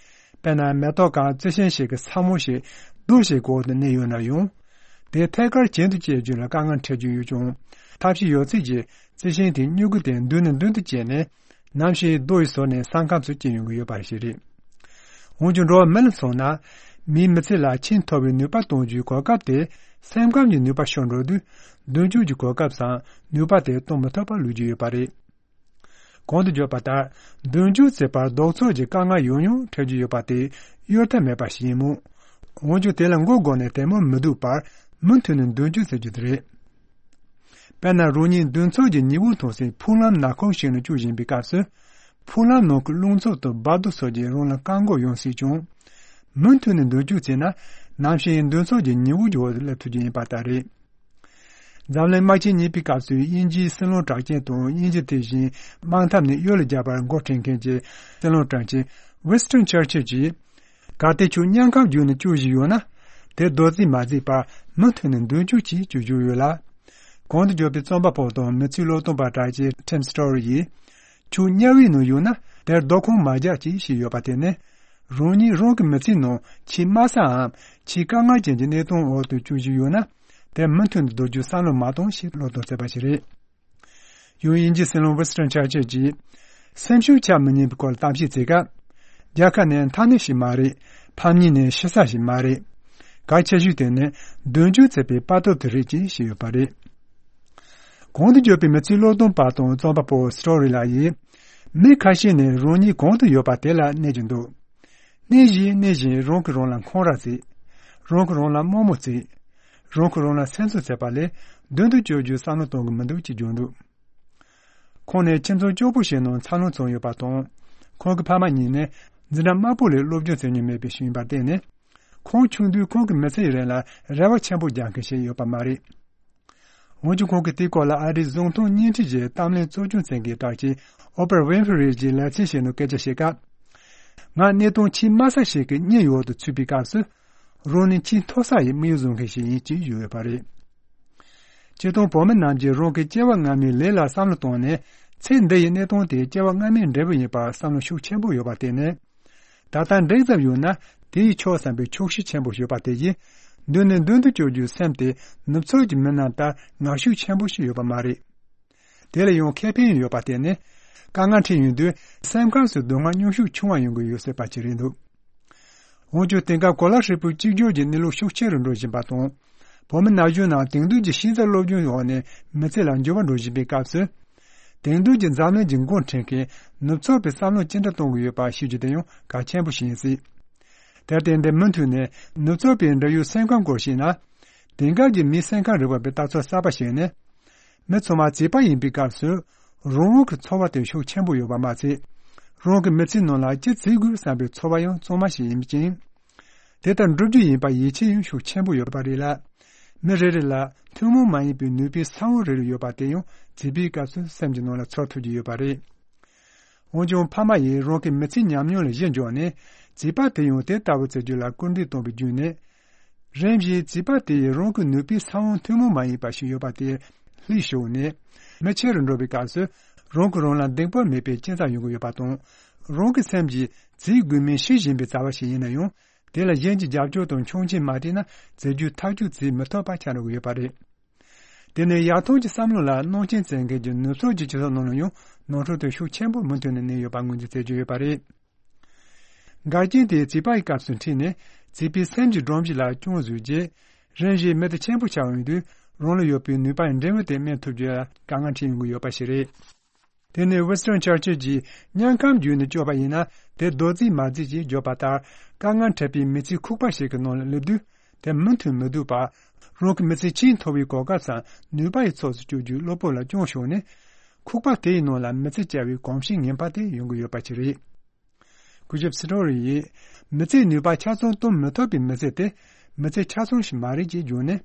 དཔེར་ན་མེ་ཏོག་གམ་རྩི་ཤིང་ཞིག་གི་ས་བོན་ཞིག་རྡོ་ཞིག་གི་འོག་ཏུ་གནས་ཡོད་ན་ཡང་། དེ་ཐད་ཀར་གྱེན་དུ་བསྐྱལ་རྒྱུ་ལ་དཀའ་ངལ་འཕྲད་རྒྱུ་ཡོད་ཀྱང་། ཐབས་ཤེས་ཡོད་ཚད་ཀྱིས་རྩི་ཤིང་དེའི་སྨྱུ་གུ་དེ་མདུན་ནས་མདུན་དུ་བསྐྱལ་ནས། ནམ་ཞིག་རྡོ་ཡི་ཟུར་ནས་ས་ཁམས་སུ་སྐྱེ་ཡོང་གི་ཡོད་པ་ཞིག་རེད། འོན་ཀྱང་འགྲོ་བ་མི་ལ་མཚོན་ན། མིའི་མི་ཚེ་ལ་ཆེས་མཐོ་བའི་ནུས་པ་གཏོང་རྒྱུའི་གོ་སྐབས་དེ་སེམས་ཁམས་ཀྱི་ནུས་པ་ཤོར་འགྲོ་དུས། མདུན་སྐྱོད་ཀྱི་གོ་སྐབས་སམ་ནུས་པ་དེ་གཏོང་མི་ཐུབ་པར་ལུས་ཀྱི་ཡོད་པ་རེད། གོང་དུ་བརྗོད་པ་ལྟར། མདུན་སྐྱོད་བྱེད་པར་ལྡོག་ཕྱོགས་ཀྱི་དཀའ་ངལ་ཡང་ཡང་འཕྲད་རྒྱུ་ཡོད་པ་དེ་གཡོལ་ཐབས་མེད་པ་ཞིག་ཡིན་མོད། འོན་ཀྱང་དེ་ལ་མགོ་སྒུར་ནས་དལ་མོར་མི་འདུག་པར་མུ་མཐུད་ནས་མདུན་སྐྱོད་བྱེད་རྒྱུ་དེ་རེད། དཔེར་ན་རང་ཉིད་མདུན་ཚོགས་ཀྱི་ཉི་འོད་མཐོང་སའི་ཕུག་ལམ་ནག་ཁུང་ཞིག་ནང་བསྐྱོད་བཞིན་པའི་སྐབས་སུ། ཕུག་ལམ་ནང་གི་རླུང་འཚུབ་དང་འབབ་རྡོ་སོགས་ཀྱིས་རང་ལ་བཀག་འགོག་ཡོང་སྲིད་ཀྱང་། མུ་མཐུད་ནས་མདུན་སྐྱོད་བྱས་ན། ནམ་ཞིག་མདུན་ཚོགས་ཀྱི་ཉི་འོད་ཀྱི་འོག་ཏུ་སླེབས་ཐུབ་རྒྱུ་ཡིན་པ་ལྟར་རེད། འཛམ་གླིང་དམག་ཆེན་གཉིས་པའི་སྐབས་སུ་དབྱིན་ཇིའི་སྲིད་བློན་གྲགས་ཅན་དང་དབྱིན་ཇི་དེ་བཞིན་དམག་འཐབ་ནས་གཡུལ་ལ་རྒྱག་པར་འགོ་ཁྲིད་མཁན་གྱི་སྲིད་བློན་དྲག་ཅན་Winston Churchill་གྱིས། གལ་ཏེ་ཁྱོད་དམྱལ་ཁམས་བརྒྱུད་ནས་སྐྱོད་བཞིན་ཡོད་ན། དེ་རྡོ་རྩིག་མ་བརྩིགས་པར་མུ་མཐུད་ནས་མདུན་སྐྱོད་གྱིས་སྐྱོད་རྒྱུ་ཡོད་ལ། གོང་དུ་བརྗོད་པའི་རྩོམ་པ་པོ་དང་མི་ཚེའི་སློབ་སྟོན་པ་གྲགས་ཅན་Tim Story་ཡིས། ཁྱོད་དམྱལ་བའི་ནང་ཡོད་ན་དེར་རྡོ་ཁུང་མ་རྒྱག་ཅེས་བཤད་ཡོད་པ་དེ་ནི། རང་ཉིད་རང་གི་མི་ཚེའི་ནང་ཆེས་དམའ་སའམ་ཆེས་དཀའ་ངལ་ཅན་གྱི་གནས་སྟངས་འོག་ཏུ་སྐྱོད་བཞིན་ཡོད་ན། དེར་མུ་མཐུད་དུ་སྡོད་རྒྱུ་བསམ་བློ་མ་གཏོང་ཞེས་བློ་སྟོན་བྱས་པ་ཞིག་རེད། ཡང་དབྱིན་ཇིའི་སྲིད་བློན་Winston Churchill་གྱིས། སེམས་ཤུགས་ཆག་མི་ཉན་པའི་སྐོར་གཏམ་བཤད་བྱེད་སྐབས། རྒྱལ་ཁབ་ནི་མཐའ་སྣེ་ཞིག་མ་རེད། ཕམ་ཉེས་ནི་ཤི་ས་ཞིག་མ་རེད། གལ་ཆེ་ཤོས་དེ་ནི་མདུན་སྐྱོད་བྱེད་པའི་དཔའ་སྟོབས་དེ་རེད་ཅེས་བཤད་ཡོད་པ་རེད། གོང་དུ་བརྗོད་པའི་མི་ཚེའི་སློབ་སྟོན་པ་དང་རྩོམ་པ་པོ་Story་ལགས་ཡིས། མི་ཁ་ཤས་ནི་རང་ཉིད་གང་དུ་ཡོད་པ་དེ་ལ་གནས་ཀྱི་འདུག་གནས་བཞིན་གནས་བཞིན་རང་གིས་རང་ལ་འཁོན་ར་བྱེད། རང་གིས་རང་ལ་དམའ་མོ་བྱེད། རང་གིས་རང་ལ་སེམས་གསོ་བྱེད་པ་ལས་མདུན་དུ་སྐྱོད་རྒྱུའི་བསམ་བློ་གཏོང་གི་མི་འདུག་ཅེས་བརྗོད་འདུག་ཁོང་ནི་ཁྱིམ་ཚང་སྐྱོ་པོ་ཞིག་ནང་འཚར་ལོངས་བྱུང་ཡོད་པ་དང་། ཁོང་གི་ཕ་མ་གཉིས་ནི་འཛིན་གྲྭ་དམའ་པོ་ལས་སློབ་སྦྱོང་བྱེད་མྱོང་མེད་པའི་ཞིག་ཡིན་པར་བརྟེན་ནས། ཁོང་ཆུང་དུས་ཁོང་གི་མི་ཚེ་ཡི་རིང་ལ་རེ་བ་ཆེན་པོ་རྒྱག་མཁན་ཞིག་ཡོད་པ་མ་རེད། འོན་ཀྱང་ཁོང་གིས་དེའི་སྐོར་ལ་ཨ་རིའི་གཟུགས་མཐོང་བརྙན་འཕྲིན་གྱི་གཏམ་གླེང་གཙོ་སྐྱོང་མཛད་མཁན་གྲགས་ཅན་Oprah Winfrey་ཡི་ལེ་ཚན་ཞིག་ནང་སྐད་ཆ་བཤད་སྐབས། ང་གནས་སྟངས་ཆེས་དམའ་ས་ཞིག་གི་གཉེན་ཡོག་ཏུ་ཚུད་པའི་སྐབས་སུ། རང་ནི་ཆེས་མཐོ་ས་ཡི་དམིགས་ཡུལ་བཟུང་མཁན་ཞིག་ཡིན་ཅེས་བརྗོད་ཡོད་པ་རེད། སྤྱིར་བཏང་བོད་མི་རྣམས་ཀྱིས་རང་གི་སྐྱེ་བ་སྔ་མའི་ལས་ལ་བསམ་བློ་བཏང་ནས་ཚེ་འདི་ཡི་གནས་སྟངས་དེ་སྐྱེ་བ་སྔ་མའི་འབྲས་བུ་ཡིན་པར་བསམ་བློ་ཤུགས་ཆེན་པོ་ཡོད་པར་བརྟེན་ནས། ད་ལྟ་འགྲིག་ཙམ་ཡོད་ན་དེ་ཡིས་ཆོག་བསམ་པའི་ཆོག་ཤེས་ཆེན་པོ་ཡོད་པ་དེ་ཡིས། མདུན་ནས་མདུན་དུ་སྐྱོད་རྒྱུའི་སེམས་དེ་ནུབ་ཕྱོགས་ཀྱི་མི་རྣམས་ལྟར་ངར་ཤུགས་ཆེན་པོ་ཞིག་ཡོད་པ་མ་རེད། དེ་ལ་ཡང་ཁེ་ཕན་ཡོད་པ་དེ་ནི། དཀའ་ངལ་འཕྲད་ཡོང་དུས་སེམས་ཁམས་སུ་སྡུག་བསྔལ་སྙོམས་ཤུགས་ཆུང་བ་ཡོང་གི་ཡོད་སྲིད་པ་ཅིག་རེད་འདུག་འོན་ཀྱང་དེང་སྐབས་གོ་ལ་ཧྲིལ་པོའི་གཅིག་གྱུར་གྱི་གནས་ལུགས་ཤུགས་ཆེ་རུ་འགྲོ་བཞིན་པ་དང་། བོད་མི་ན་གཞོན་རྣམས་དེང་དུས་ཀྱི་ཤེས་ཚད་སློབ་སྦྱོང་འོག་ནས་མི་ཚེ་ལ་འགྱུར་བ་འགྲོ་བཞིན་པའི་སྐབས་སུ། དེང་དུས་ཀྱི་འཛམ་གླིང་གི་འགོ་འཁྲིད་མཁན་ནུབ་ཕྱོགས་པའི་བསམ་བློ་ཅི་འདྲ་གཏོང་གི་ཡོད་པ་ཤེས་རྒྱུ་དེ་ཡང་གལ་ཆེན་པོ་ཞིག་ཡིན་སྲིད། དེར་བརྟེན་འདི་མུ་མཐུད་ནས་ནུབ་ཕྱོགས་པའི་འབྲེལ་ཡོད་སེམས་ཁམས་སྐོར་ཤེས་ན། དེང་སྐབས་ཀྱི་མིའི་སེམས་ཁམས་རིག་པ་པའི་ལྟ་ཚུལ་གསར་པ་ཞིག་ནི། མི་ཚང་མ་བྱིས་པ་ཡིན་པའི་སྐབས་སུ། རང་དབང་གི་ཚོར་བ་དེ་ཤུགས་ཆེན་པོ་ཡོད་པ་མ་ཚད། རང་གི་མི་ཚེའི་ནང་ལ་ཅི་བྱེད་དགོས་བསམ་པའི་ཚོར་བ་ཡང་གཙང་མ་ཞིག་ཡིན་ཅིང་། དེ་ལྟར་འགྲུབ་རྒྱུ་ཡིན་པར་ཡིད་ཆེས་ཡང་ཤུགས་ཆེན་པོ་ཡོད་པ་རེད་ལ། མི་རེ་རེ་ལ་ཐུན་མོང་མ་ཡིན་པའི་ནུས་པའི་ས་བོན་རེ་རེ་ཡོད་པ་དེ་ཡང་བྱིས་པའི་སྐབས་སུ་སེམས་ཀྱི་ནང་ལ་ཚོར་ཐུབ་ཀྱི་ཡོད་པ་རེད། འོན་ཀྱང་ཕ་མ་ཡིས་རང་གི་མི་ཚེའི་ཉམས་མྱོང་ལ་གཞི་འཇོག་ནས་བྱིས་པ་དེ་ཡང་དེ་ལྟ་བུ་བྱེད་རྒྱུ་ལ་སྐུལ་འདེད་གཏོང་བའི་བརྒྱུད་ནས། རིམ་བཞིན་བྱིས་པ་དེ་ཡིས་རང་གི་ནུས་པའི་ས་བོན་ཐུན་མོང་མ་ཡིན་པ་ཞིག་ཡོད་པ་དེ་ལྷིག་ཤོར་ནས། མི་ཆེ་རུ་འགྲོ་བའི་སྐབས་སུ་རང་གིས་རང་ལ་འདང་པོ་མེད་པའི་སྐྱེ་འཚར་ཡོང་གི་ཡོད་པ་དང་། རང་གི་སེམས་ཀྱིས་བྱེད་དགོས་མིན་ཤེས་བཞིན་པའི་བྱ་བ་ཞིག་ཡིན་ན་ཡང་། དེ་ལ་གཞན་གྱི་རྒྱབ་སྐྱོར་དང་མཆོང་མཆན་མ་སྤྲད་ན་བྱེད་རྒྱུ་ཐག་གཅོད་བྱེད་མི་ཐུབ་པ་ཆགས་འགྲོ་གི་ཡོད་པ་རེད། དེ་ནི་ཡར་ཐོན་གྱི་བསམ་བློ་ལ་སྣང་ཆེན་བྱེད་མཁན་གྱི་ནུབ་ཕྱོགས་ཀྱི་སྤྱི་ཚོགས་ནང་ལ་ཡང་ནོར་འཁྲུལ་དེ་ཤུགས་ཆེན་པོ་མུ་མཐུད་ནས་གནས་ཡོད་པ་ངོས་འཛིན་བྱེད་ཀྱི་ཡོད་པ་རེད། འགལ་རྐྱེན་དེ་བྱིས་པའི་སྐབས་སུ་འཁྲིད་ནས་བྱིས་པའི་སེམས་ཀྱི་སྒྲོམ་གཞི་ལ་སྐྱོན་བཟོས་རྗེས། རིམ་བཞིན་མི་དེ་ཆེན་པོ་ཆགས་ཡོང་དུས་རང་ལ་ཡོད་པའི་ནུས་པ་འབྲས་བུ་དེ་སྨིན་ཐུབ་རྒྱུ་ལ་དཀའ་ངལ་འཕྲད་ཡོང་གི་ཡོད་པ་ཞིག་རེད། དེ་ནི་ཝི་སི་ཊོན་ཆར་ཆིལ་གྱིས་དམྱལ་ཁམས་བརྒྱུད་ནས་བསྐྱོད་པ་ཡིན་ན་དེ་རྡོ་རྗེས་མ་བརྫིས་ཀྱིས་བརྗོད་པ་ལྟར། དཀའ་ངལ་འཕྲད་པའི་མི་ཚེའི་ཁུག་པ་ཞིག་གི་ནང་ལ་སླེབས་དུས་དེ་མུ་མཐུད་མི་སྡོད་པར། རང་གི་མི་ཚེ་ཆེས་མཐོ་བའི་གོ་སྐབས་སམ་ནུས་པ་ཡི་ཕྱོགས་སུ་བསྐྱོད་རྒྱུའི་གློ་བུར་ལ་སྐྱོན་ཤོར་ནས། ཁུག་པ་དེའི་ནང་ལ་མི་ཚེ་བསྐྱལ་བའི་གོམས་གཤིས་ངན་པ་དེ་ཡོང་གི་ཡོད་པ་ཅིག་རེད། སྐུ་ཞབས་སི་ཏྲོ་རི་ཡིས། མི་ཚེའི་ནུས་པ་ཆ་ཚང་གཏོང་མི་ཐུབ་པའི་མི་ཚེ་དེ། མི་ཚེ་ཆ་ཚང་ཞིག་མ་རེད་ཅེས་བརྗོད་ནས།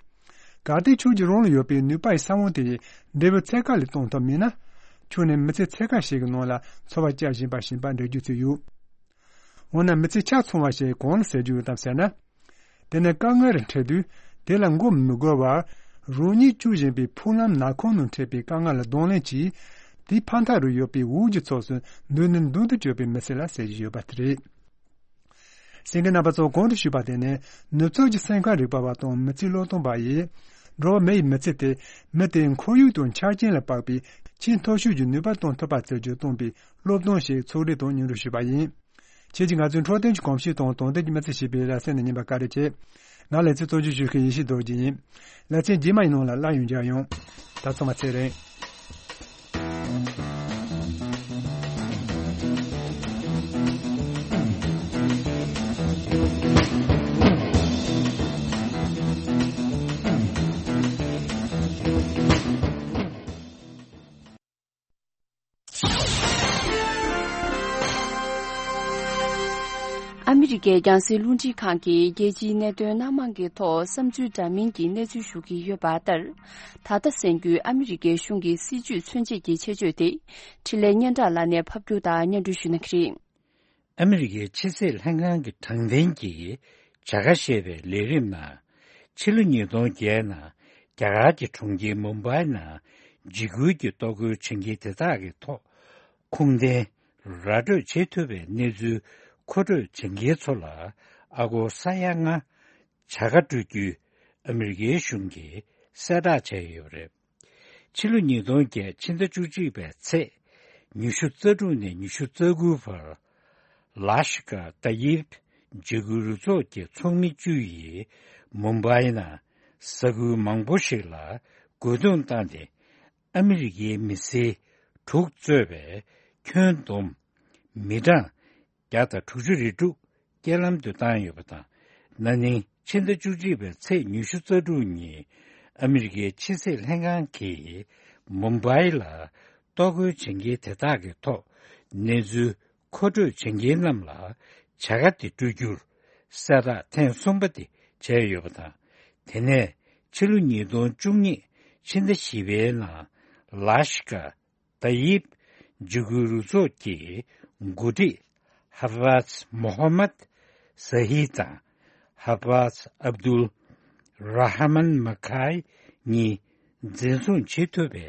གལ་ཏེ་ཁྱོད་ཀྱིས་རང་ལ་ཡོད་པའི་ནུས་པ་ཡི་ས་བོན་དེ་ཡི་འབྲས་བུ་ཚད་བཀག་ལས་གཏོང་ཐུབ་མེད་ན། ཁྱོད་ནི་མི་ཚེ་ཚད་བཀག་ཞིག་གི་ནང་ལ་འཚོ་བ་བསྐྱལ་བཞིན་པ་བཞིན་པ་འགྲིག་རྒྱུ་ཅིག་ཡོད། འོ་ན་མི་ཚེ་ཆ་ཚང་བ་ཞིག་གང་ལ་ཟེར་རྒྱུ་ཡོད་དམ་ཟེར་ན། དེ་ནི་དཀའ་ངལ་རེ་འཕྲད་དུས་དེ་ལ་མགོ་མི་སྒུར་བར། རང་ཉིད་སྐྱོད་བཞིན་པའི་འཕྲུལ་ལམ་ནག་ཁུང་ནང་འཕྲད་པའི་དཀའ་ངལ་ལ་གདོང་ལེན་གྱིས། དེའི་ཕ་མཐའ་རུ་ཡོད་པའི་འོག་གི་ཕྱོགས་སུ་མདུན་ནས་མདུན་དུ་སྐྱོད་པའི་མི་ཚེ་ལ་ཟེར་གྱི་ཡོད་པ་དེ་རེད། གསན་མཁན་རྣམ་པ་ཚོ་གོང་དུ་ཞུས་པ་དེ་ནི་ནུབ་ཕྱོགས་ཀྱི་སེམས་ཁམས་རིག་པ་བ་དང་མི་ཚེའི་བློས་གཏོང་པ་ཡིས། འགྲོ་བ་མི་ཡི་མི་ཚེ་དེ་མི་དེའི་ཁོར་ཡུག་དང་ཆ་རྐྱེན་ལ་དཔག་པའི་ཆེས་མཐོ་ཤོས་ཀྱི་ནུས་པ་གཏོང་ཐུབ་པ་བྱེད་རྒྱུ་གཏོང་པའི་སློབ་སྟོན་ཞིག་ཚོགས་སྒྲིག་དང་སྙན་སྒྲོན་ཞུས་པ་ཡིན། ཁྱེད་ཀྱིས་ང་ཚོའི་འཕྲོད་བསྟེན་གྱི་གོམས་གཤིས་དང་དོན་ལྡན་གྱི་མི་ཚེ་ཞེས་པའི་ལེ་ཚན་ནས་ཉན་པར་བཀའ་དྲིན་ཆེ། ང་ལེ་ཚན་གཙོ་སྐྱོང་ཞུ་མཁན་ཡེ་ཤེས་རྡོ་རྗེ་ཡིན། ལེ་ཚན་རྗེས་མ་ཡི་ནང་ལ་སླར་ཡང་མཇལ་ཡོང་། ད་ཚང་མ་ཚེ་རིང་། ཨ་མི་རི་ཀའི་རྒྱང་སྲིང་རླུང་འཕྲིན་ཁང་གིས་རྒྱལ་སྤྱིའི་གནད་དོན་སྣ་མང་གི་ཐོག་བསམ་ཚུལ་འདྲ་མིན་གྱི་གནས་ཚུལ་ཞུ་གི་ཡོད་པ་ལྟར། ད་ལྟ་གསན་རྒྱུའི་ཨ་མི་རི་ཀའི་གཞུང་གི་སྲིད་ཇུས་མཚོན་བྱེད་ཀྱི་ཆེད་བརྗོད་དེ། འཕྲིན་ལས་སྙན་གྲགས་ལགས་ནས་ཕབ་སྒྱུར་དང་སྙན་སྒྲོན་ཞུ་གནང་གི་རེད། ཨ་མི་རི་ཀའི་ཕྱི་སྲིད་ལྷན་ཁང་གི་དྲང་བདེན་གྱི་བྱ་དགའ་ཞེས་པའི་ལས་རིམ་ནང་། ཕྱི་ལོ་ཉིས་སྟོང་བརྒྱད་ནང་རྒྱ་གར་གྱི་གྲོང་ཁྱེར་མུམ་བྷའི་ནང་འཇིགས་སྐུལ་གྱི་གཏོར་རྒོལ་བྱེད་མཁན་དེ་དག་གི་ཐོག་ཁུངས་ལྡན་ར་སྤྲོད་བྱེད་ཐུབ་པའི་གནས་ཚུལ་མཁོ་སྤྲོད་བྱེད་མཁན་ཚོ་ལ་ཨ་སྒོར་ས་ཡ་ལྔ་བྱ་དགའ་སྤྲོད་རྒྱུའི་ཨ་མི་རི་ཀའི་གཞུང་གིས་གསལ་བསྒྲགས་བྱས་ཡོད་པ་རེད། ཕྱི་ལོ་ཉིས་སྟོང་བརྒྱད་ཕྱི་ཟླ་བཅུ་གཅིག་པའི་ཚེས་ཉི་ཤུ་རྩ་དྲུག་ནས་ཉི་ཤུ་རྩ་དགུ་བར། ལ་ཤི་ཀ་ཏ་ཡིབ་འཇིགས་སྐུལ་རུ་ཚོགས་ཀྱི་ཚོགས་མི་བཅུ་ཡིས་མུམ་བྷའི་ནང་ས་ཁུལ་མང་པོ་ཞིག་ལ་རྒོལ་རྡུང་བཏང་སྟེ། ཨ་མི་རི་ཀའི་མི་སེར་དྲུག་གཙོས་པའི་ཁྱོན་བསྡོམས་མི་གྲངས་བརྒྱ་དང་དྲུག་ཅུ་རེ་དྲུག་རྐྱེན་ལམ་དུ་བཏང་ཡོད་པ་དང་། ན་ནིང་ཕྱི་ཟླ་བཅུ་གཅིག་པའི་ཚེས་ཉི་ཤུ་རྩ་དྲུག་ཉིན་ཨ་མི་རི་ཀའི་ཕྱི་སྲིད་ལྷན་ཁང་གིས་མུམ་བྷའི་ལ་གཏོར་རྒོལ་བྱེད་མཁན་དེ་དག་གི་ཐོག་གནས་ཚུལ་མཁོ་སྤྲོད་བྱེད་མཁན་རྣམས་ལ་བྱ་དགའ་དེ་སྤྲོད་རྒྱུར་གསལ་བསྒྲགས་ཐེངས་གསུམ་པ་དེ་བྱས་ཡོད་པ་དང་། དེ་ནས་ཕྱི་ལོ་ཉིས་སྟོང་བཅུ་གཉིས་ཕྱི་ཟླ་བཞི་པའི་ནང་ལ་ཤི་ཀ་ཏ་ཡིབ་འཇིགས་སྐུལ་རུ་ཚོགས་ཀྱི་འགོ་ཁྲིད་ཧ་ཕཱས་མོ་ཧ་མད་ཟ་ཧི་དང་ཧ་ཕཱས་ཨབ་དུལ་ར་ཧ་མན་མ་ཁའི་གཉིས་འཛིན་བཟུང་བྱེད་ཐུབ་པའི་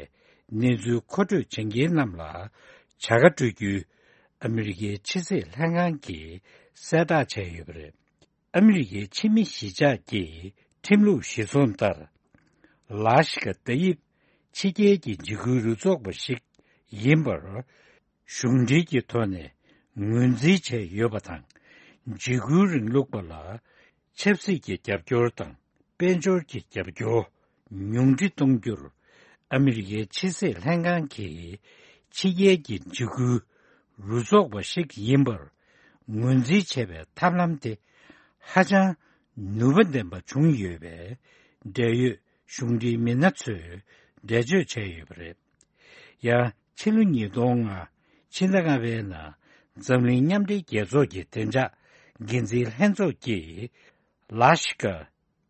གནས་ཚུལ་མཁོ་སྤྲོད་བྱེད་མཁན་རྣམས་ལ་བྱ་དགའ་སྤྲོད་རྒྱུའི་ཨ་མི་རི་ཀའི་ཕྱི་སྲིད་ལྷན་ཁང་གིས་གསལ་བསྒྲགས་བྱས་ཡོད་པ་རེད། ཨ་མི་རི་ཀའི་ཕྱི་མི་གཞིས་ཆགས་ཀྱི་ཁྲིམས་ལུགས་གཞིར་བཟུང་ལྟར། ལ་ཤི་ཀ་ཏ་ཡིབ་ཕྱི་རྒྱལ་གྱི་འཇིགས་སྐུལ་རུ་ཚོགས་པ་ཞིག་ཡིན་པར། གཞུང་འབྲེལ་གྱི་ཐོག་ནས་ངོས་འཛིན་བྱས་ཡོད་པ་དང་། འཇིགས་སྐུལ་རིང་ལུགས་པ་ལ་ཆབ་སྲིད་ཀྱི་རྒྱབ་སྐྱོར་དང་དཔལ་འབྱོར་གྱི་རྒྱབ་སྐྱོར་ཉུང་འཕྲི་གཏོང་རྒྱུར་ཨ་མི་རི་ཀའི་ཕྱི་སྲིད་ལྷན་ཁང་གིས་ ཕྱི་རྒྱལ་གྱི་འཇིགས་སྐུལ་རུ་ཚོགས་པ་ཞིག་ཡིན་པར་ངོས་འཛིན་བྱས་པའི་ཐབས་ལམ་དེ་ཧ་ཅང་ནུས་པ་ལྡན་པ་བྱུང་ཡོད་པས། འབྲེལ་ཡོད་གཞུང་འབྲེལ་མི་སྣ་ཚོས་འགྲེལ་བརྗོད་བྱས་ཡོད་པ་རེད། ཡང་ཕྱི་ལོ་ཉིས་སྟོང་ལྔ་ཕྱི་ཟླ་ལྔ་པའི་ནང་འཛམ་གླིང་མཉམ་འབྲེལ་རྒྱལ་ཚོགས་ཀྱི་བདེ་འཇགས་འགན་འཛིན་ལྷན་ཚོགས་ཀྱིས་ལ་ཤི་ཀ་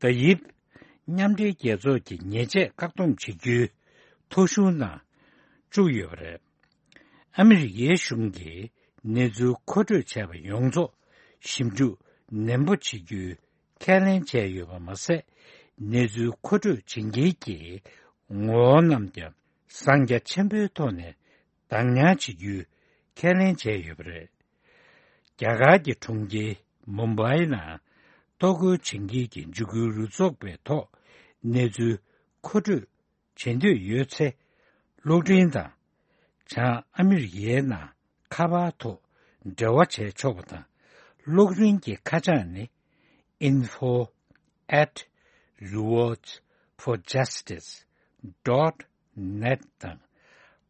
ཏ་ཡིབ་མཉམ་འབྲེལ་རྒྱལ་ཚོགས་ཀྱི་ཉེས་ཆད་བཀག་སྡོམ་བྱེད་རྒྱུའི་ཐོ་གཞུང་ནང་བཅུག་ཡོད་པ་རེད། ཨ་མི་རི་ཀའི་གཞུང་གིས་གནས་ཚུལ་མཁོ་སྤྲོད་བྱས་པ་ཡོངས་རྫོགས་ཞིབ་འཇུག་ནན་པོ་བྱེད་རྒྱུའི་ཁས་ལེན་བྱས་ཡོད་པ་མ་ཟད། གནས་ཚུལ་མཁོ་སྤྲོད་བྱེད་མཁན་གྱི་ངོ་བོ་རྣམས་ཀྱང་གསང་རྒྱ་ཆེན་པོའི་ཐོག་ནས་གདམ་ཉར་བྱེད་རྒྱུའི་ཁས་ལེན་བྱས་ཡོད་པ་རེད། རྒྱ་གར་གྱི་གྲོང་ཁྱེར་མུམ་བྷའི་ནང་གཏོར་རྒོལ་བྱེད་མཁན་གྱི་འཇིགས་སྐུལ་རུ་ཚོགས་པའི་ཐོག་གནས་ཚུལ་མཁོ་སྤྲོད་བྱེད་འདོད་ཡོད་ཚེ། གློག་འཕྲིན་དང་། བྱང་ཨ་མི་རི་ཀའི་ནང་ཁ་པར་ཐོག་འབྲེལ་བ་བྱས་ཆོག་པ་དང་། གློག་འཕྲིན་གྱི་ཁ་བྱང་ནི། info at rewards for justice dot net དང་།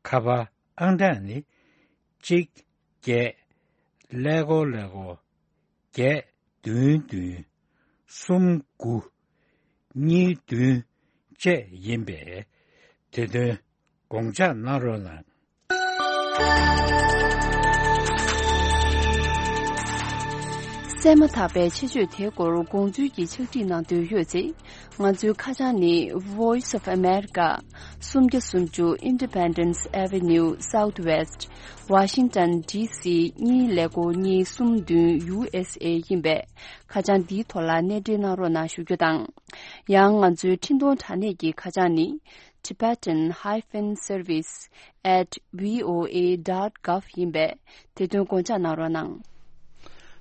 ཁ་པར་ཨང་གྲངས་ནི། གཅིག་བརྒྱད་ཀླད་ཀོར་ཀླད་ཀོར་བརྒྱད་བདུན་བདུན་གསུམ་དགུ་གཉིས་བདུན་བཅས་ཡིན་པས། དེ་དོན་དགོངས་འཇགས་གནང་རོགས་གནང་། གསན་མ་ཐག་པའི་ཆེད་བརྗོད་དེའི་སྐོར་དགོངས་ཚུལ་གྱི་ཕྱག་བྲིས་གནང་འདོད་ཡོད་ཚེ། ང་ཚོའི་ཁ་བྱང་ནི། Voice of America། སུམ་བརྒྱ་སུམ་ཅུ་Independence Avenue Southwest། Washington D C གཉིས་ཀླད་ཀོར་གཉིས་གསུམ་བདུན། U S A ཡིན་པས། ཁ་བྱང་འདིའི་ཐོག་ལ་གནས་འབྲེལ་གནང་རོགས་གནང་ཞུ་རྒྱུ་དང་། ཡང་ང་ཚོའི་འཕྲིན་གཏོང་དྲ་གནས་ཀྱི་ཁ་བྱང་ནི། Tibetan hyphen service at V O A dot gov ཡིན་པས། དེ་དོན་དགོངས་འཇགས་གནང་རོགས་གནང་།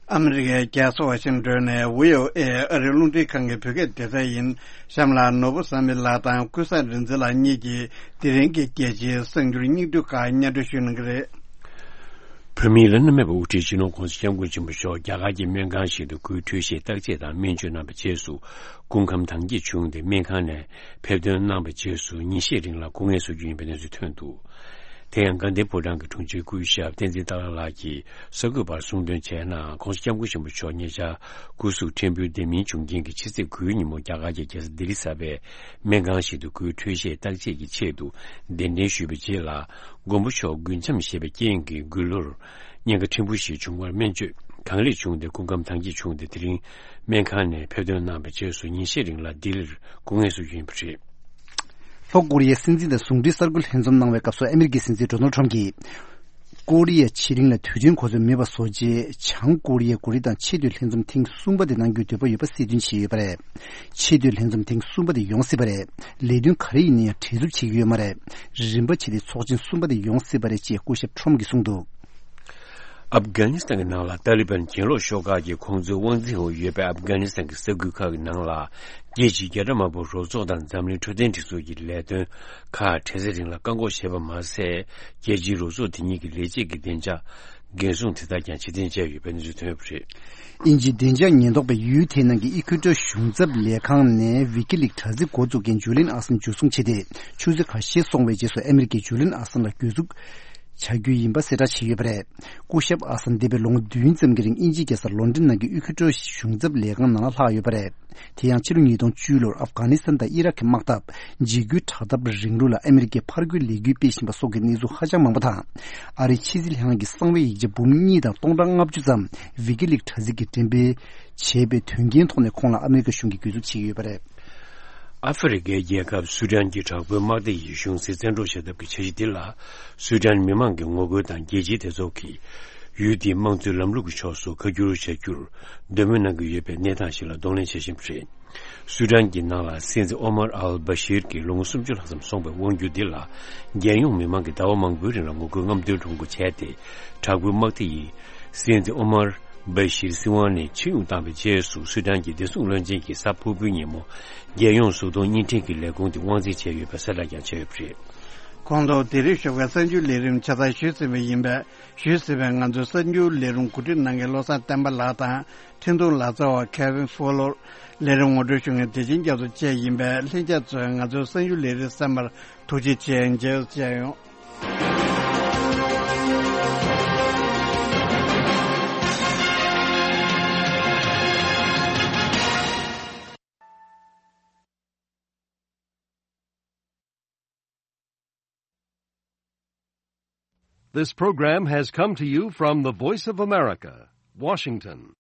ཨ་མི་རི་ཀའི་རྒྱལ་ས་ཝ་ཤིང་ཏོན་ནས་V O A ཨ་རིའི་རླུང་འཕྲིན་ཁང་གི་བོད་སྐད་སྡེ་ཚན་ཡིན། གཤམ་ལ་ནོར་བུ་བསམ་འཕེལ་ལགས་དང་ཀུན་བཟང་རིག་འཛིན་ལགས་གཉིས་ཀྱིས་དེ་རིང་གི་རྒྱལ་སྤྱིའི་གསར་འགྱུར་སྙིང་བསྡུས་ཁག་སྙན་སྒྲོན་ཞུ་གནང་གི་རེད། བོད་མིའི་བླ་ན་མེད་པའི་དབུ་ཁྲིད་སྤྱི་ནོར་༸གོང་ས་༸སྐྱབས་མགོན་ཆེན་པོ་མཆོག་རྒྱ་གར་གྱི་སྨན་ཁང་ཞིག་ཏུ་སྐུའི་འཕྲོད་བཞེས་བརྟག་དཔྱད་དང་སྨན་བཅོས་གནང་བའི་རྗེས་སུ། སྐུ་ཁམས་དྭངས་སྐྱེད་བྱུང་སྟེ། སྨན་ཁང་ནས་ཕེབས་ཐོན་གནང་བའི་རྗེས་སུ། ཉིན་ཤས་རིང་ལ་སྐུ་ངལ་གསོ་རྒྱུ་ཡིན་པའི་གནས་ཚུལ་ཐོན་འདུག། དེ་ཡང་དགའ་ལྡན་ཕོ་བྲང་གི་དྲུང་ཆེ་སྐུ་ཞབས་བསྟན་འཛིན་སྟག་ལྷ་ལགས་ཀྱིས་གསར་འགོད་པར་གསུངས་དོན་བྱས་ན། ༸གོང་ས་༸སྐྱབས་མགོན་ཆེན་པོ་མཆོག་ཉེ་ཆར་སྐུ་གཟུགས་ཕྲན་བུ་བདེ་མིན་བྱུང་རྐྱེན་གྱིས་ཕྱི་ཚེས་དགུའི་ཉིན་མོ་རྒྱ་གར་གྱི་རྒྱལ་ས་ལྡི་ལི་གསར་པའི་སྨན་ཁང་ཞིག་ཏུ་སྐུའི་འཕྲོད་བཞེས་བརྟག་དཔྱད་ཀྱི་ཆེད་དུ་གདན་འདྲེན་ཞུས་པའི་རྗེས་ལ། མགོན་པོ་མཆོག་མགུལ་ཆམ་ཞེས་པའི་རྐྱེན་གྱིས་མགུལ་ལོར་གཉན་ཁ་ཕྲན་བུ་ཞིག་བྱུང་བར་སྨན་བཅོས་གང་ལེགས་བྱུང་སྟེ་སྐུ་ཁམས་དྭངས་སྐྱེད་བྱུང་སྟེ། དེ་རིང་སྨན་ཁང་ནས་ཕེབས་ཐོན་གནང་བའི་རྗེས་སུ་ཉིན་ཤས་རིང་ལ་ལྡི་ལིར་སྐུ་ངལ་གསོ་རྒྱུ་ཡིན་པ་རེད། ལྷོ་ཀོ་རི་ཡའི་སྲིད་འཛིན་དང་ཟུང་འབྲེལ་གསར་འགོད་ལྷན་འཛོམས་གནང་བའི་སྐབས་སུ། ཨ་མི་རི་ཀའི་སྲིད་འཛིན་ཌོ་ནལ་ཁྲམ་གྱིས། ཀོ་རི་ཡ་ཕྱེད་གླིང་ལ་དུས་མཐུན་གོ་འཛོལ་མེད་པ་བཟོ་ཆེད། བྱང་ཀོ་རི་ཡའི་འགོ་ཁྲིད་དང་ཆེས་མཐོའི་ལྷན་འཛོམས་ཐེངས་གསུམ་པ་དེ་གནང་རྒྱུའི་འདོད་པ་ཡོད་པ་གསལ་སྟོན་བྱས་ཡོད་པ་རེད། ཆེས་མཐོའི་ལྷན་འཛོམས་ཐེངས་གསུམ་པ་དེ་ཡོང་སྲིད་པ་རེད། ལས་དོན་ག་རེ་ཡིན་ན་ཡང་བྲེལ་འཚུབ་བྱེད་ཀྱི་ཡོད་མ་རེད། རིམ་པ་བྱས་ཏེ་ཚོགས་ཆེན་གསུམ་པ་དེ་ཡོང་སྲིད་པ་རེད་ཅེས་སྐུ་ཞབས་ཁྲོམ་གྱིས་གསུངས་འདུག། ཨབ་གྷ་ནི་སི་ཐན་གྱི་ནང་ལ་ཏཱ་ལི་བན་གྱེན་ལོག་ཤོག་ཁག་གིས་ཁོང་ཚོའི་དབང་འཛིན་འོག་ཡོད་པའི་ཨབ་གྷ་ནི་སི་ཐན་གྱི་ས་ཁུལ་ཁག་གི་ནང་ལ། རྒྱལ་སྤྱིའི་རྒྱལ་དར་དམར་པོ་རུ་ཚོགས་དང་འཛམ་གླིང་འཕྲོད་བསྟེན་སྒྲིག་འཛུགས་ཀྱི་ལས་དོན་ཁག་དྲན་གསོའི་རིང་ལ་བཀག་འགོག་བྱས་པ་མ་ཟད། རྒྱལ་སྤྱིའི་རུ་ཚོགས་དེ་གཉིས་ཀྱི་ལས་བྱེད་ཀྱི་བདེ་འཇགས་འགན་སྲུང་དེ་དག་ཀྱང་ཕྱིར་འཐེན་བྱས་ཡོད་པའི་གནས་ཚུལ་ཐོན་ཡོད་པ་རེད། དབྱིན་ཇིའི་བདེ་འཇགས་ཉེན་རྟོག་པས་ཡུལ་དེའི་ནང་གི་ཨི་ཁུ་ཀྲོ་གཞུང་ཚབ་ལས་ཁང་ནས་ཝི་ཀི་ལིག་དྲ་ཚིགས་འགོ་འཛུགས་མཁན་ཇུ་ལིན་ཨ་སན་འཇུ་བཟུང་བྱས་ཏེ། ཆུ་ཚོད་ཁ་ཤས་སོང་བའི་རྗེས་སུ་ཨ་མི་རི་ཀས་ཇུ་ལིན་ཨ་སན་ལ་གྱོད་འཛུགས་བྱ་རྒྱུ་ཡིན་པ་གསལ་བསྒྲགས་བྱས་ཡོད་པ་རེད། སྐུ་ཞབས་ཨ་སན་འདས་པའི་ལོ་ངོ་བདུན་ཙམ་གྱི་རིང་དབྱིན་ཇིའི་རྒྱལ་ས་ལོན་ཌོན་ནང་གི་ཨི་ཁུ་ཀྲོ་གཞུང་ཚབ་ལས་ཁང་ནང་ལ་ལྷག་ཡོད་པ་རེད། དེ་ཡང་ཕྱི་ལོ་ཉིས་སྟོང་བཅུ་ལོར་ཨབ་གྷ་ནི་སི་ཐན་དང་ཨི་རག་གི་དམག་འཐབ། འཇིགས་སྐུལ་དྲག་འཐབ་རིང་ལུགས་ལ་ཨ་མི་རི་ཀས་ཕར་རྒོལ་ལས་འགུལ་སྤེལ་བཞིན་པ་སོགས་ཀྱི་གནས་ཚུལ་ཧ་ཅང་མང་པོ་དང་། ཨ་རིའི་ཕྱི་སྲིད་ལྷན་ཁང་གི་གསང་བའི་ཡིག་ཆ་འབུམ་གཉིས་དང་སྟོང་ཕྲག་ལྔ་བཅུ་ཙམ་ཝི་ཀི་ལིག་དྲ་ཚིགས་ཀྱིས་འགྲེམས་སྤེལ་བྱས་པའི་དོན་རྐྱེན་ཐོག་ནས་ཁོང་ལ་ཨ་མི་རི་ཀ་གཞུང་གིས་གྱོད་འཛུགས་བྱེད་ཀྱི་ཡོད་པ་རེད། ཨ་ཧྥེ་རི་ཁའི་རྒྱལ་ཁབ་སུ་ཌན་གྱི་དྲག་པོའི་དམག་སྡེ་ཡིས་གཞུང་སྲིད་བཙན་འཕྲོག་བྱེད་ཐབས་ཀྱི་འཆར་གཞི་འདི་ལ། སུ་ཌན་མི་མང་གིས་ངོ་རྒོལ་དང་རྒྱལ་སྤྱིའི་སྡེ་ཚོགས་ཀྱིས་ཡུལ་དེའི་དམངས་གཙོའི་ལམ་ལུགས་ཀྱི་ཕྱོགས་སུ་ཁ་བསྒྱུར་བྱ་རྒྱུར་འདོད་མོས་གནང་གི་ཡོད་པའི་གནས་སྟངས་ཤིག་ལ་གདོང་ལེན་བྱེད་བཞིན་པ་རེད། སུ་ཌན་གྱི་ནང་ལ་སྲིད་འཛིན་ཨོ་མར་ཨལ་བྷ་ཤིར་གྱི་ལོ་ངོ་སུམ་ཅུ་ལྷག་ཙམ་སོང་བའི་དབང་སྒྱུར་འདི་ལ། རྒྱལ་ཡོངས་མི་མང་གིས་ཟླ་བ་མང་པོའི་རིང་ལ་ངོ་རྒོལ་རྔམ་སྟོན་ཁྲོམ་སྐོར་བྱས་ཏེ། དྲག་པོའི་དམག་སྡེ་ཡིས་སྲིད་འཛིན་ཨོ་མར་བྷ་ཤིར་སྲིད་དབང་ནས་ཕྱིར་དབྱུང་བཏང་བའི་རྗེས་སུ། སུ་ཌན་གྱི་བདེ་སྲུང་བློན་ཆེན་གྱིས་གཟའ་ཕུར་བུའི་ཉིན་མོ་རྒྱལ་ཡོངས་གཟུགས་མཐོང་བརྙན་འཕྲིན་གྱི་ལས་ཁུངས་དེ་དབང་འཛིན་བྱས་ཡོད་པའི་གསལ་བསྒྲགས་ཀྱང་བྱས་ཡོད་པ་རེད། ཁོང་ཚོ་ལྡི་ལིར་ཞོགས་པའི་གསར་འགྱུར་ལས་རིམ་ཆ་ཚང་ཞུས་ཟིན་པ་ཡིན་པས། ཞུས་ཟིན་པའི་ང་ཚོའི་གསར་འགྱུར་ལས་རིམ་གོ་སྒྲིག་གནང་མཁན་བློ་བཟང་བསྟན་པ་ལགས་དང་། འཕྲིན་གཏོང་ལག་རྩལ་བ་Kevin Fowler། ལས་རིམ་ངོ་སྤྲོད་ཞུ་མཁན་བདེ་ཆེན་རྒྱ་མཚོ་བཅས་ཡིན་པས། ལྷན་རྒྱས་ཚོས་ང་ཚོའི་གསར་འགྱུར་ལས་རིམ་གསན་པར་ཐུགས་རྗེ་ཆེ། མཇལ་བར་བཅར་ཡོང་། This program has come to you from the Voice of America, Washington.